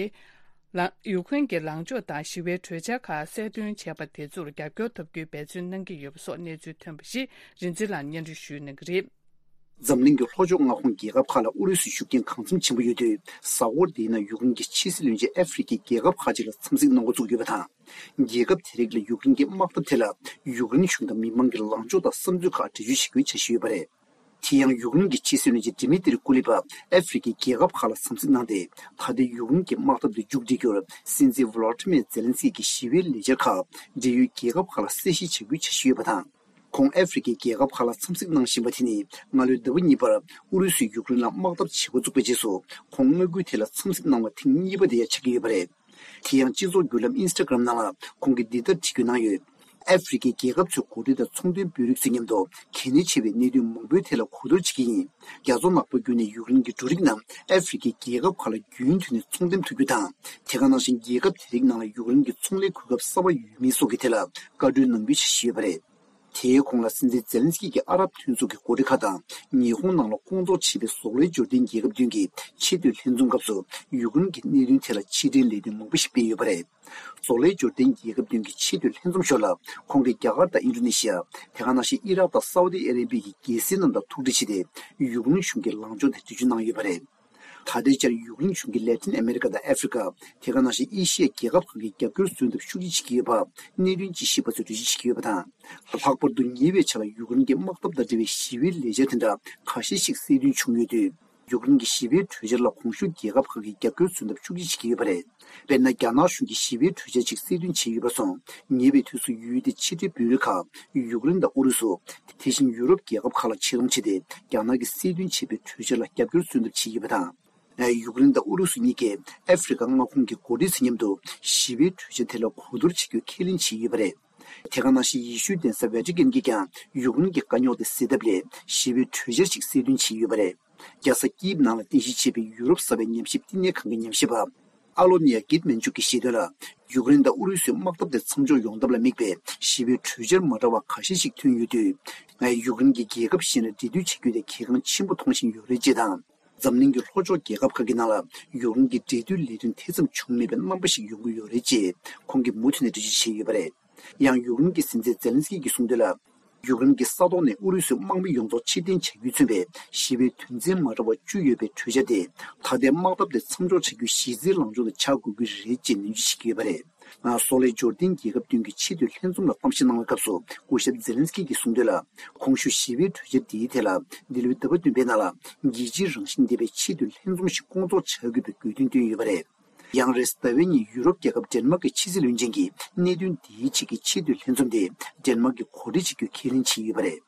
ལ་ཡུ་ཁུན་གྱི་ལངས་ཕྱོགས་དང་ཞི་བའི་གྲོས་འཆར་ཁག་གསལ་སྟོན་བྱས་པ་དེ་ཚོར་རྒྱབ་སྐྱོར་ཐོབ་རྒྱུའི་འབད་བརྩོན་གནང་གི་ཡོད་པ་སོགས་གནས་ཚུལ་ཐོན་པ་ཞིག་རིན་འཛིན་ལགས་སྙན་སྒྲོན་ཞུ་གནང་གི་རེད། འཛམ་གླིང་གི་ལྷོ་ཕྱོགས་མངའ་ཁོངས་རྒྱལ་ཁབ་ཁག་ལ་ཨུ་རུ་སུའི་ཤུགས་རྐྱེན་གང་འཚམ་ཆེན་པོ་ཡོད་དུས། གཟའ་འཁོར་འདིའི་ནང་ཡུ་ཀེ་རེན་གྱི་ཕྱི་སྲིད་བློན་ཆེན་ཨ་ཧྥེ་རི་ཁའི་རྒྱལ་ཁབ་ཁག་ཅིག་ལ་འཚམས་གཟིགས་གནང་འགོ་བཙུགས་ཡོད་པ་དང་། རྒྱལ་ཁབ་དེ་རིགས་ལ་ཡུཀ་རེན་གྱི་དམག་འཐབ་ཐད་ལ་ཡུཀ་རེན་གཞུང་དང་མི་མང་གི་ལངས་ཕྱོགས་དང་བསམ་ཚུལ་ཁག་འགྲེལ་བརྗོད་བྱེད་རྒྱུའི་འཆར་གཞི་ཡོད་པ་རེད། དེ་ཡང་ཡུཀ་རེན་གྱི་ཕྱི་སྲིད་བློན་ཆེན་ཌི་མི་ཏྲི་ཀུ་ལི་པ་ཨ་ཧྥེ་རི་ཁའི་རྒྱལ་ཁབ་ཁག་ལ་འཚམས་གཟིགས་གནང་སྟེ། ད་ལྟའི་ཡུཀ་རེན་གྱི་དམག་འཐབ་དེ་མཇུག་སྒྲིལ་རྒྱུར་སྲིད་འཛིན་ཝོ་ལོ་ཏི་མེར་ཛེ་ལན་སི་ཀི་གིས་ཞི་བའི་ལས་འཆར་ཁག་འབྲེལ་ཡོད་རྒྱལ་ཁབ་ཁག་ལ་གསལ་བཤད་བྱ་རྒྱུའི་འཆར་གཞི་ཡོད་པ་དང་། ཁོང་ཨ་ཧྥེ་རི་ཁའི་རྒྱལ་ཁབ་ཁག་ལ་འཚམས་གཟིགས་གནང་བཞིན་པ་དེ་ནི། སྔ་ལོའི་ཟླ་བ་གཉིས་པར་ཨུ་རུ་སུས་ཡུཀ་རེན་ལ་དམག་འཐབ་བྱེད་འགོ་བཙུགས་པའི་རྗེས་སུ། ཁོང་མངའ་ཁུལ་དེ་ལ་འཚམས་གཟིགས་གནང་བ་ཐེངས་གཉིས་པ་དེ་ཡང་ཆགས་ཀྱི་ཡོད་པ་རེད། དེ་ཡང་སྤྱི་ཚོགས་བརྒྱུད་ལམ་ཨིན་སི་ཊ་གྷ་རམ་ནང་ལ་ཁོང་གིས་འདི་ལྟར་བྲིས་བཀོད་གནང་ཡོད། ཨ་ཧྥེ་རི་ཁའི་རྒྱལ་ཁབ་ཚོའི་འགོ་ཁྲིད་དང་ཚོང་དོན་དཔོན་རིགས་ཚོའི་མཉམ་དུ་གལ་གནད་ཆེ་བའི་གནད་དོན་མང་པོའི་ཐད་ལ་གོ་བསྡུར་བྱེད་ཀྱི་ཡིན། རྒྱ་མཚོ་ནག་པོ་བརྒྱུད་ནས་ཡུཀ་རེན་གྱི་འབྲུ་རིགས་རྣམས་ཨ་ཧྥེ་རི་ཁའི་རྒྱལ་ཁབ་ཁག་ལ་རྒྱུན་མཐུད་ནས་ཚོང་འདེམས་ཐུབ་རྒྱུ་དང་། དེ་ག་ནང་བཞིན་རྒྱལ་ཁབ་དེ་རིགས་ནང་ལ་ཡུཀ་རེན་གྱི་ཚོང་ལས་གོ་སྐབས་གསར་པ་ཡོད་མེད་སོགས་ཀྱི་ཐད་ལ་བཀའ་འཁྲོལ་གནང་རྒྱུའི་འཆར་གཞི་ཡོད་པ་རེད། དེའི་གོང་ལ་སྲིད་འཛིན་ཛེ་ལན་སི་ཀི་གིས་ཨ་རབ་མཐུན་ཚོགས་ཀྱི་འགོ་ཁྲིད་ཁག་དང་ཉི་ཧོང་ནང་ལ་སྐོང་ཚོགས་བྱས་པའི་ཟོག་ལའི་འབྱོར་ལྡན་རྒྱལ་ཁབ་བདུན་གྱི་ཆེས་མཐོའི་ལྷན་འཛོམས་སྐབས་སུ་ཡུཀ་རེན་གྱི་གནད་དོན་ཐད་ལ་ཕྱིར་དྲན་ལས་དོན་མང་པོ་ཞིག་སྤེལ་ཡོད་པ་རེད། ཟོག་ལའི་འབྱོར་ལྡན་རྒྱལ་ཁབ་བདུན་གྱི་ཆེས་མཐོའི་ལྷན་འཛོམས་ཞོར་ལ་ཁོང་གིས་རྒྱ་གར་དང་ཨིན་ཌོ་ནེ་ཤི་ཡ། དེ་ག་ནང་བཞིན་ཨི་རག་དང་སའུ་ཏི་ཨ་རེ་བྷི་ཡའི་རྒྱལ་སྲིད་རྣམས་དང་ཐུག་འཕྲད་བྱས་ཏེ་ཡུཀ་རེན་གཞུང་གི་ལངས་ཕྱོགས་དེ་འགྲེལ་བརྗོད་གནང་ཡོད་པ་རེད། ད་ལྟའི་ཆར་ཡུཀ་རེན་གཞུང་གིས་ལེ་ཏིན་ཨ་མེ་རི་ཀ་དང་ཨ་ཧྥེ་རི་ཀ། དེ་ག་ནང་བཞིན་ཨེ་ཤི་ཡའི་རྒྱལ་ཁབ་ཁག་གི་རྒྱབ་སྐྱོར་བཟོ་ཐབས་ཤུགས་ཆེ་བྱེད་ཀྱི་ཡོད་པ་གནད་དོན་ཅིག་ཞིབ་པ་ཚོས་འགྲེལ་བརྗོད་བྱེད་ཀྱི་ཡོད་པ་དང་། ལྷག་པར་དུ་ཉེ་བའི་ཆར་ལ་ཡུཀ་རེན་གྱི་དམག་འཐབ་དང་འབྲེལ་བའི་ཞི་བའི་ལས་འཆར་དེ་འདྲ་ཁ་ཤས་ཤིག་གསལ་སྟོན་བྱུང་ཡོད་དུས། ཡུཀ་རེན་གྱི་ཞི་བའི་གྲོས་འཆར་ལ་གོང་ཞུས་རྒྱལ་ཁབ་ཁག་གིས་རྒྱབ་སྐྱོར་བཟོ་ཐབས་ཤུགས་ཆེ་བྱེད་ཀྱི་ཡོད་པ་རེད། དཔེར་ན། རྒྱ་ནག་གཞུང་གིས་ཞི་བའི་གྲོས་འཆར་ཅིག་གསལ་སྟོན་བྱས་ཡོད་པ་སོང་། ཉེ་བའི་དུས་སུ་ཡུལ་དེའི་ཕྱི་འབྲེལ་འབོད་རིགས་ཁག་ཡུཀ་རེན་དང་ཨུ་རུ་སུ། དེ་བཞིན་ཡུ་རོབ་རྒྱལ་ཁབ་ཁག་ལ་ཆེད་གཏོང་བྱས་ཏེ། རྒྱ་ནག་གིས་གསལ་སྟོན་བྱས་པའི་གྲོས་འཆར་ལ་རྒྱབ་སྐྱོར་བཟོ་ཐབས་བྱས་ཡོད་པ་དང་། ཡུཀ་རེན་དང་ཨུ་རུ་སུ་གཉིས་ཀས་ཨ་ཧྥེ་རི་ཁ་མངའ་ཁོངས་ཀྱི་འགོ་ཁྲིད་ཚོའི་མཉམ་དུ་ཞི་བའི་གྲོས་འཆར་དེ་ལ་གོ་བསྡུར་བྱེད་རྒྱུ་ཁས་ལེན་བྱས་ཡོད་པ་རེད། དེ་ག་ནང་བཞིན་ཡེ་ཤུའི་གདན་ས་ཝེ་ཏི་ཀན་གྱིས་ཀྱང་ཡུཀ་རེན་གྱི་དཀའ་རྙོག་དེ་སེལ་ཐབས་སླད་ཞི་བའི་གྲོས་འཆར་ཞིག་གསལ་སྟོན་བྱས་ཡོད་པ་རེད། རྒྱལ་ས་ཀིབ་ནང་ལ་རྟེན་གཞི་བྱས་པའི་ཡུ་རོབ་གསར་པའི་ཉམས་ཞིབ་བསྟི་གནས་ཁང་གི་ཉམས་ཞིབ་པ། ཨ་ལོ་ནི་ཡ་གིད་མན་ཅུག་གིས་བཤད་དོན་ལ། ཡུཀ་རེན་དང་ཨུ་རུ་སུའི་དམག་འཐབ་དེ་མཚམས་འཇོག་ཡོང་ཐབས་ལ་དམིགས་པའི་ཞི་བའི་གྲོས་འཆར་མ་འདྲ་བ་ཁ་ཤས་ཤིག་ཐོན་ཡོད་དུས། ཡུཀ་རེན་གྱིས་རྒྱལ་ཁབ་གཞན་ལ་འབྲེལ་མཐུད་བྱེད་རྒྱུ་དེ་གལ་འགངས་ཆེན་པོ་མཐོང་བཞིན་ཡོད་རེད་ཅེས་དང་། འཛམ་གླིང་གི་ལྷོ་ཕྱོགས་རྒྱལ་ཁབ་ཁག་གི་ནང་ལ་ཡུཀ་རེན་གྱི་འབྲེལ་མཐུད་ལས་དོན་དེ་ཙམ་བྱུང་མེད་པའི་རྣམ་པ་ཞིག་ཡོང་གི་ཡོད་རེད་ཅེས་ཁོང་གིས་མུ་མཐུད་ནས་འགྲེལ་བརྗོད་བྱས་ཡོད་པ་རེད། ཡང་ཡུཀ་རེན་གྱི་སྲིད་འཛིན་ཛེ་ལན་སི་ཀི་གིས་གསུངས་དོན་ལ། ཡུཀ་རེན་གྱི་ས་ཐོག་ནས་ཨུ་རུ་སུའི་དམག་མི་ཡོངས་རྫོགས་ཕྱིར་འཐེན་བྱ་རྒྱུས་མཚོན་པའི་ཞི་བའི་དོན་ཚན་མ་འདྲ་བ་བཅུ་ཡོད་པའི་གྲོས་འཆར་དེ། ད་ལྟའི་དམག་འཐབ་དེ་མཚམས་འཇོག་བྱ་རྒྱུའི་གཞི་རྩའི་ལངས་ཕྱོགས་དེ་ཆགས་དགོས་ཀྱི་རེད་ཅེས་ནན་བརྗོད་བྱེད་ཀྱི་ཡོད་པ་རེད། ང་། སོག་ལེ་འབྱོར་ལྡན་རྒྱལ་ཁབ་བདུན་གྱི་ཆེས་མཐོའི་ལྷན་འཛོམས་ལ་གཏམ་བཤད་གནང་བའི་སྐབས་སུ། སྐུ་ཞབས་ཛེ་ལན་སི་ཀི་གིས་གསུངས་དོན་ལ། གོང་ཞུས་ཞི་བའི་གྲོས་འཆར་འདིའི་ཐད་ལ། འདི་ལོའི་ཟླ་བ་བདུན་པའི་ནང་ལ། རྒྱལ་སྤྱིའི་རང་བཞིན་ལྡན་པའི་ཆེས་མཐོའི་ལྷན་འཛོམས་ཤིག་སྐོང་ཚོགས་བྱ་དགོས་པའི་དགོས་འདུན་བཏོན་ཡོད་པ་རེད། ཡང་རེས་ཟླ་བའི་ཉིན་ཡུ་རོབ་རྒྱལ་ཁབ་ཌེན་མཱག་གི་ཕྱི་སྲིད་བློན་ཆེན་གྱིས་གནད་དོན་འདིའི་ཆེད་ཀྱི་ཆེས་མཐོའི་ལྷན་འཛོམས་དེ་ཌེན་མཱག་གིས་གོ་སྒྲིག་བྱེད་རྒྱུའི་ཁས་ལེན་བྱས་ཡོད་པ་རེད།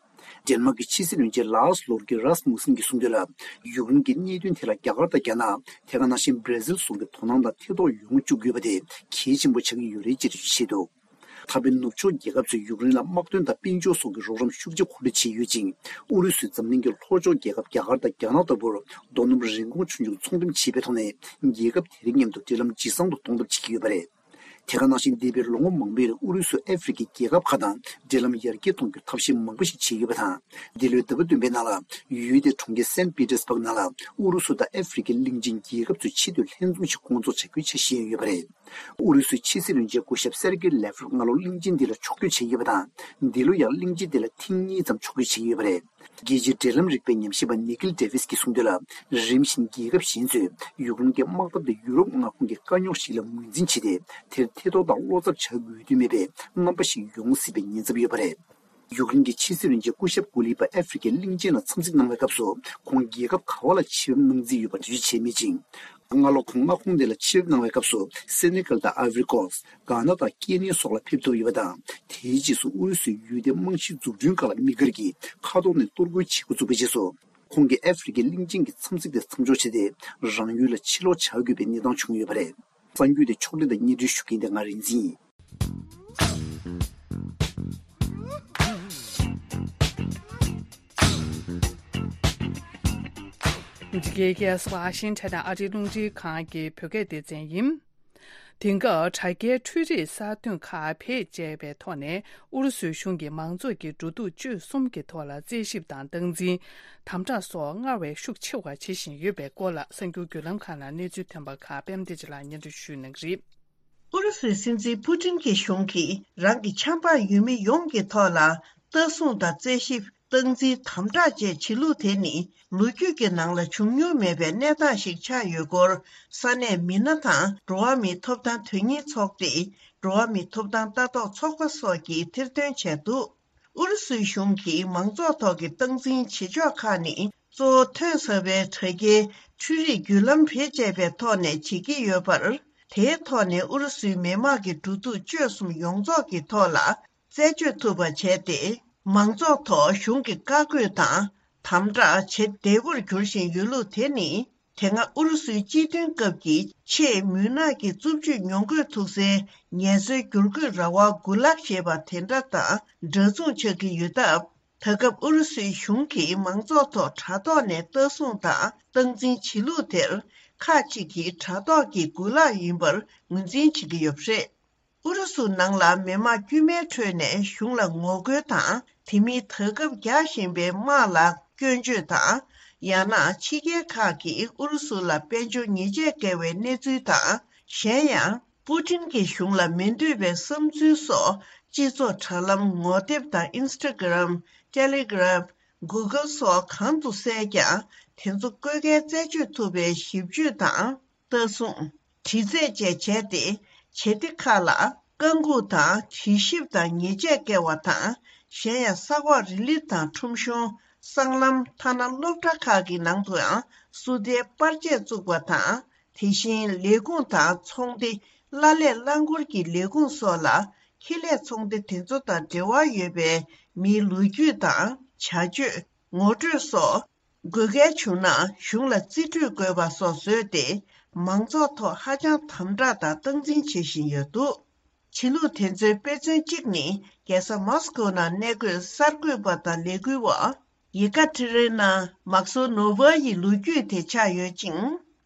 ཌེན་མཱག་གི་ཕྱི་སྲིད་བློན་ཆེན་ལཱར་སི་ལོར་གི་རཱ་སི་མུ་སན་གྱིས་གསུངས་དོན་ལ། ཡུཀ་རེན་གྱི་གནད་དོན་དེ་ལ་རྒྱ་གར་དང་རྒྱ་ནག་དེ་ག་ནང་བཞིན་བྷར་ཛིལ་སོགས་ཀྱི་དོ་སྣང་དང་ཐེ་གཏོགས་ཡོང་བཅུག་དགོས་པ་དེ་གལ་ཆེན་པོ་ཆགས་ཀྱི་ཡོད་རེད་ཅེས་འགྲེལ་བརྗོད་བྱས་འདུག་ད་ཕན་ནུབ་ཕྱོགས་རྒྱལ་ཁབ་ཚོས་ཡུཀ་རེན་ལ་དམག་དོན་དང་དཔལ་འབྱོར་སོགས་ཀྱི་རོགས་རམ་ཤུགས་ཆེ་གོ་སྒྲིག་བྱས་ཡོད་ཅིང་། ཨུ་རུ་སུས་འཛམ་གླིང་གི་ལྷོ་ཕྱོགས་རྒྱལ་ཁབ་རྒྱ་གར་དང་རྒྱ་ནག་ལྟ་བུར་རྡོ་སྣུམ་རིན་གོང་ཆུང་ཆུང་ཚོང་འགྲེམས་བྱེད་པའི་ཐོག་ནས་རྒྱལ་ཁབ་དེ་རིགས་མཉམ་དུ་འབྲེལ་ལམ་ཇེ་བཟང་དུ་གཏོང་ཐབས་བྱེད་ཀྱི་ཡོད་པ་རེད། དེ་ག་ནང་བཞིན་འདས་པའི་ལོ་ངོ་མང་པོའི་རིང་ཨུ་རུ་སུས་ཨ་ཧྥེ་རི་ཁའི་རྒྱལ་ཁབ་ཁག་དང་འབྲེལ་ལམ་ཡར་རྒྱས་གཏོང་རྒྱུར་ཐབས་ཤེས་མང་པོ་ཞིག་བྱས་ཡོད་པ་དང་། འདི་ལོའི་ཟླ་བ་བདུན་པའི་ནང་ལ་ཡུལ་དེའི་གྲོང་ཁྱེར་སན་པི་ཏེར་སྦུག་ནང་ལ་ཨུ་རུ་སུ་དང་ཨ་ཧྥེ་རི་ཁའི་གླིང་ཆེན་རྒྱལ་ཁབ་ཚོའི་ཆེས་མཐོའི་ལྷན་འཛོམས་ཤིག་སྐོང་ཚོགས་བྱ་རྒྱུའི་འཆར་གཞི་ཡང་ཡོད་པ་རེད། ཨུ་རུ་སུའི་ཕྱི་སྲིད་བློན་ཆེན་སྐུ་ཞབས་སེར་གེ་ལེ་ཝ་རོབ་སྔ་ལོ་གླིང་ཆེན་འདི་ལ་ཕྱོགས་བསྐྱོད་བྱས་ཡོད་པ་དང་། འདི་ལོ་ཡང་གླིང་ཆེན་འདི་ལ་ཐེངས་གཉིས་ཙམ་ཕྱོགས་བསྐྱོད་བྱས་ཡོད་པ་རེད། རྒྱལ་སྤྱིའི་འབྲེལ་ལམ་རིག་པའི་ཉམས་ཞིབ་པ་ནི་ཀིལ་ཌེ་ཝིས་ཀྱིས་གསུངས་དོན་ལ། རིམ་བཞིན་རྒྱལ་ཁབ་གཞན་ཚོས་ཡུཀ་རེན་གྱི་དམག་འཐབ་དེ་ཡུ་རོབ་མངའ་ཁོངས་ཀྱི་དཀའ་རྙོག་ཞིག་ལ་ངོས་འཛིན་བྱས་ཏེ། དེར་ཐེ་གཏོགས་དང་བློ་འཚབ་བྱ་དགོས་དོན་མེད་པའི་རྣམ་པ་ཞིག་ཡོང་སྲིད་པའི་ཉེན་ཚབས་ཡོད་པ་རེད། ཡུཀ་རེན་གྱི་ཕྱི་སྲིད་བློན་ཆེན་སྐུ་ཞབས་ཀུ་ལི་པ་ཨ་ཧྥེ་རི་ཁའི་གླིང་ཆེན་ལ་འཚམས་གཟིགས་གནང་བའི་སྐབས་སུ། ཁོང་རྒྱལ་ཁབ་ག་བ་ལ་ཕྱིར་འབུད་གནང་རྩིས་ཡོད་པ་འགྲེལ་བརྗོད་བྱས་མེད་ཅིང་། སྔ་ལོ་ཁོང་མངའ་ཁོངས་དེ་ལ་ཕྱིར་འབུད་གནང་བའི་སྐབས་སུ། སེ་ནེ་གལ་དང་ཨའི་ཝི་རི་ཀོ་སི། གྷ་ན་དང་ཀེ་ནི་ཡ་སོགས་ལ་ཕེབས་ཐུབ་ཡོད་པ་དང་། དེའི་རྗེས་སུ་ཨུ་རུ་སུའི་ཡུལ་དེའི་རྨང་གཞིའི་འཛུགས་སྐྲུན་ཁག་ལ་དམིགས་བཀར་གྱིས་མཁའ་ཐོག་ནས་གཏོར་རྒོལ་བྱེད་འགོ་བཙུགས་པའི་རྗེས་སུ། ཁོང་གིས་ཨ་ཧྥེ་རི་ཁའི་གླིང་ཆེན་གྱི་འཚམས་གཟིགས་དེ་མཚམས་འཇོག་བྱས་ཏེ། རང་ཡུལ་ལ་ཕྱིར་ལོག་བྱ་དགོས་པའི་གནས་སྟངས་བྱུང་ཡོད་པ་རེད། གསར་འགྱུར་དེ་ཕྱོགས་སྒྲིག་དང་སྙན་སྒྲོན་ཞུ་མཁན་དེ་ང་རིག་འཛིན་ཡིན། འདི་གའི་གེ་སར་ཝ་ཤིང་ཊོན་ཨ་རིའི་རླུང་འཕྲིན་ཁང་གི་བོད་སྐད་སྡེ་ཚན་ཡིན། དེང་སྐབས་དྲ་རྒྱའི་འཕྲུལ་རིག་གསར་ཐོན་ཁག་བེད་སྤྱད་པའི་ཐོག་ནས་ཨུ་རུ་སུའི་གཞུང་གིས་མང་ཚོགས་ཀྱི་འགྲོ་འདུག་སྤྱོད་གསུམ་གྱི་ཐོག་ལ་རྩད་ཞིབ་དང་སྟངས་འཛིན། དམ་དྲག་སོགས་སྔར་བས་ཤུགས་ཆེ་བ་བྱེད་བཞིན་ཡོད་པའི་སྐོར་ལ་གསར་འགྱུར་བརྒྱུད་ལམ་ཁག་ནང་གནས་ཚུལ་ཐོན་པ་ཁག་པད་མ་བདེ་ཆེན་ལགས་སྙན་སྒྲོན་ཞུ་གནང་གི་རེད། ཨུ་རུ་སུའི་སྲིད་འཛིན་པུ་ཏིན་གྱི་གཞུང་གིས་རང་གི་ཆབ་འབངས་ཡུལ་མི་ཡོངས་ཀྱི་ཐོག་ལ་ལྟ་སྲུང་དང་རྩད་ཞིབ། སྟངས་འཛིན། དམ་དྲག་བཅས་བྱེད་ལུགས་དེ་ནི་ལོ་རྒྱུས་ཀྱི་ནང་ལ་བྱུང་མྱོང་མེད་པའི་གནས་སྟངས་ཤིག་ཆགས་ཡོད་སྐོར། ས་གནས་མི་སྣ་དང་འགྲོ་བ་མིའི་ཐོབ་ཐང་དོན་གཉེར་ཚོགས་སྡེ། འགྲོ་བ་མིའི་ཐོབ་ཐང་ལྟ་རྟོག་ཚོགས་པ་སོགས་ཀྱིས་ཐེར་འདོན་བྱས་འདུག་ཨུ་རུ་སུའི་གཞུང་གིས་མང་ཚོགས་ཐོག་གི་སྟངས་འཛིན་བྱེད་ཕྱོགས་ཁག་ནི་གཙོ་བོ་ཐོན་ཟ་བའི་དྲ་རྒྱའི་འཕྲུལ་རིག་བརྒྱུད་ལམ་བེད་སྤྱད་པའི་ཐོག་ནས་བྱེད་ཀྱི་ཡོད་པར། དེའི་ཐོག་ནས་ཨུ་རུ་སུའི་མི་དམངས་ཀྱི་འགྲོ་འདུག་སྤྱོད་གསུམ་ཡོངས་རྫོགས་ཀྱི་ཐོག་ལ་རྩད་གཅོད་ཐུབ་པ་བྱས་ཏེ། མང་ཚོགས་ཐོག་གཞུང་གི་བཀའ་བཀོད་དང་དམ་དྲག་བྱེད་བདེ་པོར་འགྱུར་བཞིན་ཡོད་ལུགས་དེ་ནི། དེ་སྔ་ཨུ་རུ་སུའི་སྤྱི་མཐུན་སྐབས་ཀྱི་ཆེས་མུན་ནག་གི་རྩུབ་སྤྱོད་མྱོང་གོས་ཐུག་སའི་ངལ་རྩོལ་བསྒྱུར་བཀོད་ར་བ་གུ་ལག་ཞེས་པ་དེ་འདྲ་དང་འདྲ་མཚུངས་ཆགས་ཀྱི་ཡོད་སྟབས། ད་སྐབས་ཨུ་རུ་སུའི་གཞུང་གིས་མང་ཚོགས་ཐོག་དྲ་ཐོག་ནས་ལྟ་སྲུང་དང་སྟངས་འཛིན་བྱེད་ལུགས་དེར། ཁག་ཅིག་གིས་དྲ་ཐོག་གི་གུ་ལག་ཡིན་པར་ངོས་འཛིན་བྱེད་ཀྱི་ཡོད་པ་རེད། ཨུ་རུ་སུ་ནང་ལ་མི་དམངས་དཀྱུས་མའི་ཁྲོད་ནས་གཞུང་ལ་ངོ་རྒོལ་དང་། དེ་མིན་ད་སྐབས་རྒྱག་བཞིན་པའི་དམག་ལ་སྐྱོན་བརྗོད་དང་། ཡང་ན་ཕྱི་རྒྱལ་ཁག་གིས་ཨུ་རུ་སུ་ལ་དཔལ་འབྱོར་ཉེས་ཆད་བཀལ་བའི་གནས་ཚུལ་དང་། གཞན་ཡང་། པུ་ཏིན་གྱི་གཞུང་ལ་མི་འདོད་པའི་བསམ་ཚུལ་སོགས་སྤྱི་ཚོགས་དྲ་ལམ་ངོ་དེབ་དང་ཨིན་སི་ཊ་གྷི་རམ། ཊེ་ལི་གྷི་རམ། གུ་གལ་སོགས་གང་དུ་གསལ་ཀྱང་དེ་ཚོ་བཀོད་འགེལ་རྩད་གཅོད་ཐུབ་པའི་ཞིབ་དཔྱོད་དང་། ལྟ་སྲུང་། དྲི་རྩད་བཅས་བྱས་ཏེ། བྱེད་གཏེ་ཁག་ལ་བཀའ་འགུག་དང་དྲི་ཞིབ་དང་ཉེས་ཆད་བཀལ་བ་དང་། གཞན་ཡང་གསར་འགོད་རི་ལི་དང་ཁྲོམ་གཞུང་། སྲང་ལམ། ཐ་ན་སློབ་གྲྭ་ཁག་གི་ནང་དུའང་སུ་ཏའི་པར་ཆས་བཙུགས་པ་དང་། དེ་བཞིན་ལས་ཁུངས་དང་ཚོང་སྡེ། གླ་ལས་རླངས་འཁོར་གྱི་ལས་ཁུངས་སོགས་ལ། ཁེ་ལས་ཚོང་སྡེ་དེ་ཚོ་དང་འབྲེལ་བ་ཡོད་པའི་མིའི་ལོ་རྒྱུས་དང་། བྱ་སྤྱོད། ངོ་སྤྲོད་སོགས། དགོས་གལ་བྱུང་ན་གཞུང་ལ་རྩིས་སྤྲོད་དགོས་པ་སོགས་བཟོས་ཏེ། མང་ཚོགས་ཐོག་ཧ་ཅང་དམ་དྲག་དང་སྟངས་འཛིན་བྱེད་བཞིན་ཡོད་འདུག་བྱེད་ལུགས་དེ་ཚོའི་དཔེ་མཚོན་གཅིག་ནི། རྒྱལ་ས་མོ་སི་ཀོ་ནང་གནས་འཁོད་གསར་འགོད་པ་དང་ལས་འགུལ་བ། ཡེ་ཀ་ཏི་རེ་ན་མག་སོ་ནོ་ཝ་ཡི་ལོ་རྒྱུས་དེ་ཆགས་ཡོད་ཅིང་།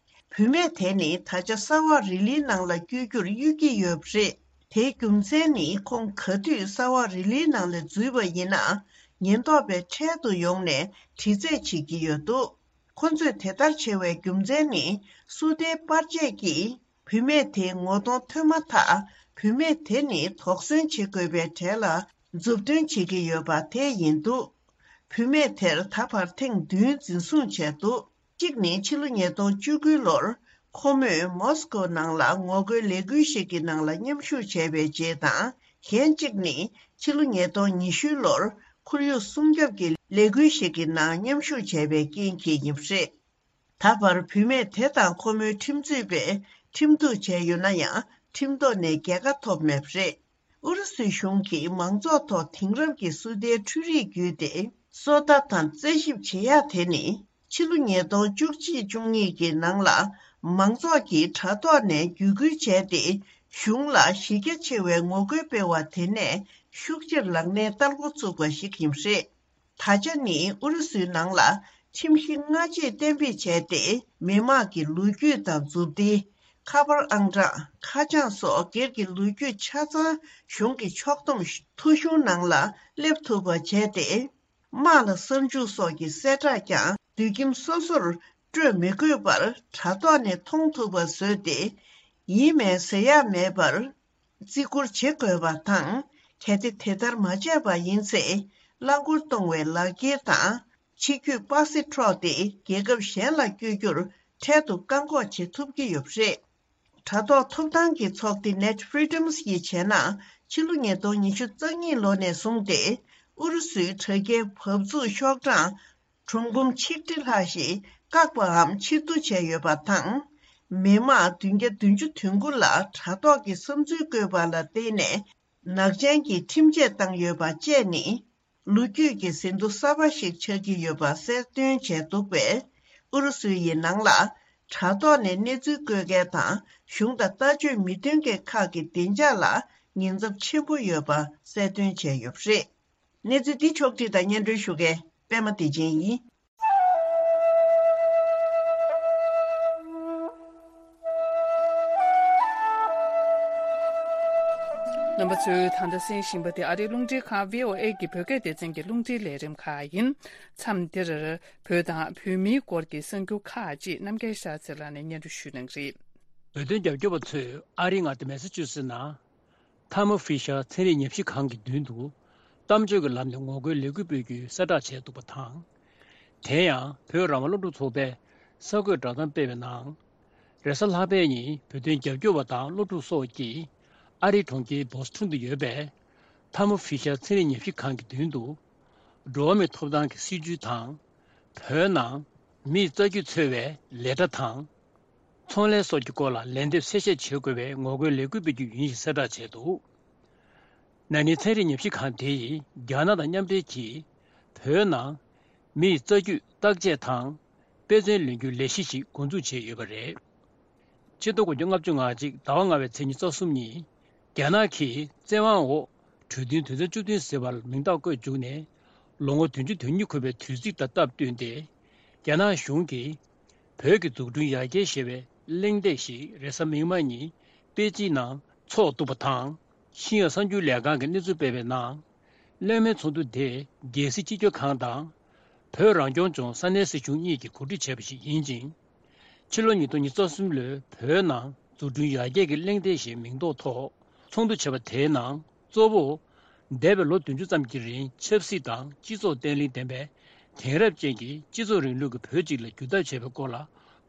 བུད་མེད་དེ་ནི་ད་ཆ་གསར་བ་རི་ལིའི་ནང་ལ་བསྐྱོད་རྒྱུར་གཡོལ་གྱི་ཡོད་པ་རེད། དེའི་རྒྱུ་མཚན་ནི་ཁོང་ག་དུས་གསར་བ་རི་ལིའི་ནང་ལ་འཛུལ་བ་ཡིན་ན། ཉེན་རྟོག་པས་འཕྲལ་དུ་ཡོང་ནས་དྲི་རྩད་བྱེད་ཀྱི་ཡོད་འདུག་ཁོ་ཚོས་དེ་ལྟར་བྱ་བའི་རྒྱུ་མཚན་ནི། སུ་ཏའི་པར་ཆས་ཀྱིས་བུད་མེད་དེའི་ངོ་གདོང་ཐོན་མ་ཐག་བུད་མེད་དེ་ནི་དོགས་ཟོན་བྱེད་དགོས་པའི་གྲས་ལ་མཛུབ་སྟོན་བྱེད་ཀྱི་ཡོད་པ་དེ་ཡིན་འདུག་བུད་མེད་དེར་ད་བར་ཐེངས་བདུན་འཛིན་བཟུང་བྱས་འདུག་གཅིག་ནི་ཕྱི་ལོ་ཉིས་སྟོང་བཅུ་དགུ་ལོར་ཁོ་མོས་མོ་སི་ཀོ་ནང་ལ་ངོ་རྒོལ་ལས་འགུལ་ཞིག་གི་ནང་ལ་མཉམ་ཞུགས་བྱས་པའི་རྗེས་དང་། གཞན་གཅིག་ནི་ཕྱི་ལོ་ཉིས་སྟོང་ཉི་ཤུ་ལོར་ཁོར་ཡུག་སྲུང་སྐྱོབ་ཀྱི་ལས་འགུལ་ཞིག་གི་ནང་མཉམ་ཞུགས་བྱས་པའི་རྐྱེན་གྱིས་ཡིན་པ་རེད། ད་བར་བུད་མེད་དེ་དང་ཁོ་མོའི་ཁྲིམས་རྩོད་པས་ཁྲིམས་གཏུག་བྱས་ཡོད་ན་ཡང་། ཁྲིམས་ཐོག་ནས་རྒྱལ་ཁ་ཐོབ་མེད་པ་རེད། ཨུ་རུ་སུའི་གཞུང་གིས་མང་ཚོགས་ཐོག་དེང་རབས་ཀྱི་སུ་ཏའི་འཕྲུལ་རིག་བརྒྱུད་དེ་སོ་ལྟ་དང་རྩད་ཞིབ་བྱེད་ཡག་དེ་ནི། ཕྱི་ལོ་ཉིས་སྟོང་བཅུ་གཅིག་བཅུ་གཉིས་ཀྱི་ནང་ལ་མང་ཚོགས་ཀྱིས་དྲ་ཐོག་ནས་བརྒྱུད་སྐུལ་བྱས་ཏེ། གཞུང་ལ་གཞི་རྒྱ་ཆེ་བའི་ངོ་རྒོལ་སྤེལ་བ་དེ་ནས་ཤུགས་ཆེར་ལག་ལེན་བསྟར་འགོ་ཚུགས་པ་ཞིག་ཡིན་པ་རེད། ད་ཆ་ནི་ཨུ་རུ་སུའི་ནང་ལ་ཁྲིམས་གཞི་སྔ་རྗེས་གཏན་འབེབས་བྱས་ཏེ། མི་དམངས་ཀྱི་ལོ་རྒྱུས་དང་མཛུབ་ཐེལ། ཁ་པར་ཨང་གྲངས། ཁ་བྱང་སོགས་སྒེར་གྱི་ལོ་རྒྱུས་ཆ་ཚང་གཞུང་གི་ཕྱོགས་བསྡོམས་ཐོ་གཞུང་ནང་ལ་སླེབས་ཐུབ་པ་བྱས་ཏེ། དམག་ལ་གསར་འཇུག་སོགས་ཀྱི་གསལ་བསྒྲགས་ཀྱང་དུད་ཁྱིམ་སོ་སོར་སྤྲོད་མི་དགོས་པར་དྲ་ཐོག་ནས་མཐོང་ཐུབ་པ་བཟོས་ཏེ། ཡིན་མིན་ཟེར་ཡག་མེད་པར་བརྩི་བཀུར་བྱེད་དགོས་པ་དང་། གལ་ཏེ་དེ་ལྟར་མ་བྱས་པ་ཡིན་ཚེ། རླངས་འཁོར་གཏོང་བའི་ལག་འཁྱེར་དང་། ཕྱི་སྐྱོད་པ་སེ་འཕྲོག་སྟེ་རྒྱལ་ཁབ་གཞན་ལ་བསྐྱོད་རྒྱུར་འཕྲལ་དུ་བཀག་འགོག་བྱེད་ཐུབ་ཀྱི་ཡོད་པ་རེད། དྲ་ཐོག་ཐོབ་ཐང་གི་ཚོགས་སྡེ་Net Freedoms་ཡིས་བྱས་ན། ཕྱི་ལོ་ཉིས་སྟོང་ཉི་ཤུ་རྩ་གཉིས་ལོ་ནས་བཟུང་སྟེ། ཨུ་རུ་སུའི་དྲ་རྒྱའི་བབས་ཚུགས་ཤོག་གྲངས་གྲུང་འབུམ་ཆིག་ཁྲི་ལྷག་ཞིག་བཀག་པའམ་ཕྱིར་བསྡུ་བྱས་ཡོད་པ་དང་། མི་དམངས་བདུན་བརྒྱ་བདུན་ཅུ་དོན་དགུ་ལ་དྲ་ཐོག་གི་བསམ་ཚུལ་བཀོད་པ་ལ་བརྟེན་ནས་ནག་ཅན་གྱི་ཁྲིམས་ཆད་བཏང་ཡོད་པ་བཅས་ནི། ལོ་རྒྱུས་ཀྱི་ཟིན་ཐོ་གསར་པ་ཞིག་ཆགས་ཀྱི་ཡོད་པ་གསལ་སྟོན་བྱས་འདུག་པས། ཨུ་རུ་སུ་ཡི་ནང་ལ་དྲ་ཐོག་ནས་གནས་ཚུལ་བཀོད་མཁན་དང་གཞུང་དང་ལྟ་སྤྱོད་མི་མཐུན་མཁན་ཁག་གི་བདེ་འཇགས་ལ་ཉེན་ཚབས་ཆེན་པོ་ཡོད་པ་གསལ་སྟོན་བྱས་ཡོད་པ་རེད། གནས་ཚུལ་འདི་ཕྱོགས་བསྒྲིགས་དང་སྙན་སྒྲོན་ཞུ་མཁན་པད་མ་བདེ་ཆེན་ཡིན། རྣམ་པ་ཚོས་ད་ལྟ་གསན་བཞིན་པ་དེ་ཨ་རིའི་རླུང་འཕྲིན་ཁང་VOA་གི་བོད་སྐད་སྡེ་ཚན་གྱི་རླུང་འཕྲིན་ལས་རིམ་ཁག་ཡིན། མཚམས་འདིར་བོད་དང་བོད་མིའི་སྐོར་གྱི་གསར་འགྱུར་ཁག་ཅིག་རྣམ་རྒྱལ་ཤར་ཚེ་ལགས་ནས་སྙན་སྒྲོན་ཞུ་གནང་གི་རེད། བོད་དོན་རྒྱབ་སྐྱོར་བ་ཚོས་ཨ་རིའི་མངའ་སྡེ་མེ་ས་ཅུ་སེ་ནང་། ཐར་མོ་ཧྥི་ཤར་ཚན་རིག་ཉམས་ཞིབ་ཁང་གི་མདུན་དུ། གཏམ་བརྗོད་ཀྱི་ལམ་ནས་ངོ་རྒོལ་ལས་འགུལ་སྤེལ་རྒྱུའི་གསལ་བསྒྲགས་བྱས་འདུག་པ་དང་། དེ་ཡང་བོད་རང་དབང་སློབ་ཕྲུག་ཚོགས་པས་གསར་འགོད་བསྒྲགས་གཏམ་སྤེལ་བའི་ནང་། རེས་གཟའ་ལྷག་པའི་ཉིན་བོད་དོན་རྒྱབ་སྐྱོར་བ་དང་སློབ་ཕྲུག་སོགས་ཀྱིས་ཨ་རིའི་གྲོང་ཁྱེར་བོ་སི་ཊོན་དུ་ཡོད་པའི་ཐར་མོ་ཧྥི་ཤར་ཚན་རིག་ཉམས་ཞིབ་ཁང་གི་མདུན་དུ། འགྲོ་བ་མིའི་ཐོབ་ཐང་གི་སྲིད་བྱུས་དང་། བོད་ནང་མིས་རྩ་རྒྱུད་འཚོལ་བའི་ལས་གྲྭ་དང་། ཚོང་ལས་སོགས་ཀྱི་སྐོར་ལ་ལན་འདེབས་གསལ་བཤད་བྱེད་དགོས་པའི་ངོ་རྒོལ་ལས་འགུལ་སྤེལ་རྒྱུ་ཡིན་ཞེས་གསལ་བསྒྲགས་བྱས་འདུག། ན་ནིང་ཚན་རིག་ཉམས་ཞིབ་ཁང་དེ་ཡིས་རྒྱ་ནག་དང་མཉམ་འབྲེལ་གྱིས་བོད་ནང་མིའི་རྩ་རྒྱུད་བརྟག་དཔྱད་དང་དཔེ་མཚོན་ལེན་རྒྱུའི་ལས་གཞི་ཞིག་འགོ་འཛུགས་བྱས་ཡོད་པ་རེད། ཕྱི་ཟླ་དགུ་པའི་ལྔ་བཅུ་ང་གཅིག་ཟླ་བ་ལྔ་པའི་ཚེས་ཉི་ཤུ་རྩ་གསུམ་ཉིན། རྒྱ་ནག་གིས་བཙན་དབང་འོག་གྲོས་མཐུན་དོན་ཚན་བཅུ་བདུན་ཟེར་བར་མིང་རྟགས་བཀོད་བཅུག་ནས། ལོ་ངོ་བདུན་ཅུ་དོན་གཉིས་འཁོར་བའི་དུས་ཚིགས་དང་སྟབས་བསྟུན་ཏེ། རྒྱ་ནག་གཞུང་གིས་བོད་ཀྱི་འཛུགས་སྐྲུན་ཡར་རྒྱས་ཞེས་པའི་གླེང་སྟེགས་ཤིག་རེས་གཟའ་མིག་དམར་ཉིན་པེ་ཅིན་ནང་འཚོགས་འདུག་པ་དང་། ཤིན་ཡོན་གསར་འགྱུར་ལས་ཁང་གིས་གནས་ཚུལ་སྤེལ་བའི་ནང་། གླེང་མོལ་ཚོགས་འདུ་དེ་རྒྱལ་སྲིད་སྤྱི་ཁྱབ་ཁང་དང་། བོད་རང་སྐྱོང་ལྗོངས་ས་གནས་སྲིད་གཞུང་གཉིས་ཀྱིས་གོ་སྒྲིག་བྱས་པ་ཞིག་ཡིན་ཅིང་། ཕྱི་ལོ་ཉིས་སྟོང་ཉི་ཤུ་རྩ་གསུམ་ལོའི་བོད་ནང་འཛུགས་སྐྲུན་ཡར་རྒྱས་ཀྱི་གླེང་སྟེགས་ཞེས་མིང་འདོགས་ཐོག་ཚོགས་འདུ་བྱས་པ་དེའི་ནང་གཙོ་བོ། འདས་པའི་ལོ་བདུན་ཅུ་ཙམ་གྱི་རིང་ཆབ་སྲིད་དང་སྤྱི་ཚོགས་བརྟན་ལྷིང་ལྡན་པའི་དེང་རབས་ཅན་གྱི་སྤྱི་ཚོགས་རིང་ལུགས་ཀྱི་བོད་ཅིག་ལ་བསྒྱུར་ཐབས་བྱས་པའི་སྐོར་ལ་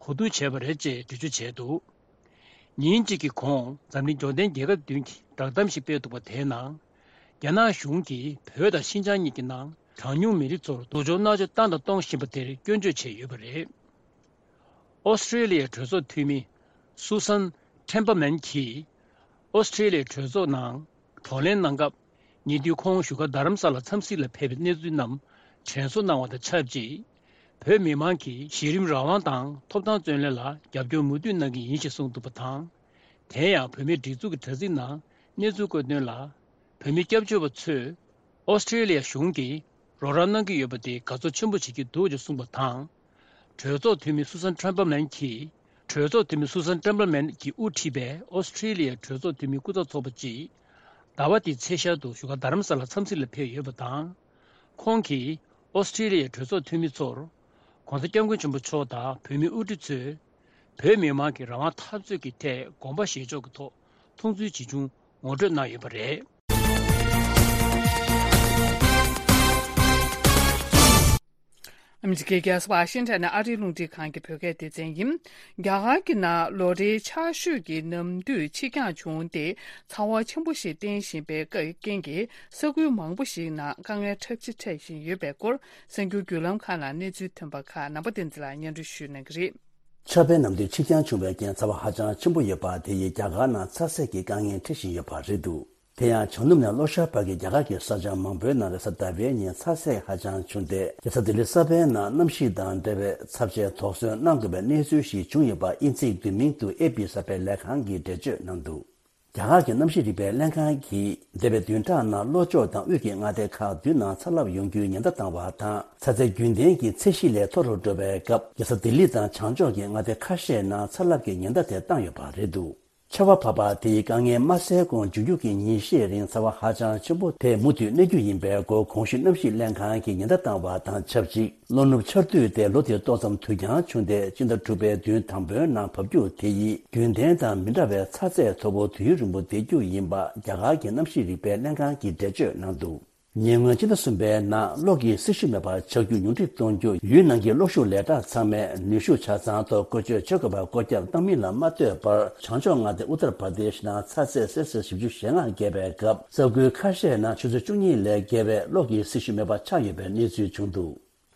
གོ་བསྡུར་བྱས་པ་རེད་ཅེས་འགྲེལ་བརྗོད་བྱས་འདུག། ཉིན་གཅིག་གི་གོང་འཛམ་གླིང་འབྱོར་ལྡན་རྒྱལ་ཁབ་བདུན་གྱིས་བསྒྲགས་གཏམ་ཞིག་སྤེལ་འདུག་པ་དེའི་ནང་། རྒྱ་ནག་གཞུང་གིས་བོད་དང་ཤིན་ཅང་གཉིས་ཀྱི་ནང་གྲངས་ཉུང་མི་རིགས་ཚོར་སྡུག་སྦྱོང་མནར་གཅོད་བཏང་དང་གཏོང་བཞིན་པ་དེར་སྐྱོན་བརྗོད་བྱས་ཡོད་པ་རེད། ཨོ་སི་ཀྲེ་ལི་ཡའི་གྲོས་ཚོགས་འཐུས་མི་སུ་སན་ཁྲེན་པ་མན་གྱིས། ཨོ་སི་ཀྲེ་ལི་ཡའི་གྲོས་ཚོགས་ནང་བགྲོ་གླེང་གནང་སྐབས། ཉེ་དུས་ཁོང་བཞུགས་སྒར་རྡ་རམ་ས་ལ་འཚམས་གཟིགས་ལ་ཕེབས་པའི་གནས་ཚུལ་རྣམས་དྲན་གསོ་གནང་བ་དང་ཆབས་ཅིག་བོད་མི་མང་གིས་གཞི་རིམ་རང་དབང་དང་ཐོབ་ཐང་རྩོད་ལེན་ལ་རྒྱབ་སྐྱོར་མུ་མཐུད་གནང་གི་ཡིན་ཞེས་གསུངས་འདུག་པ་དང་། དེ་ཡང་བོད་མིའི་སྒྲིག་འཛུགས་ཀྱི་དྲ་ཚིགས་ནང་གནས་ཚུལ་བཀོད་དོན་ལ། བོད་མི་སྐྱབས་བཅོལ་བ་ཚོས་ཨོ་སི་ཀྲེ་ལི་ཡ་གཞུང་གིས་རོགས་རམ་གནང་གི་ཡོད་པ་དེ་དགའ་ཚོར་ཆེན་པོ་བྱེད་ཀྱི་འདུག་ཅེས་གསུངས་པ་དང་། གྲོས་ཚོགས་འཐུས་མི་སུ་སན་ཁྲེན་པ་མན་གྱིས། གྲོས་ཚོགས་འཐུས་མི་སུ་སན་ཁྲེན་པ་མན་གྱིས་དབུ་ཁྲིད་པའི་ཨོ་སི་ཀྲེ་ལི་ཡའི་གྲོས་ཚོགས་འཐུས་མི་སྐུ་ཚབ་ཚོགས་པ་གཅིག་ཟླ་བ་འདིའི་ཚེས་ཤར་དུ་བཞུགས་སྒར་རྡ་རམ་ས་ལ་འཚམས་གཟིགས་ལ་ཕེབས་ཡོད་པ་དང་། ཁོང་གིས་ཨོ་སི་ཀྲེ་ལི་ཡའི་གྲོས་ཚོགས་འཐུས་མི་ཚོར། ྋགོང་ས་ྋསྐྱབས་མགོན་ཆེན་པོ་མཆོག་དང་བོད་མིའི་དབུ་ཁྲིད་ཚོས། བོད་མི་མང་གི་རང་དབང་འཐབ་རྩོད་ཀྱི་ཐད་དགོངས་པ་བཞེས་ཕྱོགས་ཀྱི་ཐོག་མཐོང་ཚུལ་ཇི་བྱུང་ངོ་སྤྲོད་གནང་ཡོད་པ་རེད། ཨ་མི་རི་ཀའི་རྒྱལ་ས་ཝ་ཤིང་ཊོན་ནས་ཨ་རིའི་རླུང་འཕྲིན་ཁང་གི་བོད་སྐད་སྡེ་ཚན་ཡིན། རྒྱ་གར་གྱི་ནང་ལོ་རེའི་ཆར་ཞོད་ཀྱི་ནམ་དུས་ཕྱི་འགྱངས་བྱུང་སྟེ། ཚ་བ་ཆེན་པོ་ཞིག་བསྟན་བཞིན་པའི་རྐྱེན་གྱིས་ས་ཁུལ་མང་པོ་ཞིག་ནང་དཀའ་ངལ་འཁྲབ་ཆ་འཕྲད་བཞིན་ཡོད་པའི་སྐོར། གསར་འགྱུར་བརྒྱུད་ལམ་ཁག་ནང་གནས་ཚུལ་ཐོན་པ་ཁག་ནང་པ་བསྟན་འཛིན་ལགས་སྙན་སྒྲོན་ཞུ་གནང་གི་རེད། ཆར་པའི་ནམ་དུས་ཕྱི་འགྱངས་བྱུང་བའི་རྐྱེན་ཚ་བ་ཧ་ཅང་ཆེན་པོ་ཡོད་པ་དེ་ཡིས་རྒྱ་གར་ནང་ཚ་ཟེགས་ཀྱི་དཀའ་ངལ་འཕྲད་བཞིན་ཡོད་པ་རེད་འདུག། དེ་ཡང་བྱང་ནུབ་ནས་ལྷོ་ཤར་བར་གྱི་རྒྱ་གར་གྱི་ས་ཆ་མང་པོའི་ནང་རེས་གཟའ་ཟླ་བའི་ཉིན་ཚ་ཟེགས་ཧ་ཅང་བྱུང་སྟེ། རྒྱལ་ས་ལྡི་ལི་གསར་པའི་ནང་གནམ་གཤིས་དང་འབྲེལ་བའི་ཚབས་ཆེའི་དོགས་ཟོན་གནང་དགོས་པའི་གནས་ཚུལ་ཞིག་བྱུང་ཡོད་པ་དབྱིན་ཚིག་བསྡུས་མིང་དུ་ཨེ་པི་གསར་སྤེལ་ལས་ཁང་གིས་འགྲེལ་བརྗོད་གནང་འདུག། རྒྱ་གར་གྱི་གནམ་གཤིས་རིག་པའི་ལྷན་ཁང་གིས་འདས་པའི་བདུན་ཕྲག་ནང་ལྷོ་ཕྱོགས་དང་དབུས་ཀྱི་མངའ་སྡེ་ཁག་བདུན་ནང་ཚ་རླབས་ཡོང་རྒྱུའི་ཉེན་བརྡ་བཏང་བ་དང་། ཚ་ཚད་རྒྱུན་ལྡན་གྱི་ཚད་གཞི་ལས་མཐོ་རུ་འགྲོ་བའི་སྐབས། རྒྱལ་ས་ལྡི་ལི་དང་བྱང་ཕྱོགས་ཀྱི་མངའ་སྡེ་ཁ་ཤས་ནང་ཚ་རླབས་ཀྱི་ཉེན་བརྡ་དེ་བཏང་ཡོད་པ་རེད་འདུག། ཆར་པ་བབས་པ་དེ་ཡིས་དཀའ་ངལ་མ་སེལ་གོང་མཇུག་རྒྱུགས་ཀྱི་ཉིན་ཤས་རིང་ཚ་བ་ཧ་ཅང་ཆེན་པོ་དེ་མུ་མཐུད་གནས་རྒྱུ་ཡིན་པའི་སྐོར་གོང་ཞུས་གནམ་གཤིས་ལྷན་ཁང་གིས་ཉེན་བརྡ་བཏང་བ་དང་ཆབས་ཅིག་ལྷོ་ནུབ་ཆར་དུས་དེ་ལོ་དེར་ཏོག་ཙམ་དུས་འགྱངས་བྱུང་སྟེ་སྤྱི་ཟླ་དྲུག་པའི་བདུན་དང་པོའི་ནང་བབས་རྒྱུ་དེ་ཡིས་རྒྱུན་ལྡན་དང་མི་འདྲ་བའི་ཚ་ཚད་མཐོ་པོ་དུས་ཡུན་རིང་པོ་བསྡད་རྒྱུ་ཡིན་པ་རྒྱ་གར་གྱི་གནམ་གཤིས་རིག་པའི་ལྷན་ཁང་གིས་འགྲེལ་བརྗོད་གནང་འདུག་ཉེ་སྔོན་སྤྱི་ཟླ་གསུམ་པའི་ནང་གློག་གི་སྲི་ཞུ་མེད་པར་ཆག་རྒྱུ་ཉུང་འཕྲི་གཏོང་རྒྱུ་ཡུལ་ནང་གི་གློག་ཤུགས་ལས་གྲྭ་ཚང་མས་ནུས་ཤུགས་ཆ་ཚང་ཐོག་བཀོལ་སྤྱོད་བྱེད་དགོས་པར་བཀོད་ཁྱབ་བཏང་མིན་ལ་མ་ལྟོས་པར་བྱང་ཕྱོགས་མངའ་སྡེ་ཨུ་ཏར་པར་དེཤ་ནང་ཚ་ཚད་སེལ་སིས་བཞི་བཅུ་ཞེ་ལྔ་བརྒལ་བའི་སྐབས་ས་ཁུལ་ཁ་ཤས་ནང་ཆུ་ཚོད་བཅུ་གཉིས་ལས་བརྒལ་བའི་གློག་གི་སྲི་ཞུ་མེད་པར་ཆགས་ཡོད་པའི་གནས་ཚུལ་བྱུང་འདུག་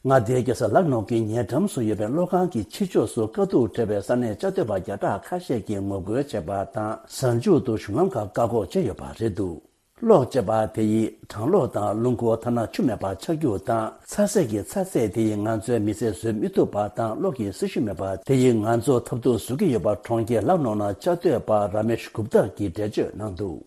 མངའ་སྡེའི་རྒྱལ་ས་ལག་ནོ་གི་ཉེ་འགྲམ་སུ་ཡོད་པའི་གློག་ཁང་གི་ཕྱི་ཕྱོགས་སུ་དཀའ་སྡུག་འཕྲད་པའི་ས་གནས་བཅའ་སྡོད་པ་བརྒྱ་ཕྲག་ཁ་ཤས་ཀྱིས་ངོ་རྒོལ་བྱས་པ་དང་། གཟའ་མཇུག་ཏུ་གཞུང་ལམ་ཁག་བཀག་འགོག་བྱས་ཡོད་པ་རེད་འདུག་གློག་ཅེས་པ་དེ་ཡིས་གྲང་གློག་དང་རླུང་འཁོར་ཐ་ན་ཆུ་མེད་པར་ཆགས་རྒྱུ་དང་། ཚ་ཟེར་གྱི་ཚ་ཚད་དེ་ཡིས་ང་ཚོའི་མི་ཚེ་བཟོད་མི་ཐུབ་པ་དང་། གློག་གི་སྲི་ཞུ་མེད་པ་དེ་ཡིས་ང་ཚོ་ཐབས་སྡུག་བཟོ་གི་ཡོད་པ། གྲོང་ཁྱེར་ལག་ནོ་ནང་བཅའ་སྡོད་པ་ར་མེཤ་གུབ་ཏར་གྱིས་འགྲེལ་བརྗོད་གནང་འདུག་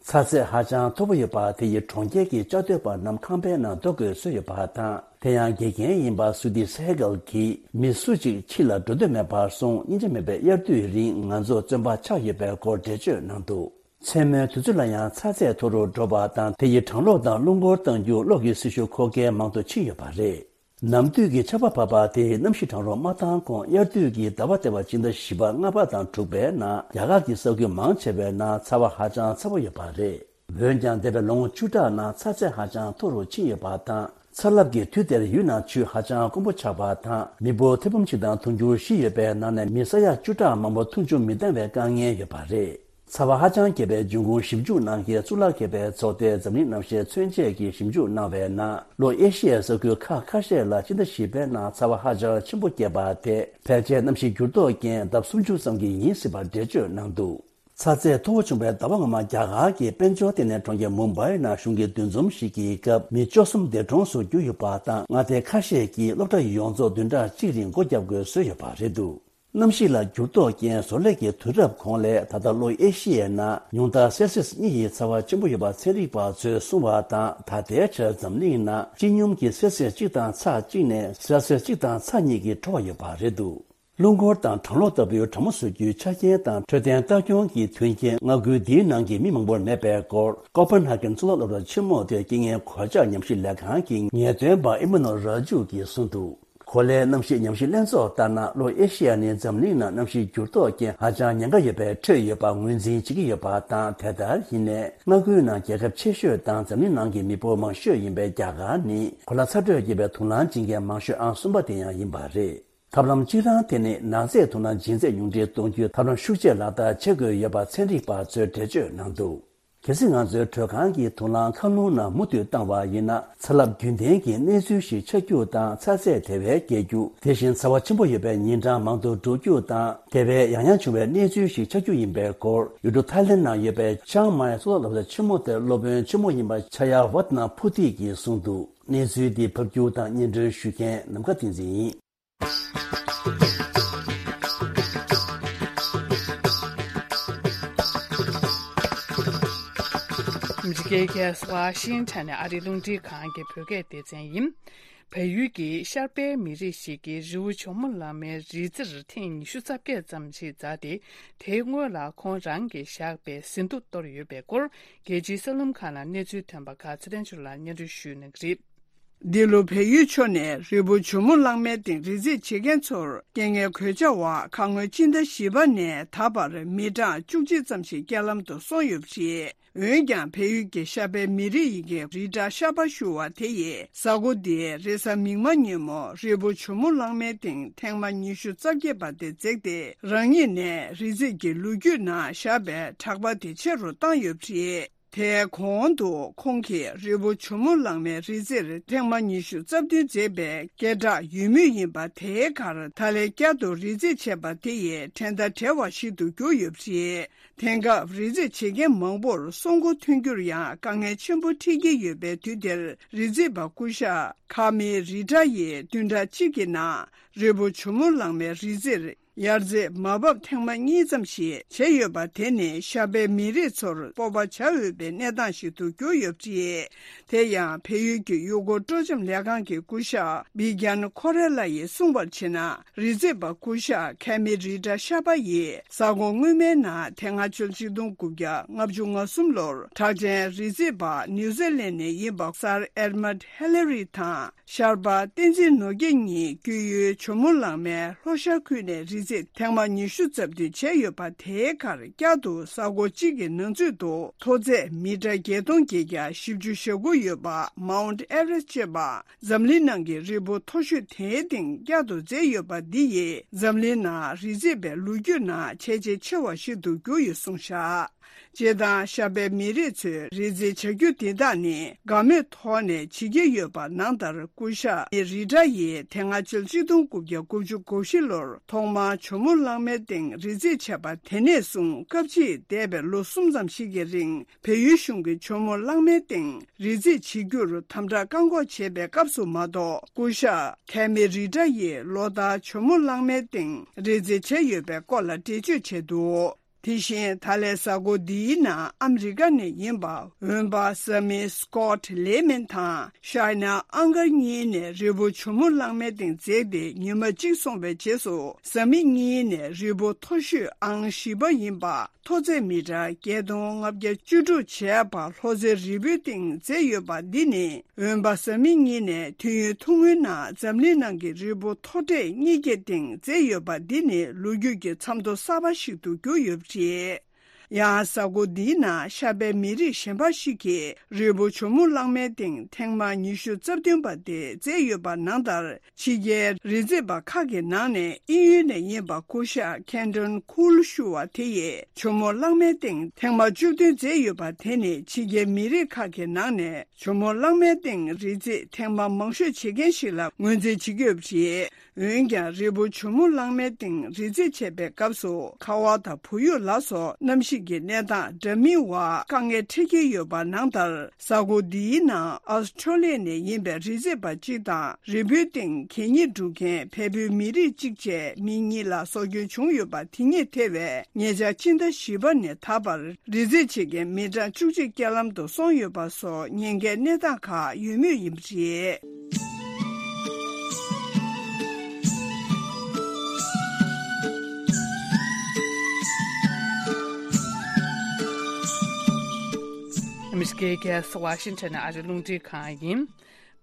ཚ་ཚད་ཧ་ཅང་མཐོ་པོ་ཡོད་པ་དེ་ཡིས་གྲོང་ཁྱེར་གྱི་བཅའ་སྡོད་པ་རྣམས་ཁང་པའི་ནང་སྡོད་དགོས་བཟོས་ཡོད་པ་དང་། དེ་ཡང་དགེ་རྒན་ཡིན་པ་སུ་དི་སེ་གལ་གྱིས་མི་སུ་གཅིག་ཕྱི་ལ་འགྲོ་འདོད་མེད་པར་སོང་། སྙིང་རྗེ་མེད་པའི་དབྱར་དུས་རིང་ང་ཚོ་བཙོན་པ་ཆགས་ཡོད་པའི་སྐོར་འགྲེལ་བརྗོད་གནང་འདུག་མཚན་མོའི་དུས་ཚོད་ལ་ཡང་ཚ་ཚད་མཐོ་རུ་འགྲོ་བ་དང་། དེ་ཡིས་གྲང་གློག་དང་རླུང་འཁོར་གཏང་རྒྱུ། གློག་གི་སྲི་ཞུ་མཁོ་གལ་མང་དུ་ཕྱིན་ཡོད་པ་རེད། ནམ་དུས་ཀྱི་ཆར་པ་བབས་པ་དེས་གནམ་གཤིས་གྲང་རུ་མ་བཏང་གོང་། དབྱར་དུས་ཀྱི་ཟླ་བ་ལྟེ་བ་སྤྱི་ཟླ་བཞི་པ་ལྔ་པ་དང་དྲུག་པའི་ནང་རྒྱ་གར་གྱི་ས་ཁུལ་མང་ཆེ་བའི་ནང་ཚ་བ་ཧ་ཅང་ཚ་པོ་ཡོད་པ་རེད། འོན་ཀྱང་འདས་པའི་ལོ་ངོ་བཅུ་ཕྲག་ནང་ཚ་ཚད་ཧ་ཅང་མཐོ་རུ་ཕྱིན་ཡོད་པ་དང་། ཚ་རླབས་ཀྱི་དུས་དེར་ཡུལ་ནང་ཆུ་ཧ་ཅང་དཀོན་པོ་ཆགས་པ་དང་། མི་འབོར་ཐེར་འབུམ་གཅིག་དང་དུང་ཕྱུར་བཞི་ཡོད་པའི་ནང་ནས་མི་ས་ཡ་བཅུ་ཕྲག་མང་པོ་འཐུང་ཆུ་མི་འདང་བའི་དཀའ་ངལ་ཡོད་པ་རེད། ཚ་བ་ཧ་ཅང་རྒྱས་པའི་འབྱུང་ཁུངས་ཞིབ་འཇུག་གནང་མཁན་གཙུག་ལག་མཁས་པའི་ཚོགས་སྡེ་འཛམ་གླིང་གནམ་གཤིས་མཚོན་ཆས་ཀྱིས་ཞིབ་འཇུག་གནང་བའི་ནང་། ལྷོ་ཨེ་ཤི་ཡའི་ས་ཁུལ་ཁག་ཁ་ཤས་ལ་སྤྱི་ཟླ་བཞི་པའི་ནང་ཚ་བ་ཧ་ཅང་ཆེན་པོ་རྒྱས་པ་དེ་ཕལ་ཆེར་གནམ་གཤིས་འགྱུར་ལྡོག་རྐྱེན་ལྡབ་སུམ་ཅུ་ཙམ་གྱིས་ཡིན་སྲིད་པར་འགྲེལ་བརྗོད་གནང་འདུག་ཚ་ཚད་མཐོ་བོ་བྱུང་བའི་ཟླ་བ་སྔོན་མ་རྒྱ་གར་གྱི་དཔལ་འབྱོར་ལྟེ་གནས་གྲོང་ཁྱེར་མུམ་བྷའི་ནང་གཞུང་གི་འདུ་འཛོམས་ཤིག་གི་སྐབས་མི་བཅུ་གསུམ་འདས་གྲོངས་སུ་གྱུར་ཡོད་པ་དང་། མངའ་སྡེ་ཁ་ཤས་ཀྱིས་སློབ་གྲྭ་ཡོངས་རྫོགས་བདུན་ཕྲག་གཅིག་རིང་སྒོ་བརྒྱབ་དགོས་བཟོས་ཡོད་པ་རེད་འདུག་གནམ་གཤིས་ལ་འགྱུར་ལྡོག་རྐྱེན་བཟོ་ལས་ཀྱི་དུས་རབས་གོང་ལས་ད་ལྟ་ལྷོ་ཨེ་ཤི་ཡའི་ནང་ཉུང་མཐར་སེལ་སིས་གཉིས་ཡི་ཚ་བ་ཆེན་པོ་ཡོད་པ་ཚན་རིག་པ་ཚོས་གསུངས་པ་དང་། ད་ལྟའི་ཆར་འཛམ་གླིང་ནང་སྤྱི་སྙོམས་ཀྱི་སེལ་སིས་གཅིག་དང་ཚེག་གཅིག་ནས་སེལ་སིས་གཅིག་དང་ཚེག་གཉིས་ཀྱི་འཕྲོ་བ་ཡོད་པ་རེད་འདུག་རླུང་འཁོར་དང་གྲང་གློག་ལྟ་བུའི་གྲང་མོ་བཟོ་རྒྱུའི་ཆ་རྐྱེན་དང་འཕྲོད་བསྟེན་ལྟ་སྐྱོང་གི་མཐུན་རྐྱེན་མངའ་ཁུལ་འདིའི་ནང་གི་མི་མང་པོར་མེད་པའི་སྐོར་ཀོ་པན་ཧ་གན་གཙུག་ལག་སློབ་གྲྭ་ཆེན་མོ་དེའི་རྐྱེན་ངན་གོད་ཆག་ཉམས་ཞིབ་ལས་ཁང་གི་ངེས་སྟོན་པ་ཨི་མ་ནོ་ར་ཇུ་གིས་གསུངས་འདུག་གོ་ལའི་གནམ་གཤིས་ཉམས་ཞིབ་ལྷན་ཚོགས་ལྟར་ན། ལྷོ་ཨེ་ཤི་ཡ་ནི་འཛམ་གླིང་ནང་གནམ་གཤིས་འགྱུར་ལྡོག་རྐྱེན་ཧ་ཅང་ཉེན་ཁ་ཡོད་པའི་ཁྲོད་ཡོད་པ་ངོས་འཛིན་བྱེད་ཀྱི་ཡོད་པ་དང་། དེ་ལྟར་ཡིན་ནའི་མངའ་ཁུལ་ནང་རྒྱལ་ཁབ་ཆེ་ཤོས་དང་འཛམ་གླིང་ནང་གི་མི་འབོར་མང་ཤོས་ཡིན་པའི་རྒྱ་གར་ནི་གོ་ལ་ཚ་དྲོད་རྒྱས་པའི་དུག་རླངས་སྦྱིན་མཁན་མང་ཤོས་ཨང་གསུམ་པ་དེ་ཡང་ཡིན་པ་རེད། ཐབས་ལམ་གཅིག་རང་དེ་ནི་ནག་རྫས་དུག་རླངས་སྦྱིན་རྫས་ཉུང་འཕྲི་གཏོང་རྒྱུའི་ཐབས་ལམ་ཤུགས་ཆེ་ལག་བསྟར་བྱེད་དགོས་ཡོད་པ་ཚན་རིག་པ་ཚོས་འགྲེལ་བརྗོད་གནང་འདུག་གལ་སྲིད་ང་ཚོའི་དྲོད་ཁང་གི་དུག་རླངས་མཁའ་རླུང་ནང་མུ་མཐུད་བཏང་བ་ཡིན་ན། ཚ་རླབས་རྒྱུན་ལྡན་གྱི་གནས་ཚུལ་ཞིག་ཆགས་རྒྱུ་དང་། ཚ་ཚད་དེ་བས་བརྒལ་རྒྱུ། དེ་བཞིན་ཚ་བ་ཆེན་པོ་ཡོད་པའི་ཉིན་གྲངས་མང་དུ་འགྲོ་རྒྱུ་དང་། དེ་བས་ཡང་ཡང་བྱུང་བའི་གནས་ཚུལ་ཞིག་ཆགས་རྒྱུ་ཡིན་པའི་སྐོར་ཡུལ་གྲུ་ཐའི་ལེན་ནང་ཡོད་པའི་ཅང་མའི་གཙུག་ལག་སློབ་གྲྭ་ཆེན་མོ་དེར་སློབ་དཔོན་ཆེན་མོ་ཡིན་པ་ཆ་ཡ་ཝ་ཏི་ན་ཕུ་ཏི་གིས་གསུངས་འདུག་གནས་ཚུལ་འདི་ཕབ་སྒྱུར་དང་སྙན་སྒྲོན་ཞུ་མཁན་ནམ་མཁའ་བསྟན་འཛིན་ཡིན། ཨ་མི་རི་ཀའི་རྒྱལ་ས་ཝ་ཤིང་ཊོན་ནས་ཨ་རིའི་རླུང་འཕྲིན་ཁང་གི་བོད་སྐད་སྡེ་ཚན་ཡིན། བལ་ཡུལ་གྱི་ཤར་པའི་མི་རིགས་ཤིག་གིས་རི་བོ་ཇོ་མོ་གླང་མའི་རི་རྩེར་ཐེངས་ཉི་ཤུ་རྩ་བརྒྱད་ཙམ་ཞིག་འཛེགས་ཏེ། དེའི་སྔོན་ལ་ཁོང་རང་གིས་བཞག་པའི་ཟིན་ཐོ་གཏོར་ཡོད་པའི་སྐོར། རྒྱལ་སྤྱིའི་གསར་ལམ་ཁག་ནང་གནས་ཚུལ་ཐོན་པ་ཁག་ཚེ་རིང་ཆོས་ལགས་སྙན་སྒྲོན་ཞུ་གནང་གི་རེད། འདི་ལོ་བལ་ཡུལ་ཕྱོགས་ནས་རི་བོ་ཇོ་མོ་གླང་མའི་སྟེང་རི་འཛེག་བྱེད་མཁན་ཚོར་རྐྱེན་ངན་གོད་ཆག་འོག་ཁ་སྔོན་སྤྱི་ཟླ་བཞི་པ་ནས་ད་བར་མི་གྲངས་བཅུ་གཅིག་ཙམ་ཞིག་རྐྱེན་ལམ་དུ་སོང་ཡོད་པ་རེད། འོན་ཀྱང་། བལ་ཡུལ་གྱི་ཤར་པའི་མི་རིགས་ཡི་གེ་རི་བཀྲ་ཤར་པ་ཞུ་བ་དེ་ཡིས་གཟའ་འཁོར་འདིའི་རེས་གཟའ་མིག་དམར་ཉིན་མོ་རི་བོ་ཇོ་མོ་གླང་མའི་སྟེང་ཐེངས་མ་ཉི་ཤུ་རྩ་བརྒྱད་པ་དེ་འཛེགས་ཏེ། རང་ཉིད་ནས་རི་འཛེག་གི་ལོ་རྒྱུས་ནང་བཞག་པའི་གྲགས་པ་དེ་ཆེ་རུ་བཏང་ཡོད་པ་རེད། དེའི་གོང་དུ་ཁོང་གིས་རི་བོ་ཇོ་མོ་གླང་མའི་རི་རྩེར་ཐེངས་མ་ཉི་ཤུ་རྩ་བདུན་འཛེགས་པའི་སྐད་གྲགས་ཡོད་མུས་ཡིན་པ། དེའི་ཁར་ད་ལན་བསྐྱར་དུ་རི་འཛེག་བྱས་པ་དེ་ཡིས་ཕྲན་བདའ་བྲལ་བ་ཞིག་ཏུ་གྱུར་ཡོད་པ་རེད། དེང་སྐབས་རི་འཛེག་བྱེད་མཁན་མང་པོར་སྲོག་མགོ་ཐོན་རྒྱུར་ཡང་དཀའ་ངལ་ཆེན་པོ་འཕྲད་ཀྱི་ཡོད་པའི་དུས་དེར། རི་འཛེག་པ་སྐུ་ཞབས་ཁ་མི་རི་ཏྲ་ཡིས་བདུན་ཕྲག་གཅིག་གི་ནང་རི་བོ་ཇོ་མོ་གླང་མའི་རི་རྩེར་ ཡར་རྩེད་མ་བབས་ཐེངས་མ་གཉིས་ཙམ་ཞིག་བྱས་ཡོད་པ་དེ་ནི་ཤར་པའི་མི་རིགས་ཚོར་སྤོབས་པ་བྱ་འོས་པའི་གནས་སྟངས་ཤིག་ཏུ་གྱུར་ཡོད་པ་རེད། དེ་ཡང་བལ་ཡུལ་གྱི་ཡུལ་སྐོར་སྤྲོ་འཆམ་ལས་ཁང་གི་སྐུ་ཞབས་བི་གྱན་ཁོ་རེ་ལ་ཡིས་གསུངས་པར་བྱས་ན། རི་རྩེད་པ་སྐུ་ཞབས་ཁེ་མི་རི་ཏྲ་ཤར་པ་ཡིས་གཟའ་འཁོར་སྔོན་མའི་ནང་དེ་སྔ་ཕྱི་ལོ་ཆིག་སྟོང་དགུ་བརྒྱ་ལྔ་བཅུ་ང་གསུམ་ལོར་གྲགས་ཅན་རི་རྩེད་པ་ནིའུ་ཛི་ལན་ནས་ཡིན་པ་སར་ཨེར་མད་ཧེ་ལེ་རི་དང་། ཤར་པ་བསྟན་འཛིན་ནོར་རྒྱས་གཉིས་སྐྱེས་ཡུལ་ཇོ་མོ་གླང་མའི་ལྷོ་ཤར་ཁུལ་ནས་རི་རྩེད་ཐེངས་མ་ཉི་ཤུ་རྩ་བདུན་བྱས་ཡོད་པ། དེའི་ཁར་བསྐྱར་དུ་གཟའ་འཁོར་གཅིག་གི་ནང་ཚུད་དུ་མཐོ་ཚད་མི་ཊར་བརྒྱད་སྟོང་བརྒྱད་བརྒྱ་བཞི་བཅུ་ཞེ་དགུ་ཡོད་པ་མའུན་ཨེ་ཝེ་རེ་སི་ཅེས་པ་འཛམ་གླིང་ནང་གི་རི་བོ་མཐོ་ཤོས་དེའི་སྟེང་བསྐྱར་དུ་འཛེགས་ཡོད་པ་འདི་ཡིས་འཛམ་གླིང་ནང་རི་རྩེད་པའི་ལོ་རྒྱུས་ནང་བྱས་རྗེས་ཆེ་བ་ཞིག་ཏུ་གྱུར་ཡོད་གསུངས་བཞག་སྤྱིར་བཏང་ཤར་པའི་མི་རིགས་ཚོས་རི་རྩེད་བྱ་རྒྱུ་འདི་དག་ནི་དགའ་མོས་ཐོག་ནས་བྱེད་ཀྱི་ཡོད་པ་ནང་ལྟར། སྐུ་ཞབས་རི་ཏྲ་ཡིས་དེ་སྔ་ཕྱི་ལོ་ཆིག་སྟོང་དགུ་བརྒྱ་དགུ་བཅུ་གོ་བཞི་ལོར་ཐོག་མར་ཇོ་མོ་གླང་མའི་སྟེང་རི་རྩེད་བྱས་པ། དེ་ནས་བཟུང་སྐབས་ཕྱིས་འདས་པའི་ལོ་གསུམ་ཙམ་ཞིག་གི་རིང་བལ་ཡུལ་གཞུང་གིས་ཇོ་མོ་གླང་མའི་སྟེང་རི་རྩེད་བྱེད་རྒྱུར་དམ་དྲག་བཀག་འགོག་བྱས་པའི་སྐབས་སུ་མ་གཏོགས། སྐུ་ཞབས་ཁེ་མི་རི་ཏྲ་ཡིས་ལོ་ལྟར་ཇོ་མོ་གླང་མའི་སྟེང་རི་རྩེད་བྱས་ཡོད་པའི་སྐོར་ལ་འགྲེལ་བརྗོད་བྱས་འདུག་དེ་བཞིན་ད་ལན་གཟའ་འཁོར་འདིའི་ནང་ཨ་མི་རི་ཀ་ནས་ཡིན་པ་འོན་པ་བཟའ་མི་སི་ཀོ་ཊི་ལེ་མན་དང་ཤའི་ན་ཨང་གར་གཉིས་ནས་རི་བོ་ཇོ་མོ་གླང་མའི་སྟེང་འཛེགས་ཏེ་ཉི་མ་གཅིག་སོང་བའི་རྗེས་སུ། བཟའ་མི་གཉིས་ནས་རི་བོ་མཐོ་ཤོས་ཨང་བཞི་པ་ཡིན་པ། མཐོ་ཚད་མི་ཊར་བརྒྱད་སྟོང་ལྔ་བརྒྱ་བཅུ་དྲུག་བྱས་པ་ལྷོ་རྩེ་རི་བོའི་སྟེང་འཛེགས་ཡོད་པ་འདི་ནི། འོན་པ་བཟའ་མི་གཉིས་ནས་དུས་ཡུན་ཐུང་ངུའི་ནང་འཛམ་གླིང་ནང་གི་རི་བོ་མཐོ་གྲས་གཉིས་ཀྱི་སྟེང་འཛེགས་ཡོད་པ་འདི་ནི་ལོ་རྒྱུས་ཀྱི་མཚམས་ཐོ་གསར་པ་ཞིག་ཏུ་གྱུར་ཡོད་པ་རེད། ཡང་གཟའ་འཁོར་འདིའི་ནང་ཤར་པའི་མི་རིགས་གཞན་པ་ཞིག་གིས་རི་བོ་ཇོ་མོ་གླང་མའི་སྟེང་ཐེངས་མ་ཉི་ཤུ་རྩ་བདུན་པ་དེ་འཛེགས་ཡོད་པ་ནང་ལྟར། ཕྱི་རྒྱལ་རི་རྩེད་པ་ཁག་གི་ནང་ནས་དབྱིན་ཡུལ་ནས་ཡིན་པ་སྐུ་ཞབས་ཁེན་ཏོན་ཁུལ་ཞུ་བ་དེ་ཡིས་ཇོ་མོ་གླང་མའི་སྟེང་ཐེངས་མ་བཅུ་བདུན་འཛེགས་ཡོད་པ་དེ་ནི་ཕྱི་རྒྱལ་མི་རིགས་ཁག་གི་ནང་ནས་ཇོ་མོ་གླང་མའི་སྟེང་རི་རྩེད་ཐེངས་མ་མང་ཤོས་བྱེད་མཁན་ཞིག་ལ་ངོས་འཛིན་བྱེད་ཀྱི་ཡོད་པ་རེད། འོན་ཀྱང་རི་བོ་ཇོ་མོ་གླང་མའི་སྟེང་རི་རྩེད་བྱེད་པའི་སྐབས་སུ་ཁ་བ་དང་བུ་ཡུག་ལ་སོགས་གནམ་གཤིས་ཀྱི་གནས་སྟངས་འདྲ་མིན་བར་དཀའ་ངལ་འཕྲད་ཀྱི་ཡོད་པ་ནང་ལྟར། གཟའ་འཁོར་འདིའི་ནང་ཨོ་སི་ཁྲོ་ལི་ཡ་ནས་ཡིན་པའི་རི་རྩེད་པ་གཅིག་དང་རི་བོའི་སྟེང་གད་སྙིགས་སྒྲུག་མཁན་བལ་པོའི་མི་རིགས་གཅིག་བཅས་མི་གཉིས་ལ་སྲོག་སྐྱོན་བྱུང་ཡོད་པ། དེ་གཉིས་ཐེ་བའི་ཉེ་ཆར་ཕྱི་ཟླ་བཞི་པ་ནས་ད་བར་རི་རྩེད་བྱེད་མཁན་མི་གྲངས་བཅུ་གཅིག་རྐྱེན་ལམ་དུ་སོང་ཡོད་པ་སོགས་ཉེན་ཁའི་གནས་སྟངས་ཁག་ཡོད་མུས་ཡིན་པ་རེད། ཨ་མི་རི་ཀའི་རྒྱལ་ས་ཝ་ཤིང་ཊོན་ཨ་རི་རླུང་འཕྲིན་ཁང་ཡིན།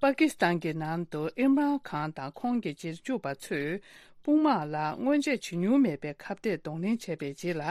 པ་ཀི་སི་ཐན་གྱི་ནང་དུ་ཨིམ་རཱན་ཁཱན་དང་ཁོང་གི་རྗེས་འཇུག་པ་ཚོས་དཔུང་དམག་ལ་སྔོན་ཆད་བྱུང་མྱོང་མེད་པའི་ཁ་གཏད་གདོང་ལེན་བྱས་པའི་རྗེས་ལ།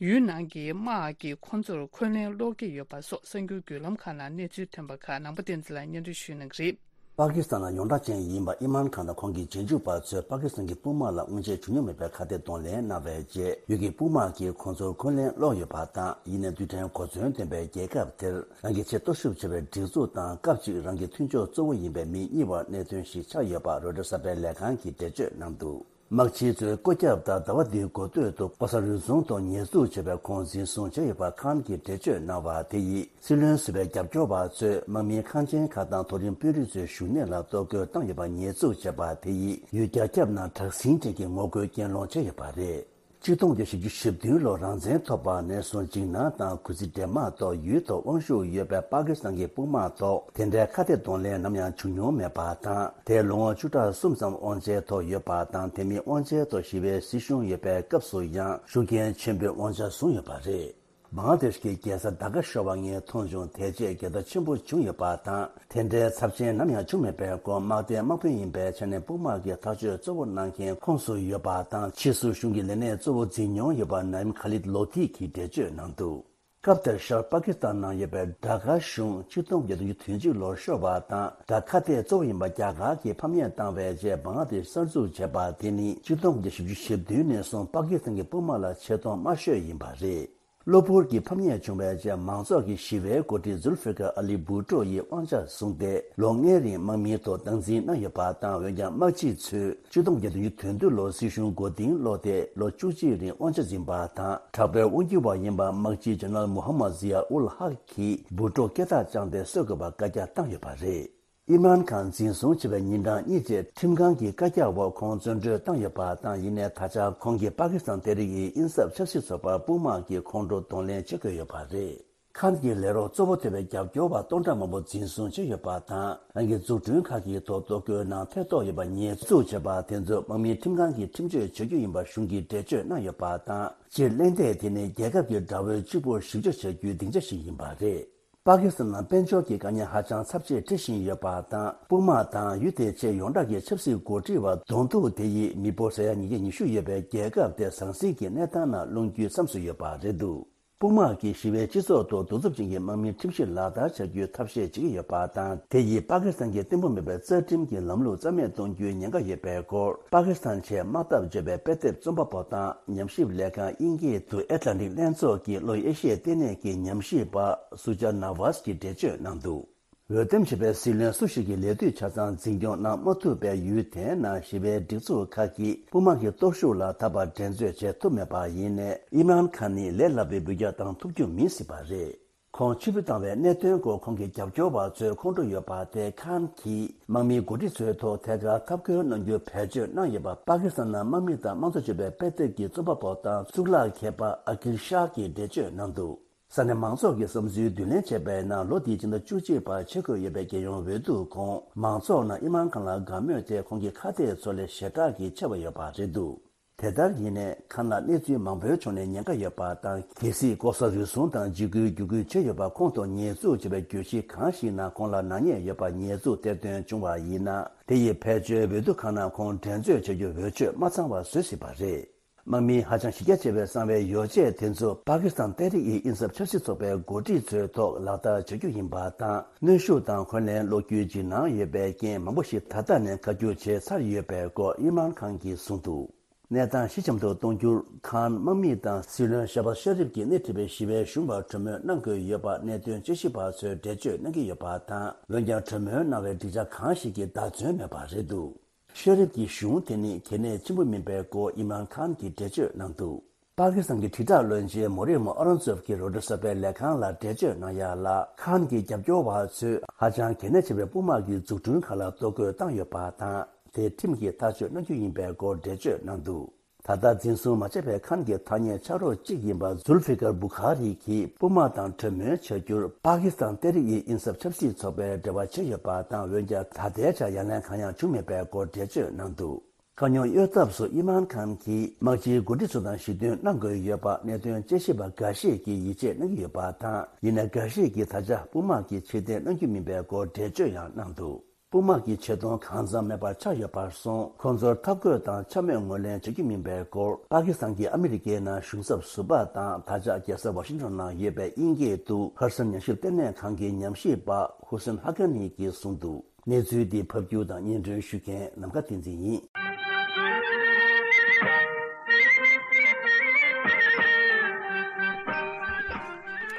ཡུལ་ནང་གི་དམག་གིས་ཁོ་ཚོར་འཁོན་ལན་སློག་གི་ཡོད་པ་སོགས་གསར་འགྱུར་བརྒྱུད་ལམ་ཁག་ནང་གནས་ཚུལ་ཐོན་པ་ཁག་ནང་པ་བསྟན་འཛིན་ལགས་སྙན་སྒྲོན་ཞུ་གནང་གི་རེད། པ་ཀི་སི་ཐན་ལ་ཡོངས་གྲགས་ཅན་ཡིན་པ་ཨིམ་རཱན་ཁཱན་དང་ཁོང་གི་རྗེས་འཇུག་པ་ཚོས་པ་ཀི་སི་ཐན་གྱི་དཔུང་དམག་ལ་སྔོན་ཆད་བྱུང་མྱོང་མེད་པའི་ཁ་གཏད་གདོང་ལེན་གནང་བའི་རྗེས། ཡུལ་གྱི་དཔུང་དམག་གིས་ཁོང་ཚོར་འཁོན་ལན་སློག་ཡོད་པ་དང་། ཡིན་ནའི་རྡུལ་ཕྲན་གོ་མཚོན་ལྡན་པའི་རྒྱལ་ཁབ་དེར། རང་གི་ཆེས་སྟོབས་ཤུགས་ཆེ་བའི་སྒྲིག་འཛུགས་དང་། སྐབས་གཅིག་རང་གི་མཐུན་ཕྱོགས་གཙོ་བོ་ཡིན་པའི་མི་གཉིས་བར་གནད་དོན་ཞིག་ཆགས་ཡོད་པ་རོའི་ཊར་གསར་པའི་ལས་ཁང་གིས་འགྲེལ་བརྗོད་གནང་འདུག་དམག་སྤྱི་ཚོས་བཀོད་ཁྱབ་ལྟར། ཟླ་བ་འདིའི་འགོ་སྟོད་དུ་པོ་ས་རུ་རྫོང་དུ་ཉེས་འཛུགས་བྱས་པའི་ཁོང་འཛིན་བཟུང་བྱས་ཡོད་པ་ཁཱན་གྱིས་འགྲེལ་བརྗོད་གནང་བ་དེ་ཡིས། སྲིད་བློན་ཟུར་པའི་རྒྱབ་སྐྱོར་བ་ཚོས་དམག་མིའི་ཁང་ཆེན་ཁག་དང་མཐོ་རིམ་དཔོན་རིགས་ཚོའི་བཞུགས་གནས་ལ་གཏོར་རྒོལ་བཏང་ཡོད་པ་ཉེས་འཛུགས་བྱས་པ་དེ་ཡིས། ཡུལ་རྒྱ་ཁྱབ་ནང་དྲག་ཟིང་ཅན་གྱི་ངོ་རྒོལ་གྱེན་སློང་བྱས་ཡོད་པ་རེད། ཆིག་སྟོང་དགུ་བརྒྱ་བཞི་བཅུ་ཞེ་བདུན་ལོར་རང་བཙན་ཐོབ་པ་ནས་བཟུང་འཇིགས་སྣང་དང་གུས་བརྩི་འདྲེས་མ་ཐོག་ཡུལ་ཐོག་དབང་ཤུགས་ཡོད་པའི་པ་ཀི་སི་ཐན་གྱི་དཔུང་དམག་ཐོག་དེ་འདྲའི་ཁ་གཏད་གདོང་ལེན་ནམ་ཡང་བྱུང་མྱོང་མེད་པ་དང་། དེས་ལོ་ངོ་བཅུ་ཕྲག་གསུམ་ཙམ་དབང་ཆའི་ཐོག་ཡོད་པ་དང་། དེ་མིན་དབང་ཆའི་ཐོག་ཞི་བའི་སྲིད་གཞུང་ཡོད་པའི་སྐབས་སུ་ཡང་ཤུགས་རྐྱེན་ཆེན་པོའི་དབང་ཆ་བཟུང་ཡོད་པ་རེད། བང་ལ་དེཤ་གི་རྒྱལ་ས་ཌ་ཀ་ཤོར་བ་ངས་མཐོང་བྱུང་། དེ་རྗེས་འགྱུར་ལྡོག་ཆེན་པོ་བྱུང་ཡོད་པ་དང་། དེ་འདྲའི་ཚབས་ཆེན་ནམ་ཡང་བྱུང་མེད་པའི་སྐོར། དམག་སྡེའི་དམག་དཔོན་ཡིན་པའི་ཆ་ནས་དཔུང་དམག་གི་ཐག་གཅོད་གཙོ་བོ་གནང་མཁན་ཁོངས་སུ་ཡོད་པ་དང་། ཕྱིས་སུ་གཞུང་གི་ལས་གནས་གཙོ་བོ་འཛིན་མྱོང་ཡོད་པ་ནའིམ་ཁ་ལིད་ལོ་ཐི་གིས་འགྲེལ་བརྗོད་གནང་འདུག་སྐབས་དེར་ཤར་པ་ཀི་སི་ཐན་ནང་ཡོད་པའི་ཌ་ཀ་གཞུང་ཆིག་སྟོང་དགུ་བརྒྱ་དོན་གཅིག་ལོར་ཤོར་བ་དང་། ཌ་ཁ་གཏད་གཙོ་བོ་ཡིན་པ་རྒྱ་གར་གྱིས་ཕམ་ཉེས་བཏང་བའི་རྗེས། བང་ལ་དེཤ་གསར་འཛུགས་བྱས་པ་དེ་ནི་ཆིག་སྟོང་དགུ་བརྒྱ་བཞི་བཅུ་ཞེ་བདུན་ནས་བཟུང་པ་ཀི་སི་ཐན་གྱི་དཔུང་དམག་ལ་ཆེ་མཐོང་དམའ་ཤོས་ཡིན་པ་རེད། གློ་བུར་གྱི་ཕམ་ཉེས་བྱུང་བའི་རྗེས། མང་ཚོགས་ཀྱི་ཞི་བའི་འགོ་ཁྲིད་ཛུལ་ཧྥི་ཀར་ཨ་ལི་བྷུ་ཊོ་ཡིས་དབང་ཆ་བཟུང་སྟེ། ལོ་ལྔའི་རིང་དམག་མིའི་ཐོག་སྟངས་འཛིན་གནང་ཡོད་པ་དང་། འོན་ཀྱང་དམག་སྤྱི་ཚོས་ཆིག་སྟོང་བརྒྱད་བརྒྱ་དོན་བདུན་ལོར་སྲིད་གཞུང་མགོ་རྟིང་སློག་སྟེ། ལོ་བཅུ་གཅིག་རིང་དབང་ཆ་འཛིན་པ་དང་། དྲག་པོའི་དབང་སྒྱུར་བ་ཡིན་པ་དམག་སྤྱི་ཇེ་ནེ་རལ་མུ་ཧམ་མད་ཟི་ཡ་ཨུལ་ཧག་གིས་བྷུ་ཊོ་སྐེ་ཐག་བཅངས་ཏེ་གསོད་དགོས་པར་བཀའ་རྒྱ་བཏང་ཡོད་པ་རེད། ཨིམ་རཱན་ཁཱན་འཛིན་བཟུང་བྱས་པའི་ཉིན་གྲངས་གཉིས་རྗེས་ཁྲིམས་ཁང་གི་བཀའ་རྒྱ་འོག་ཁོང་བཙོན་གྲོལ་བཏང་ཡོད་པ་དང་། ཡིན་ནའི་ད་ཆ་ཁོང་གིས་པ་ཀི་སི་ཐན་ཏེ་རིག་ཨི་ཨིན་སབ་ཆབ་སྲིད་ཚོགས་པར་དཔུང་དམག་གིས་ཁོང་ཁྲོ་གདོང་ལེན་བྱེད་དགོས་ཡོད་པ་རེད། ཁཱན་གྱི་ལས་རོགས་གཙོ་བོ་ཐེ་བའི་རྒྱབ་སྐྱོར་བ་སྟོང་ཕྲག་མང་པོ་འཛིན་བཟུང་བྱས་ཡོད་པ་དང་། རང་གི་འཛུགས་སྐྲུན་ཁག་གི་ཐོག་གཏོར་རྒོལ་ནང་ཐེ་གཏོགས་ཡོད་པ་ཉེས་འཛུགས་བྱས་པ་དེ་ཚོ་དམག་མིའི་ཁྲིམས་ཁང་གིས་ཁྲིམས་གཅོད་བྱ་རྒྱུ་ཡིན་པ་གཞུང་གིས་འགྲེལ་བརྗོད་གནང་ཡོད་པ་དང་། སྤྱིར་གླེང་སྟེགས་དེ་ནི་རྒྱལ་ཁབ་ཀྱི་དགྲ་བོའི་གཅིག་པུར་ཞིབ་དཔྱོད་བྱ་རྒྱུའི་སྡིངས་ཆ་ཞིག་ཡིན་པ་རེད། པ་ཀི་སི་ཐན་ནང་དཔལ་འབྱོར་གྱི་དཀའ་ངལ་ཧ་ཅང་ཚབས་ཆེ་འཕྲད་བཞིན་ཡོད་པ་དང་། དཔུང་དམག་དང་ཡུལ་དེའི་ཆེས་ཡོངས་གྲགས་ཀྱི་ཆབ་སྲིད་འགོ་ཁྲིད་པ་གདོང་ཐུག་དེ་ཡིས་མི་འབོར་ས་ཡ་ཉིས་བརྒྱ་ཉི་ཤུ་ཡོད་པའི་རྒྱལ་ཁབ་དེ་ཟང་ཟིང་གི་གནས་སྟངས་ནང་ལྷུང་རྒྱུའི་བསམ་བཟོ་ཡོད་པ་རེད་འདུག་དཔུང་དམག་གིས་ཞི་བའི་སྤྱི་ཚོགས་ཐོག་གདུག་རྩུབ་ཅན་གྱི་དམག་མིའི་ཁྲིམས་གཞི་ལག་བསྟར་བྱ་རྒྱུའི་ཐབས་ཤེས་བྱེད་ཀྱི་ཡོད་པ་དང་། དེ་ཡིས་པ་ཀི་སི་ཐན་གྱི་གཏིང་ཕུ་མེད་པའི་རྩ་ཁྲིམས་ཀྱི་ལམ་ལུགས་རྩ་མེད་གཏོང་རྒྱུའི་ཉེན་ཁ་ཡོད་པའི་སྐོར། པ་ཀི་སི་ཐན་ཆེས་དམག་འཐབ་བརྗོད་པའི་དཔེ་དེབ་རྩོམ་པ་པོ་དང་ཉམས་ཞིབ་ལས་ཁང་དབྱིན་སྐད་དུ་ཨེཊ་ལན་ཊིག་ལྷན་ཚོགས་ཀྱི་ལྷོ་ཨེ་ཤི་ཡའི་ལྟེ་གནས་ཀྱི་ཉམས་ཞིབ་པ་སུ་ཇཱ་ན་ཝཱས་ཀྱིས་འགྲེལ་བརྗོད་གནང་འདུག་འོས་འདེམས་བྱས་པའི་སྲིད་བློན་སུ་ཞིག་གི་ལས་དུས་ཆ་ཚང་འཛིན་སྐྱོང་གནང་མ་ཐུབ་པའི་ཡུལ་དེའི་ནང་ཞི་བའི་སྒྲིག་འཛུགས་ཁག་གིས་དཔུང་དམག་གི་སྟོབས་ཤུགས་ལ་ད་བར་འགྲན་རྩོད་བྱེད་ཐུབ་མེད་པ་ཡིན་ནའི། ཨིམ་རཱན་ཁཱན་ནི་ལས་སླ་པོའི་འབུད་རྒྱག་བཏང་ཐུབ་རྒྱུ་མིན་སྲིད་པ་རེད། ཁོང་ཕྱིར་འབུད་བཏང་བའི་གནད་དོན་སྐོར་ཁོང་གི་རྒྱབ་སྐྱོར་བ་ཚོས་ཁོང་ཁྲོ་ཡོད་པ་དེ་ཁཱན་གྱིས་དམག་མིའི་འགོ་ཁྲིད་ཚོའི་ཐོག་ཐད་ཀར་འཐབ་རྒོལ་གནང་རྒྱུར་བེད་སྤྱོད་གནང་ཡོད་པ། པ་ཀི་སི་ཐན་ནང་དམག་མི་དང་དམངས་གཙོ་བརྗོད་པའི་དཔེ་དེབ་ཀྱི་རྩོམ་པ་པོ་དང་གཙུག་ལག་མཁས་པ་ཨ་ཀིལ་ཤཱ་གིས་འགྲེལ་བརྗོད་གནང་འདུག་ས་གནས་མང་ཚོགས་ཀྱི་བསམ་ཚུལ་བསྡུ་ལེན་བྱས་པའི་ནང་ལོ་འདིའི་སྤྱི་ཟླ་བཅུ་གཅིག་པར་ཆེད་བསྐོས་ཡོད་པའི་རྒྱལ་ཡོངས་འོས་བསྡུ་ཁོངས་མང་ཚོགས་ནང་ཨིམ་རཱན་ཁཱན་ལ་དགའ་མོས་དེ་ཁོང་གི་ཁ་གཏད་ཚོ་ལས་ཞེ་དྲག་གིས་ཆེ་བ་ཡོད་པ་རེད་འདུག་དེ་ལྟར་ཡིན་ནའི་ཁཱན་ལ་གནས་ཚུལ་མང་པོའི་ཕྱོགས་ནས་ཉེན་ཁ་ཡོད་པ་དང་། གལ་སྲིད་ལྐོག་ཟ་རུལ་སུངས་དང་འཇིགས་སྐུལ་བརྒྱུད་སྐུལ་བྱས་ཡོད་པ་ཁོང་ཐོག་ཉེས་འཛུགས་བྱས་པའི་གྱོད་གཞི་གང་ཞིག་ནང་ཁོང་ལ་ནག་ཉེས་ཡོད་པ་ཉེས་འཛུགས་གཏེར་འདོན་བྱུང་བ་ཡིན་ན། དེ་ཡིས་ཕལ་ཆེར་འོས་བསྡུ་ཁང་ནང་ཁོང་འགྲན་རྩོད་བྱ་རྒྱུ་འོས་ཆོས་མ་ཚང་བ་བཟོ་སྲིད་པ་རེད། དམག་མིའི་ཧ་ཅང་གཞི་རྒྱ་ཆེ་བའི་གསང་བའི་ཡོ་བྱད་དེ་ཚོ་པ་ཀི་སི་ཐན་ཏེ་རིག་ཨི་ཨིན་སབ་ཆབ་སྲིད་ཚོགས་པའི་འགོ་ཁྲིད་ཚོའི་ཐོག་ལག་བསྟར་བྱ་རྒྱུ་ཡིན་པ་དང་། གནོན་ཤུགས་དང་འཁོན་ལན་སློག་རྒྱུའི་འཇིགས་སྣང་ཡོད་པའི་རྐྱེན་མང་པོ་ཞིག་ད་ལྟ་ནས་བཀའ་བཀྱོན་བྱས་ཚར་ཡོད་པའི་སྐོར་ཨིམ་རཱན་ཁཱན་གྱིས་གསུངས་འདུག་གནས་སྟངས་ཞི་འཇམ་དུ་གཏོང་རྒྱུར་ཁཱན་དམག་མི་དང་སྲིད་བློན་ཤ་བཱ་ཤ་རིབ་ཀྱིས་སྣེ་ཁྲིད་པའི་ཞི་བའི་གཞུང་ལ་གྲོས་མོལ་གནང་དགོས་ཡོད་པ་གནད་དོན་དཔྱད་ཞིབ་པ་ཚོས་འགྲེལ་བརྗོད་གནང་གི་ཡོད་པ་དང་། འོན་ཀྱང་གྲོས་མོལ་གནང་བའི་སྒྲིག་ཆ་གང་ཞིག་གིས་བདག་བརྩོན་མེད་པ་རེད་འདུག་ཤེ་རིབ་ཀྱི་གཞུང་དེ་ནི་གལ་གནད་ཆེན་པོ་མིན་པའི་སྐོར་ཨིམ་རཱན་ཁཱན་གྱིས་འགྲེལ་བརྗོད་གནང་འདུག་པ་ཀི་སི་ཐན་གྱི་དྲིལ་བསྒྲགས་བློན་ཆེན་མོ་རི་མོ་ཨ་རོན་ཛོབ་ཀྱིས་རོའི་ཊར་གསར་པའི་ལས་ཁང་ལ་འགྲེལ་བརྗོད་གནང་ཡ་ལ། ཁཱན་གྱི་རྒྱབ་སྐྱོར་བ་ཚོས་ཧ་ཅང་གལ་གནད་ཆེ་བའི་དཔུང་དམག་གི་འཛུགས་སྐྲུན་ཁག་ལ་གཏོར་རྒོལ་བཏང་ཡོད་པ་དང་། དེ་ཁྲིམས་ཀྱིས་ཐག་གཅོད་གནང་རྒྱུ་ཡིན་པའི་སྐོར་འགྲེལ་བརྗོད་གནང་འདུག་ད་ལྟ་འཛིན་བཟུང་མ་བྱས་པའི་ཁཱན་གྱི་ཐག་ཉེ་ཆ་རོགས་གཅིག་ཡིན་པ་ཛུལ་ཕི་ཀར་བུ་ཁ་རི་གིས་དཔུང་དམག་དང་གྲོས་མོལ་བྱ་རྒྱུར་པ་ཀི་སི་ཐན་ཏེ་རིག་ཨི་ཨིན་སབ་ཆབ་སྲིད་ཚོགས་པའི་འབྲེལ་བ་བྱས་ཡོད་པ་དང་། འོན་ཀྱང་ད་ལྟའི་ཆར་ཡ་ལན་གང་ཡང་བྱུང་མེད་པའི་སྐོར་འགྲེལ་བརྗོད་གནང་འདུག་དཀའ་རྙོག་གཡོལ་ཐབས་སུ་ཨིམ་རཱན་ཁཱན་གྱིས་དམག་སྤྱིའི་འགོ་ཁྲིད་ཚོ་དང་ཞི་མཐུན་གནང་དགོས་ཡོད་པ་གནད་དོན་དཔྱད་ཞིབ་པ་འགའ་ཞིག་གིས་ཡིད་ཆེས་གནང་གི་ཡོད་པ་དང་། ཡིན་ནའི་འགའ་ཞིག་གིས་ད་ཆ་དཔུང་དམག་གིས་ཕྱིར་འཐེན་གནང་རྒྱུ་མིན་པའི་སྐོར་འགྲེལ་བརྗོད་ཡང་གནང་འདུག་དཔུང་དམག་གི་ཆེ་མཐོང་གང་འཚམ་མེད་པར་ཆགས་ཡོད་པར་སོང་། ཁོང་ཚོར་འཐབ་རྒོལ་དང་འཕྱ་སྨོད་ངོས་ལེན་བྱ་རྒྱུ་མིན་པའི་སྐོར། པ་ཀི་སི་ཐན་གྱིས་ཨ་མི་རི་ཀའི་ནང་གཞུང་ཚབ་ཟུར་པ་དང་ད་ཆ་རྒྱལ་ས་ཝ་ཤིང་ཊོན་ནང་ཡོད་པའི་དབྱིན་སྐད་དུ་ཧར་སན་ཉམས་ཞིབ་ལྟེ་གནས་ཁང་གི་ཉམས་ཞིབ་པ་ཧུ་སན་ཧ་ཀ་ནི་གིས་གསུངས་འདུག་གནས་ཚུལ་འདི་ཕབ་སྒྱུར་དང་སྙན་སྒྲོན་ཞུ་མཁན་ནམ་མཁའ་བསྟན་འཛིན་ཡིན།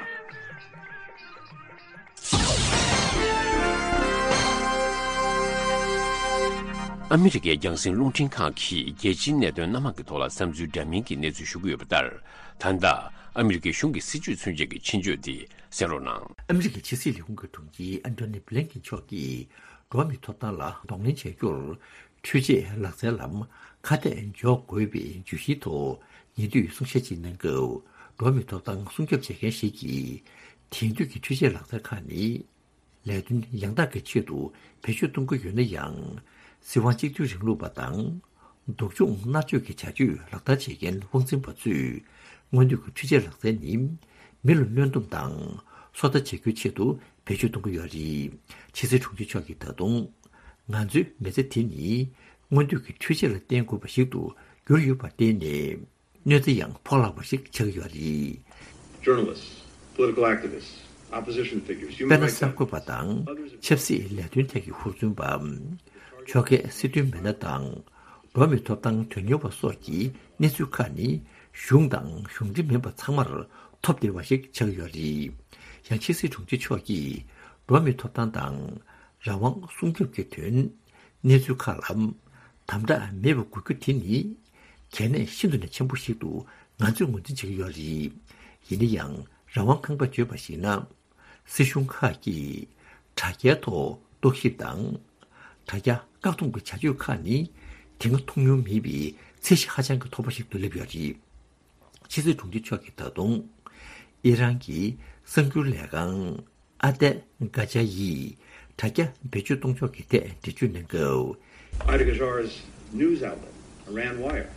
ཨ་མི་རི་ཀའི་རྒྱང་སྲིང་རླུང་འཕྲིན་ཁང་གིས་རྒྱལ་སྤྱིའི་གནད་དོན་སྣ་མང་གི་ཐོག་ལ་བསམ་ཚུལ་འདྲ་མིན་གྱི་གནས་ཚུལ་ཞུ་གི་ཡོད་པ་ལྟར། ད་ལྟ་ཨ་མི་རི་ཀའི་གཞུང་གི་སྲིད་བྱུས་མཚོན་བྱེད་ཀྱི་ཕྱིན་བཅོས་འདི་གསན་རོགས་གནང་། ཨ་མི་རི་ཀའི་ཕྱི་སྲིད་ལས་ཁུངས་ཀྱི་དྲུང་ཆེ་ཨན་ཐོ་ནི་བྷི་ལིན་ཀིན་མཆོག་གིས་འགྲོ་བ་མིའི་ཐོབ་ཐང་ལ་གདོང་ལེན་བྱ་རྒྱུར་འཕྲུལ་ཆས་ལག་རྩལ་ལམ་ཁ་གཏད་འཇོག་དགོས་པའི་བརྗོད་གཞིའི་ཐོག་ཉེ་དུས་གསུང་བཤད་ཅིག་གནང་སྐབས། འགྲོ་བ་མིའི་ཐོབ་ཐང་སྲུང་སྐྱོབ་བྱེད་མཁན་ཞིག་གིས། དེང་དུས་ཀྱི་འཕྲུལ་ཆས་ལག་རྩལ་ཁག་ནི་ལས་དོན་ཡང་དག་གི་ཆེད་དུ་བེད་སྤྱོད་གཏོང་གི་ཡོད་ན་ཡང་། སྲིད་དབང་གཅིག་མཐུན་རིང་ལུགས་པ་དང་། སྡུག་སྦྱོང་མནར་གཅོད་ཀྱི་བྱ་སྤྱོད་ལག་བསྟར་བྱེད་མཁན་དབང་འཛིན་པ་ཚོས། སྔོན་དུས་ཀྱི་འཕྲུལ་ཆས་ལག་རྩལ་ནི་མི་ལ་གནོན་སྡོམ་དང་སོ་ལྟ་བྱེད་རྒྱུའི་ཆེད་དུ་བེད་སྤྱོད་གཏོང་གི་ཡོད་རེད། ཕྱི་སྲིད་དྲུང་ཆེ་མཆོག་གིས་ད་དུང་། ང་ཚོའི་མི་ཚེ་དེ་ནི་སྔོན་དུས་ཀྱི་འཕྲུལ་ཆས་ལ་བརྟེན་དགོས་པ་ཞིག་ཏུ་གྱུར་ཡོད་པར་བརྟེན་ནས། གནོད་འཚེ་ཡང་ཕོག་ལྷག་པ་ཞིག་ཆགས་ཀྱི་ཡོད་རེད། Journalists, political activists, opposition figures, human དཔེར་ན། rights གསར་འགོད་པ་དང་ཆབ་སྲིད་ལས་དོན་ཐད་ཀྱི་ཧུར་བརྩོན་པ། ཕྱོགས་འགལ་སྲིད་དོན་མི་སྣ་དང་། འགྲོ་བ་མིའི་ཐོབ་ཐང་དོན་གཉེར་བ་སོགས་ཀྱི་གནས་ཚུལ་ཁག་ནི་གཞུང་དང་གཞུང་འབྲེལ་མིན་པ་ཚང་མར་ཐོབ་བདེ་བ་ཞིག་ཆགས་ཀྱི་ཡོད་རེད། ཡང་ཕྱི་སྲིད་དྲུང་ཆེ་མཆོག་གིས་འགྲོ་བ་མིའི་ཐོབ་ཐང་དང་རང་དབང་སྲུང་སྐྱོབ་ཀྱི་དོན། གནས་ཚུལ་ཁག་ལ་དམ་དྲག་མེད་པ་དགོས་རྒྱུ་དེ་ནི་གལ་གནད་ཤིན་ཏུ་ནས་ཆེན་པོ་ཞིག་ཏུ་ང་ཚོས་ངོས་འཛིན་བྱེད་ཀྱི་ཡོད་རེད། ཡིན་ན་ཡང་རང་དབང་ཁང་པས་བརྗོད་པར་གཞིགས་ན། སྲིད་གཞུང་ཁག་གིས་དྲ་རྒྱའི་ཐོག་ རྟོག་ཞིབ་དང་། དྲ་རྒྱ་བཀག་སྡོམ་གྱི་བྱ་སྤྱོད་ཁག་ནི་དེ་སྔ་མཐོང་མྱོང་མེད་པའི་ཚད་གཞི་ཧ་ཅང་གི་མཐོ་པོ་ཞིག་ཏུ་སླེབས་ཡོད་རེད། ཕྱི་སྲིད་དྲུང་ཆེ་མཆོག་གིས་ད་དུང་ཨི་རན་གྱི་གསར་འགྱུར་ལས་ཁང་ཨ་ཏེ་གྷ་ཇ་ཡི་དྲ་རྒྱ་བེད་སྤྱོད་གཏོང་ཕྱོགས་ཀྱི་ཐད་འགྲེལ་བརྗོད་གནང་སྐབས། Ahdegajar's news outlet, Iran Wire,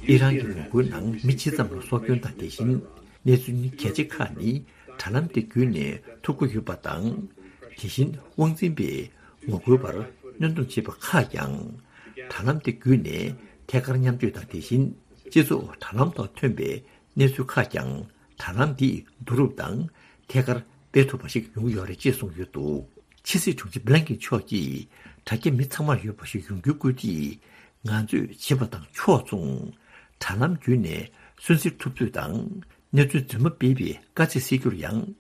ཨི་རན་གྱི་ངོ་རྒོལ་ནང་མི་ཇི་ཙམ་ལ་སྲོག་སྐྱོན་དང་དེ་བཞིན་གནས་ཚུལ་གལ་ཆེ་ཁག་ནི་དྲ་ལམ་དེ་བརྒྱུད་ནས་ཐོབ་ཀྱི་ཡོད་པ་དང་། དེ་བཞིན་དབང་འཛིན་པས་ངོ་རྒོལ་པར་གནོན་སྡོམ་བྱས་པ་ཁག་ཀྱང་། དྲ་ལམ་དེ་བརྒྱུད་ནས་ཐད་ཀར་མཉམ་སྤྱོད་དང་དེ་བཞིན་སྤྱི་ཚོགས་དྲ་ལམ་ཐོག་ཐོན་པའི་གནས་ཚུལ་ཁག་ཀྱང་དྲ་ལམ་འདིས་བསྡུ་རུབ་དང་ཐད་ཀར་སྤེལ་ཐུབ་པ་ཞིག་ཡོང་གི་ཡོད་རེད་ཅེས་གསུངས་ཡོད་འདུག་ཕྱི་སྲིད་དྲུང་ཆེ་བྷི་ལན་ཀིན་མཆོག་གིས་དྲ་རྒྱ་མི་ཚང་མར་ཡོད་པ་ཞིག་ཡོང་རྒྱུའི་སྐུལ་འདེད་ང་ཚོས་བྱེད་པ་དང་ཕྱོགས་མཚུངས། དྲ་ལམ་བརྒྱུད་ནས་སུན་གཙེར་ཐུབ་ཚོད་དང་། གནས་ཚུལ་རྫུན་མ་སྤེལ་བའི་དཀའ་ཚེགས་སེལ་རྒྱུར་ཡང་།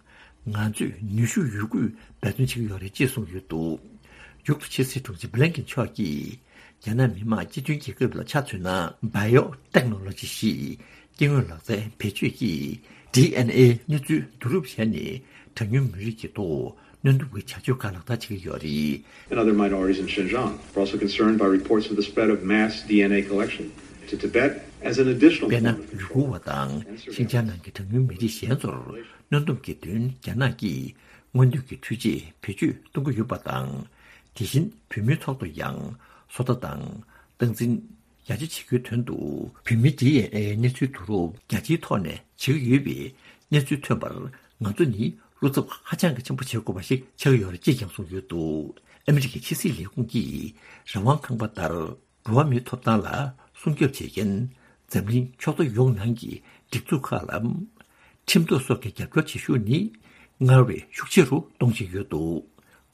ང་ཚོས་ནུས་ཤུགས་ཡོད་རྒུས་འབད་བརྩོན་བྱེད་ཀྱི་ཡོད་རེད་ཅེས་གསུངས་ཡོད་འདུག་མཇུག་ཏུ་ཕྱི་སྲིད་དྲུང་ཆེ་བྷི་ལན་ཀིན་མཆོག་གིས། རྒྱ་ནག་མི་དམངས་སྤྱི་མཐུན་རྒྱལ་ཁབ་ལ་ཆ་མཚོན་ན། Biotechnology ཞེས་སྐྱེ་དངོས་ལག་རྩལ་བེད་སྤྱོད་ཀྱིས་ཌི་ཨེན་ཨེ་གནས་ཚུལ་བསྡུ་རུབ་བྱས་ནས་གྲངས་ཉུང་མི་རིགས་ཀྱི་ཐོག་གནོན་སྡོམ་གྱི་བྱ་སྤྱོད་ཁག་ལག་བསྟར་བྱེད་ཀྱི་ཡོད་རེད། And other minorities in Xinjiang are also concerned by reports of the spread of mass D N A collection to Tibet as an additional དཔེར་ན། form of ཡུ་གུར་བ་དང་ཤིན་ཅང་ནང་གི་གྲངས་ཉུང་མི་རིགས་གཞན་ཚོར་གནོན་སྡོམ་གྱི་དོན་རྒྱ་ནག་གིས་མངོན་འདོད་ཀྱི་འཕྲུལ་ཆས་བེད་སྤྱོད་གཏོང་གི་ཡོད་པ་དང་། དེ་བཞིན་བོད་མིའི་ཐོག་ཏུ་ཡང་བཟོ་ལྟ་དང་སྟངས་འཛིན་ཡར་རྒྱས་བྱེད་རྒྱུའི་དོན་དུ་བོད་མིའི་ཌི་ཨེན་ཨེ་གནས་ཚུལ་བསྡུ་རུབ་རྒྱ་ཆེའི་ཐོག་ནས་བྱེད་ཀྱི་ཡོད་པའི་གནས་ཚུལ་ཐོན་པར་ང་ཚོ་ནི་བློ་འཚབ་ཧ་ཅང་གི་ཆེན་པོ་བྱེད་དགོས་པ་ཞིག་ཆགས་ཀྱི་ཡོད་རེད་ཅེས་ཀྱང་གསུངས་ཡོད་འདུག་ཨ་མི་རི་ཀའི་ཕྱི་སྲིད་ལས་ཁུངས་ཀྱིས་རང་དབང་ཁང་པ་ལྟར་འགྲོ་བ་མིའི་ཐོབ་ཐང་ལ་སྲུང་སྐྱོབ་བྱེད་མཁན་འཛམ་གླིང་ཕྱོགས་མཐའ་ཡོངས་ནང་གི་སྒྲིག་འཛུགས་ཁག་ལ་ཁྲིམས་ཐོག་སོགས་ཀྱི་རྒྱབ་སྐྱོར་བྱེད་ཤུགས་ནི་སྔར་བས་ཤུགས་ཆེ་རུ་གཏོང་བཞིན་ཡོད་འདུག་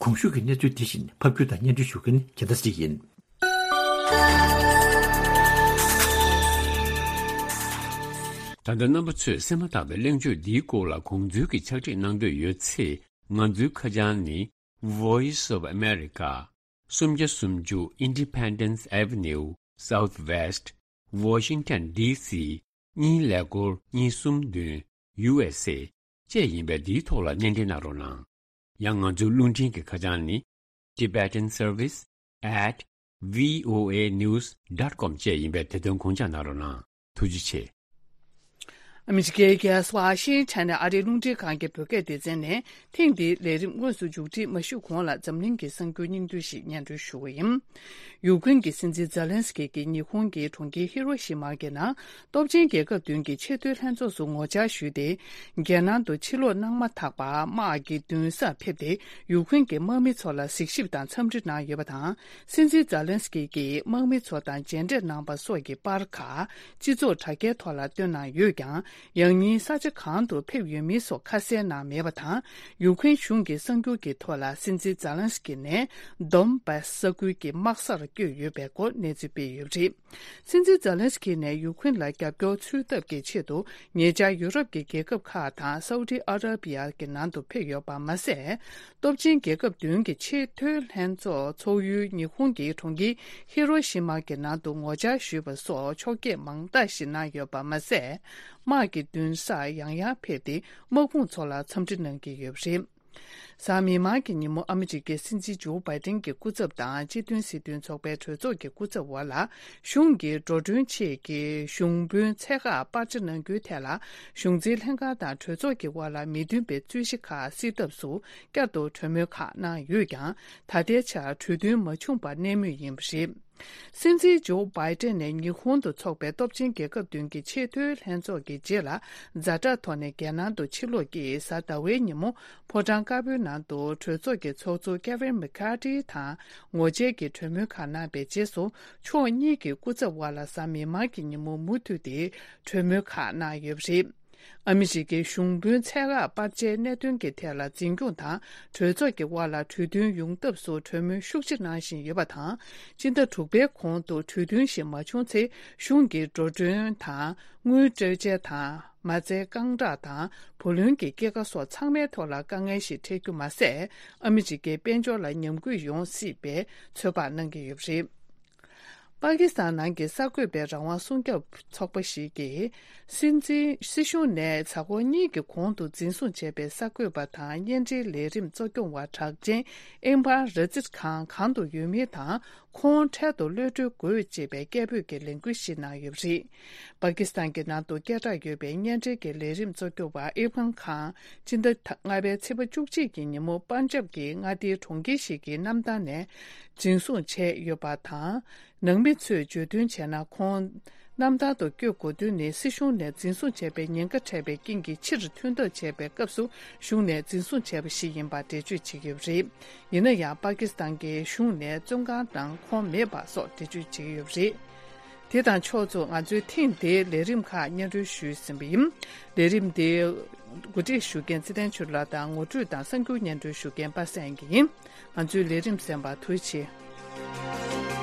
གོང་ཞུས་ཀྱི་གནས་ཚུལ་དེ་བཞིན་ཕབ་སྒྱུར་དང་སྙན་སྒྲོན་ཞུ་མཁན་རྒྱལ་མཚན་ཡིན། ད་ལྟ་རྣམ་པ་ཚོས་གསན་མ་ཐག་པའི་གླེང་བརྗོད་འདིའི་སྐོར་ལ་དགོངས་ཚུལ་གྱི་ཕྱག་བྲིས་གནང་འདོད་ཡོད་ཚེ། ང་ཚོའི་ཁ་བྱང་ནི། Voice of America། སུམ་བརྒྱ་སུམ་ཅུ་Independence Avenue, Southwest, Washington, D C གཉིས་ཀླད་ཀོར་གཉིས་གསུམ་བདུན། ཡུ་ཨེས་ཨེ། བཅས་ཡིན་པས་འདིའི་ཐོག་ལ་སྣེ་འདྲེན་གནང་རོགས་གནང་། ཡང་ང་ཚོའི་རླུང་འཕྲིན་གྱི་ཁ་བྱང་ནི། Tibetan Service at V O A news dot com བཅས་ཡིན་པས་དེ་དོན་དགོངས་འཇགས་གནང་རོགས་གནང་། ཐུགས་རྗེ་ཆེ། ཨ་མི་རི་ཀའི་རྒྱལ་ས་ཝ་ཤིང་ཊོན་ནས་ཨ་རིའི་རླུང་འཕྲིན་ཁང་གི་བོད་སྐད་སྡེ་ཚན་ནས་ཐེངས་འདིའི་ལས་རིམ་དངོས་སུ་མཇུག་སྒྲིལ་མ་ཞུས་གོང་ལ་འཛམ་གླིང་གི་གསར་འགྱུར་སྙིང་བསྡུས་ཤིག་སྙན་སྒྲོན་ཞུ་བ་ཡིན། ཡུཀ་རེན་གྱི་སྲིད་འཛིན་ཛེ་ལན་སི་ཀི་གིས་ཉི་ཧོང་གི་གྲོང་ཁྱེར་ཧི་རོ་ཤི་མ་གི་ནང་སྟོབས་ཆེན་རྒྱལ་ཁབ་བདུན་གྱི་ཆེས་མཐོའི་ལྷན་ཚོགས་སུ་ངོ་བཅར་ཞུས་ཏེ། རྒྱལ་ནང་དུ་ཕྱིར་ལོག་གནང་མ་ཐག་པར་དམག་གི་མདུན་སར་ཕེབས་ཏེ་ཡུཀ་རེན་གྱི་དམག་མི་ཚོ་ལ་གཟིགས་ཞིབ་དང་འཚམས་འདྲི་གནང་ཡོད་པ་དང་། སྲིད་འཛིན་ཛེ་ལན་སི་ཀི་གིས་དམག་མི་ཚོ་དང་མཇལ་འཕྲད་གནང་པ་སོགས་ཀྱི་པར་ཁག་སྤྱི་ཚོགས་དྲ་རྒྱའི་ཐོག་ལ་བཏོན་གནང་ཡོད་ཀྱང་། ཡང་སྙིང་ས་ཆ་གང་དུ་ཕེབས་ཡོད་མིན་སོགས་ཁ་གསལ་གནང་མེད་པ་དང་། ཡུཀ་རེན་གཞུང་གིས་གསར་འགྱུར་གྱི་ཐོག་ལ་སྲིད་འཛིན་ཛེ་ལན་སི་ཀི་ནས་དོན་བཱས་ས་ཁུལ་གྱི་དམག་སར་བསྐྱོད་ཡོད་པའི་སྐོར་གནས་ཚུལ་སྤེལ་ཡོད་པ་རེད། སྲིད་འཛིན་ཛེ་ལན་སི་ཀི་ནས་ཡུཀ་རེན་ལ་རྒྱབ་སྐྱོར་འཚོལ་ཐབས་ཀྱི་ཆེད་དུ་ཉེ་ཆར་ཡུ་རོབ་ཀྱི་རྒྱལ་ཁབ་ཁག་དང་སའུ་ཏི་ཨ་ར་བི་ཡ་གི་ནང་དུ་ཕེབས་ཡོད་པ་མ་ཟད། སྟོབས་ཆེན་རྒྱལ་ཁབ་བདུན་གྱི་ཆེས་མཐོའི་ལྷན་ཚོགས་ཚོགས་ཡུལ་ཉི་ཧོང་གི་གྲོང་ཁྱེར་ཧི་རོ་ཤི་མ་གི་ནང་དུ་ངོ་བཅར་ཞུས་པ་སོགས་ཕྱོགས་བསྐྱོད་མང་དག་ཞིག་གནང་ཡོད་པ་མ་ཟད། དམག་གི་མདུན་སར་ཡང་ཡང་ཕེབས་ཏེ་དམག་དཔུང་ཚོ་ལ་འཚམས་འདྲི་གནང་གི་ཡོད་པ་རེད། གཟའ་མིག་དམར་གྱི་ཉིན་མོ་ཨ་མི་རི་ཀའི་སྲིད་འཛིན་ཇོ་བྷའི་ཏན་གྱི་སྐུ་ཚབ་དང་སྤྱི་མཐུན་སྲིད་དོན་ཚོགས་པའི་གྲོས་ཚོགས་ཀྱི་སྐུ་ཚབ་བར་ལ་གཞུང་གི་འགྲོ་གྲོན་ཆེད་ཀྱི་གཞུང་དཔོན་ཚད་བཀག་སྤར་ཆ་གནང་རྒྱུའི་ཐད་ལ་གཞུང་འཛིན་ལྷན་ཁང་དང་གྲོས་ཚོགས་ཀྱི་དབར་ལ་མི་མཐུན་པའི་རྩོད་གཞི་ཁག་སེལ་ཐབས་སུ་བསྐྱར་དུ་གྲོས་མོལ་ཁག་གནང་ཡོད་ཀྱང་། ད་ལྟའི་ཆར་གྲོས་མཐུན་མ་བྱུང་བར་གནས་མུས་ཡིན་པ་རེད། སྲིད་འཛིན་ཇོ་བྷའི་ཏན་ནས་ཉི་ཧོང་དུ་འཚོགས་པའི་སྟོབས་ཆེན་རྒྱལ་ཁབ་བདུན་གྱི་ཆེས་མཐོའི་ལྷན་ཚོགས་ཀྱི་རྗེས་ལ་ཛ་དྲག་ཐོག་ནས་རྒྱལ་ནང་དུ་ཕྱིར་ལོག་གིས་གཟའ་ཟླ་བའི་ཉིན་མོ་ཕོ་བྲང་དཀར་པོའི་ནང་དུ་གྲོས་ཚོགས་ཀྱི་ཚོགས་གཙོ་ཀེ་ཝིན་མེ་ཁ་ཏི་དང་ངོ་མཇལ་གྱི་གྲོས་མོལ་ཁག་གནང་པའི་རྗེས་སུ། ཕྱོགས་གཉིས་ཀྱི་སྐུ་ཚབ་དབར་ལ་གཟའ་མིག་དམར་གྱི་ཉིན་མོ་མུ་མཐུད་དེ་གྲོས་མོལ་ཁག་གནང་ཡོད་པ་རེད། ཨ་མི་རི་ཀའི་གཞུང་དཔོན་ཚད་བཀག་སྤར་ཆའི་གནད་དོན་གྱི་ཐད་ལ་འཛིན་སྐྱོང་དང་གྲོས་ཚོགས་ཀྱི་དབར་ལ་གྲོས་མཐུན་ཡོང་ཐབས་སུ་གྲོས་མོལ་ཤུགས་ཆེ་གནང་བཞིན་ཡོད་པ་དང་། སྤྱི་ཟླ་དྲུག་པའི་གོང་དུ་གྲོས་མཐུན་ཞིག་མ་བྱུང་ཚེ་གཞུང་གི་འགྲོ་གྲོན་དང་དངུལ་སྤྲོད་འཇལ་དང་མ་རྩའི་རྐང་གྲངས་དང་བུ་ལོན་གྱི་སྐྱེད་ཀ་སོགས་ཚང་མའི་ཐོག་ལ་དཀའ་ངལ་ཞིག་འཕྲད་རྒྱུ་མ་ཟད། ཨ་མི་རི་ཀའི་དཔལ་འབྱོར་ལ་ཉམས་རྒུད་ཡོང་སྲིད་པའི་ཚོད་དཔག་གནང་གི་ཡོད་པ་རེད། པ་ཀི་སི་ཐན་ནང་གི་གསར་འགོད་པའི་རང་དབང་སྲུང་སྐྱོབ་ཚོགས་པ་ཞིག་གིས། སྲིད་འཛིན་སྲིད་གཞུང་ནས་གཟའ་འཁོར་གཉིས་ཀྱི་གོང་དུ་འཛིན་བཟུང་བྱས་པའི་གསར་འགོད་པ་དང་བརྙན་འཕྲིན་ལས་རིམ་གཙོ་སྐྱོང་བ་གྲགས་ཅན་ཨིམ་ཕཱལ་ར་ཛིད་ཁཱན་གང་དུ་ཡོད་མིན་དང་། ཁོང་འཕྲལ་དུ་གློད་གྲོལ་དགོས་ཅེས་པའི་སྐད་འབོད་ཀྱི་ལས་འགུལ་ཞིག་གནང་ཡོད་པ་རེད། པ་ཀི་སི་ཐན་གྱི་ནང་དུ་སྐད་གྲགས་ཡོད་པའི་བརྙན་འཕྲིན་གྱི་ལས་རིམ་གཙོ་སྐྱོང་བ་ཨིམ་ཕཱལ་ཁཱན་སྤྱི་ཟླ་ལྔ་པའི་ཚེས་པ་བཅུ་གཅིག་གི་ཉིན་མོ་པན་ཇབ་ཀྱི་མངའ་སྡེའི་གྲོང་ཁྱེར་ཞིག་གི་གནམ་ཐང་ནས་འཛིན་བཟུང་བྱས་ཡོད་པ་དང་། ནང་མི་ཚོས་བརྗོད་དོན་བྱས་ན། ཁོང་གནམ་ཐང་དུ་བསྐྱོད་དགོས་དོན་ནི། སྲིད་གཞུང་ནས་འཛིན་བཟུང་བྱས་པའི་ཉེན་ཁ་འཕྲད་པའི་རྐྱེན་གྱིས་ཕྱིར་ཐོན་ཐབས་བྱས་པའི་སྐབས་སུ་གཞུང་ནས་འཛིན་བཟུང་བྱས་པ་ཞིག་ཡིན་པ་འགྲེལ་བརྗོད་བྱེད་ཀྱི་ཡོད་པ་རེད། ཡིན་ན་ཡང་། པ་ཀི་སི་ཐན་གྱི་གཞུང་ནས་བཙོན་ཁང་ནང་ཁོང་མེད་པ་སོགས་འགྲེལ་བརྗོད་བྱེད་ཀྱི་ཡོད་པ་རེད། དེ་དང་ཕྱོགས་མཚུངས། ང་ཚོའི་ཐེངས་འདིའི་ལས་རིམ་ཁག་སྙན་སྒྲོན་ཞུས་ཟིན་པ་ཡིན། ལས་རིམ་འདི་གོ་སྒྲིག་ཞུ་མཁན་ཚེ་བརྟན་ཆོས་ལགས་དང་། ངོ་སྤྲོད་དང་གསར་འགྱུར་སྙན་སྒྲོན་ཞུ་མཁན་པ་སངས་སྐྱིད་ཡིན། ང་ཚོའི་ལས་རིམ་གསན་པར་ཐུགས་རྗེ་ཆེ།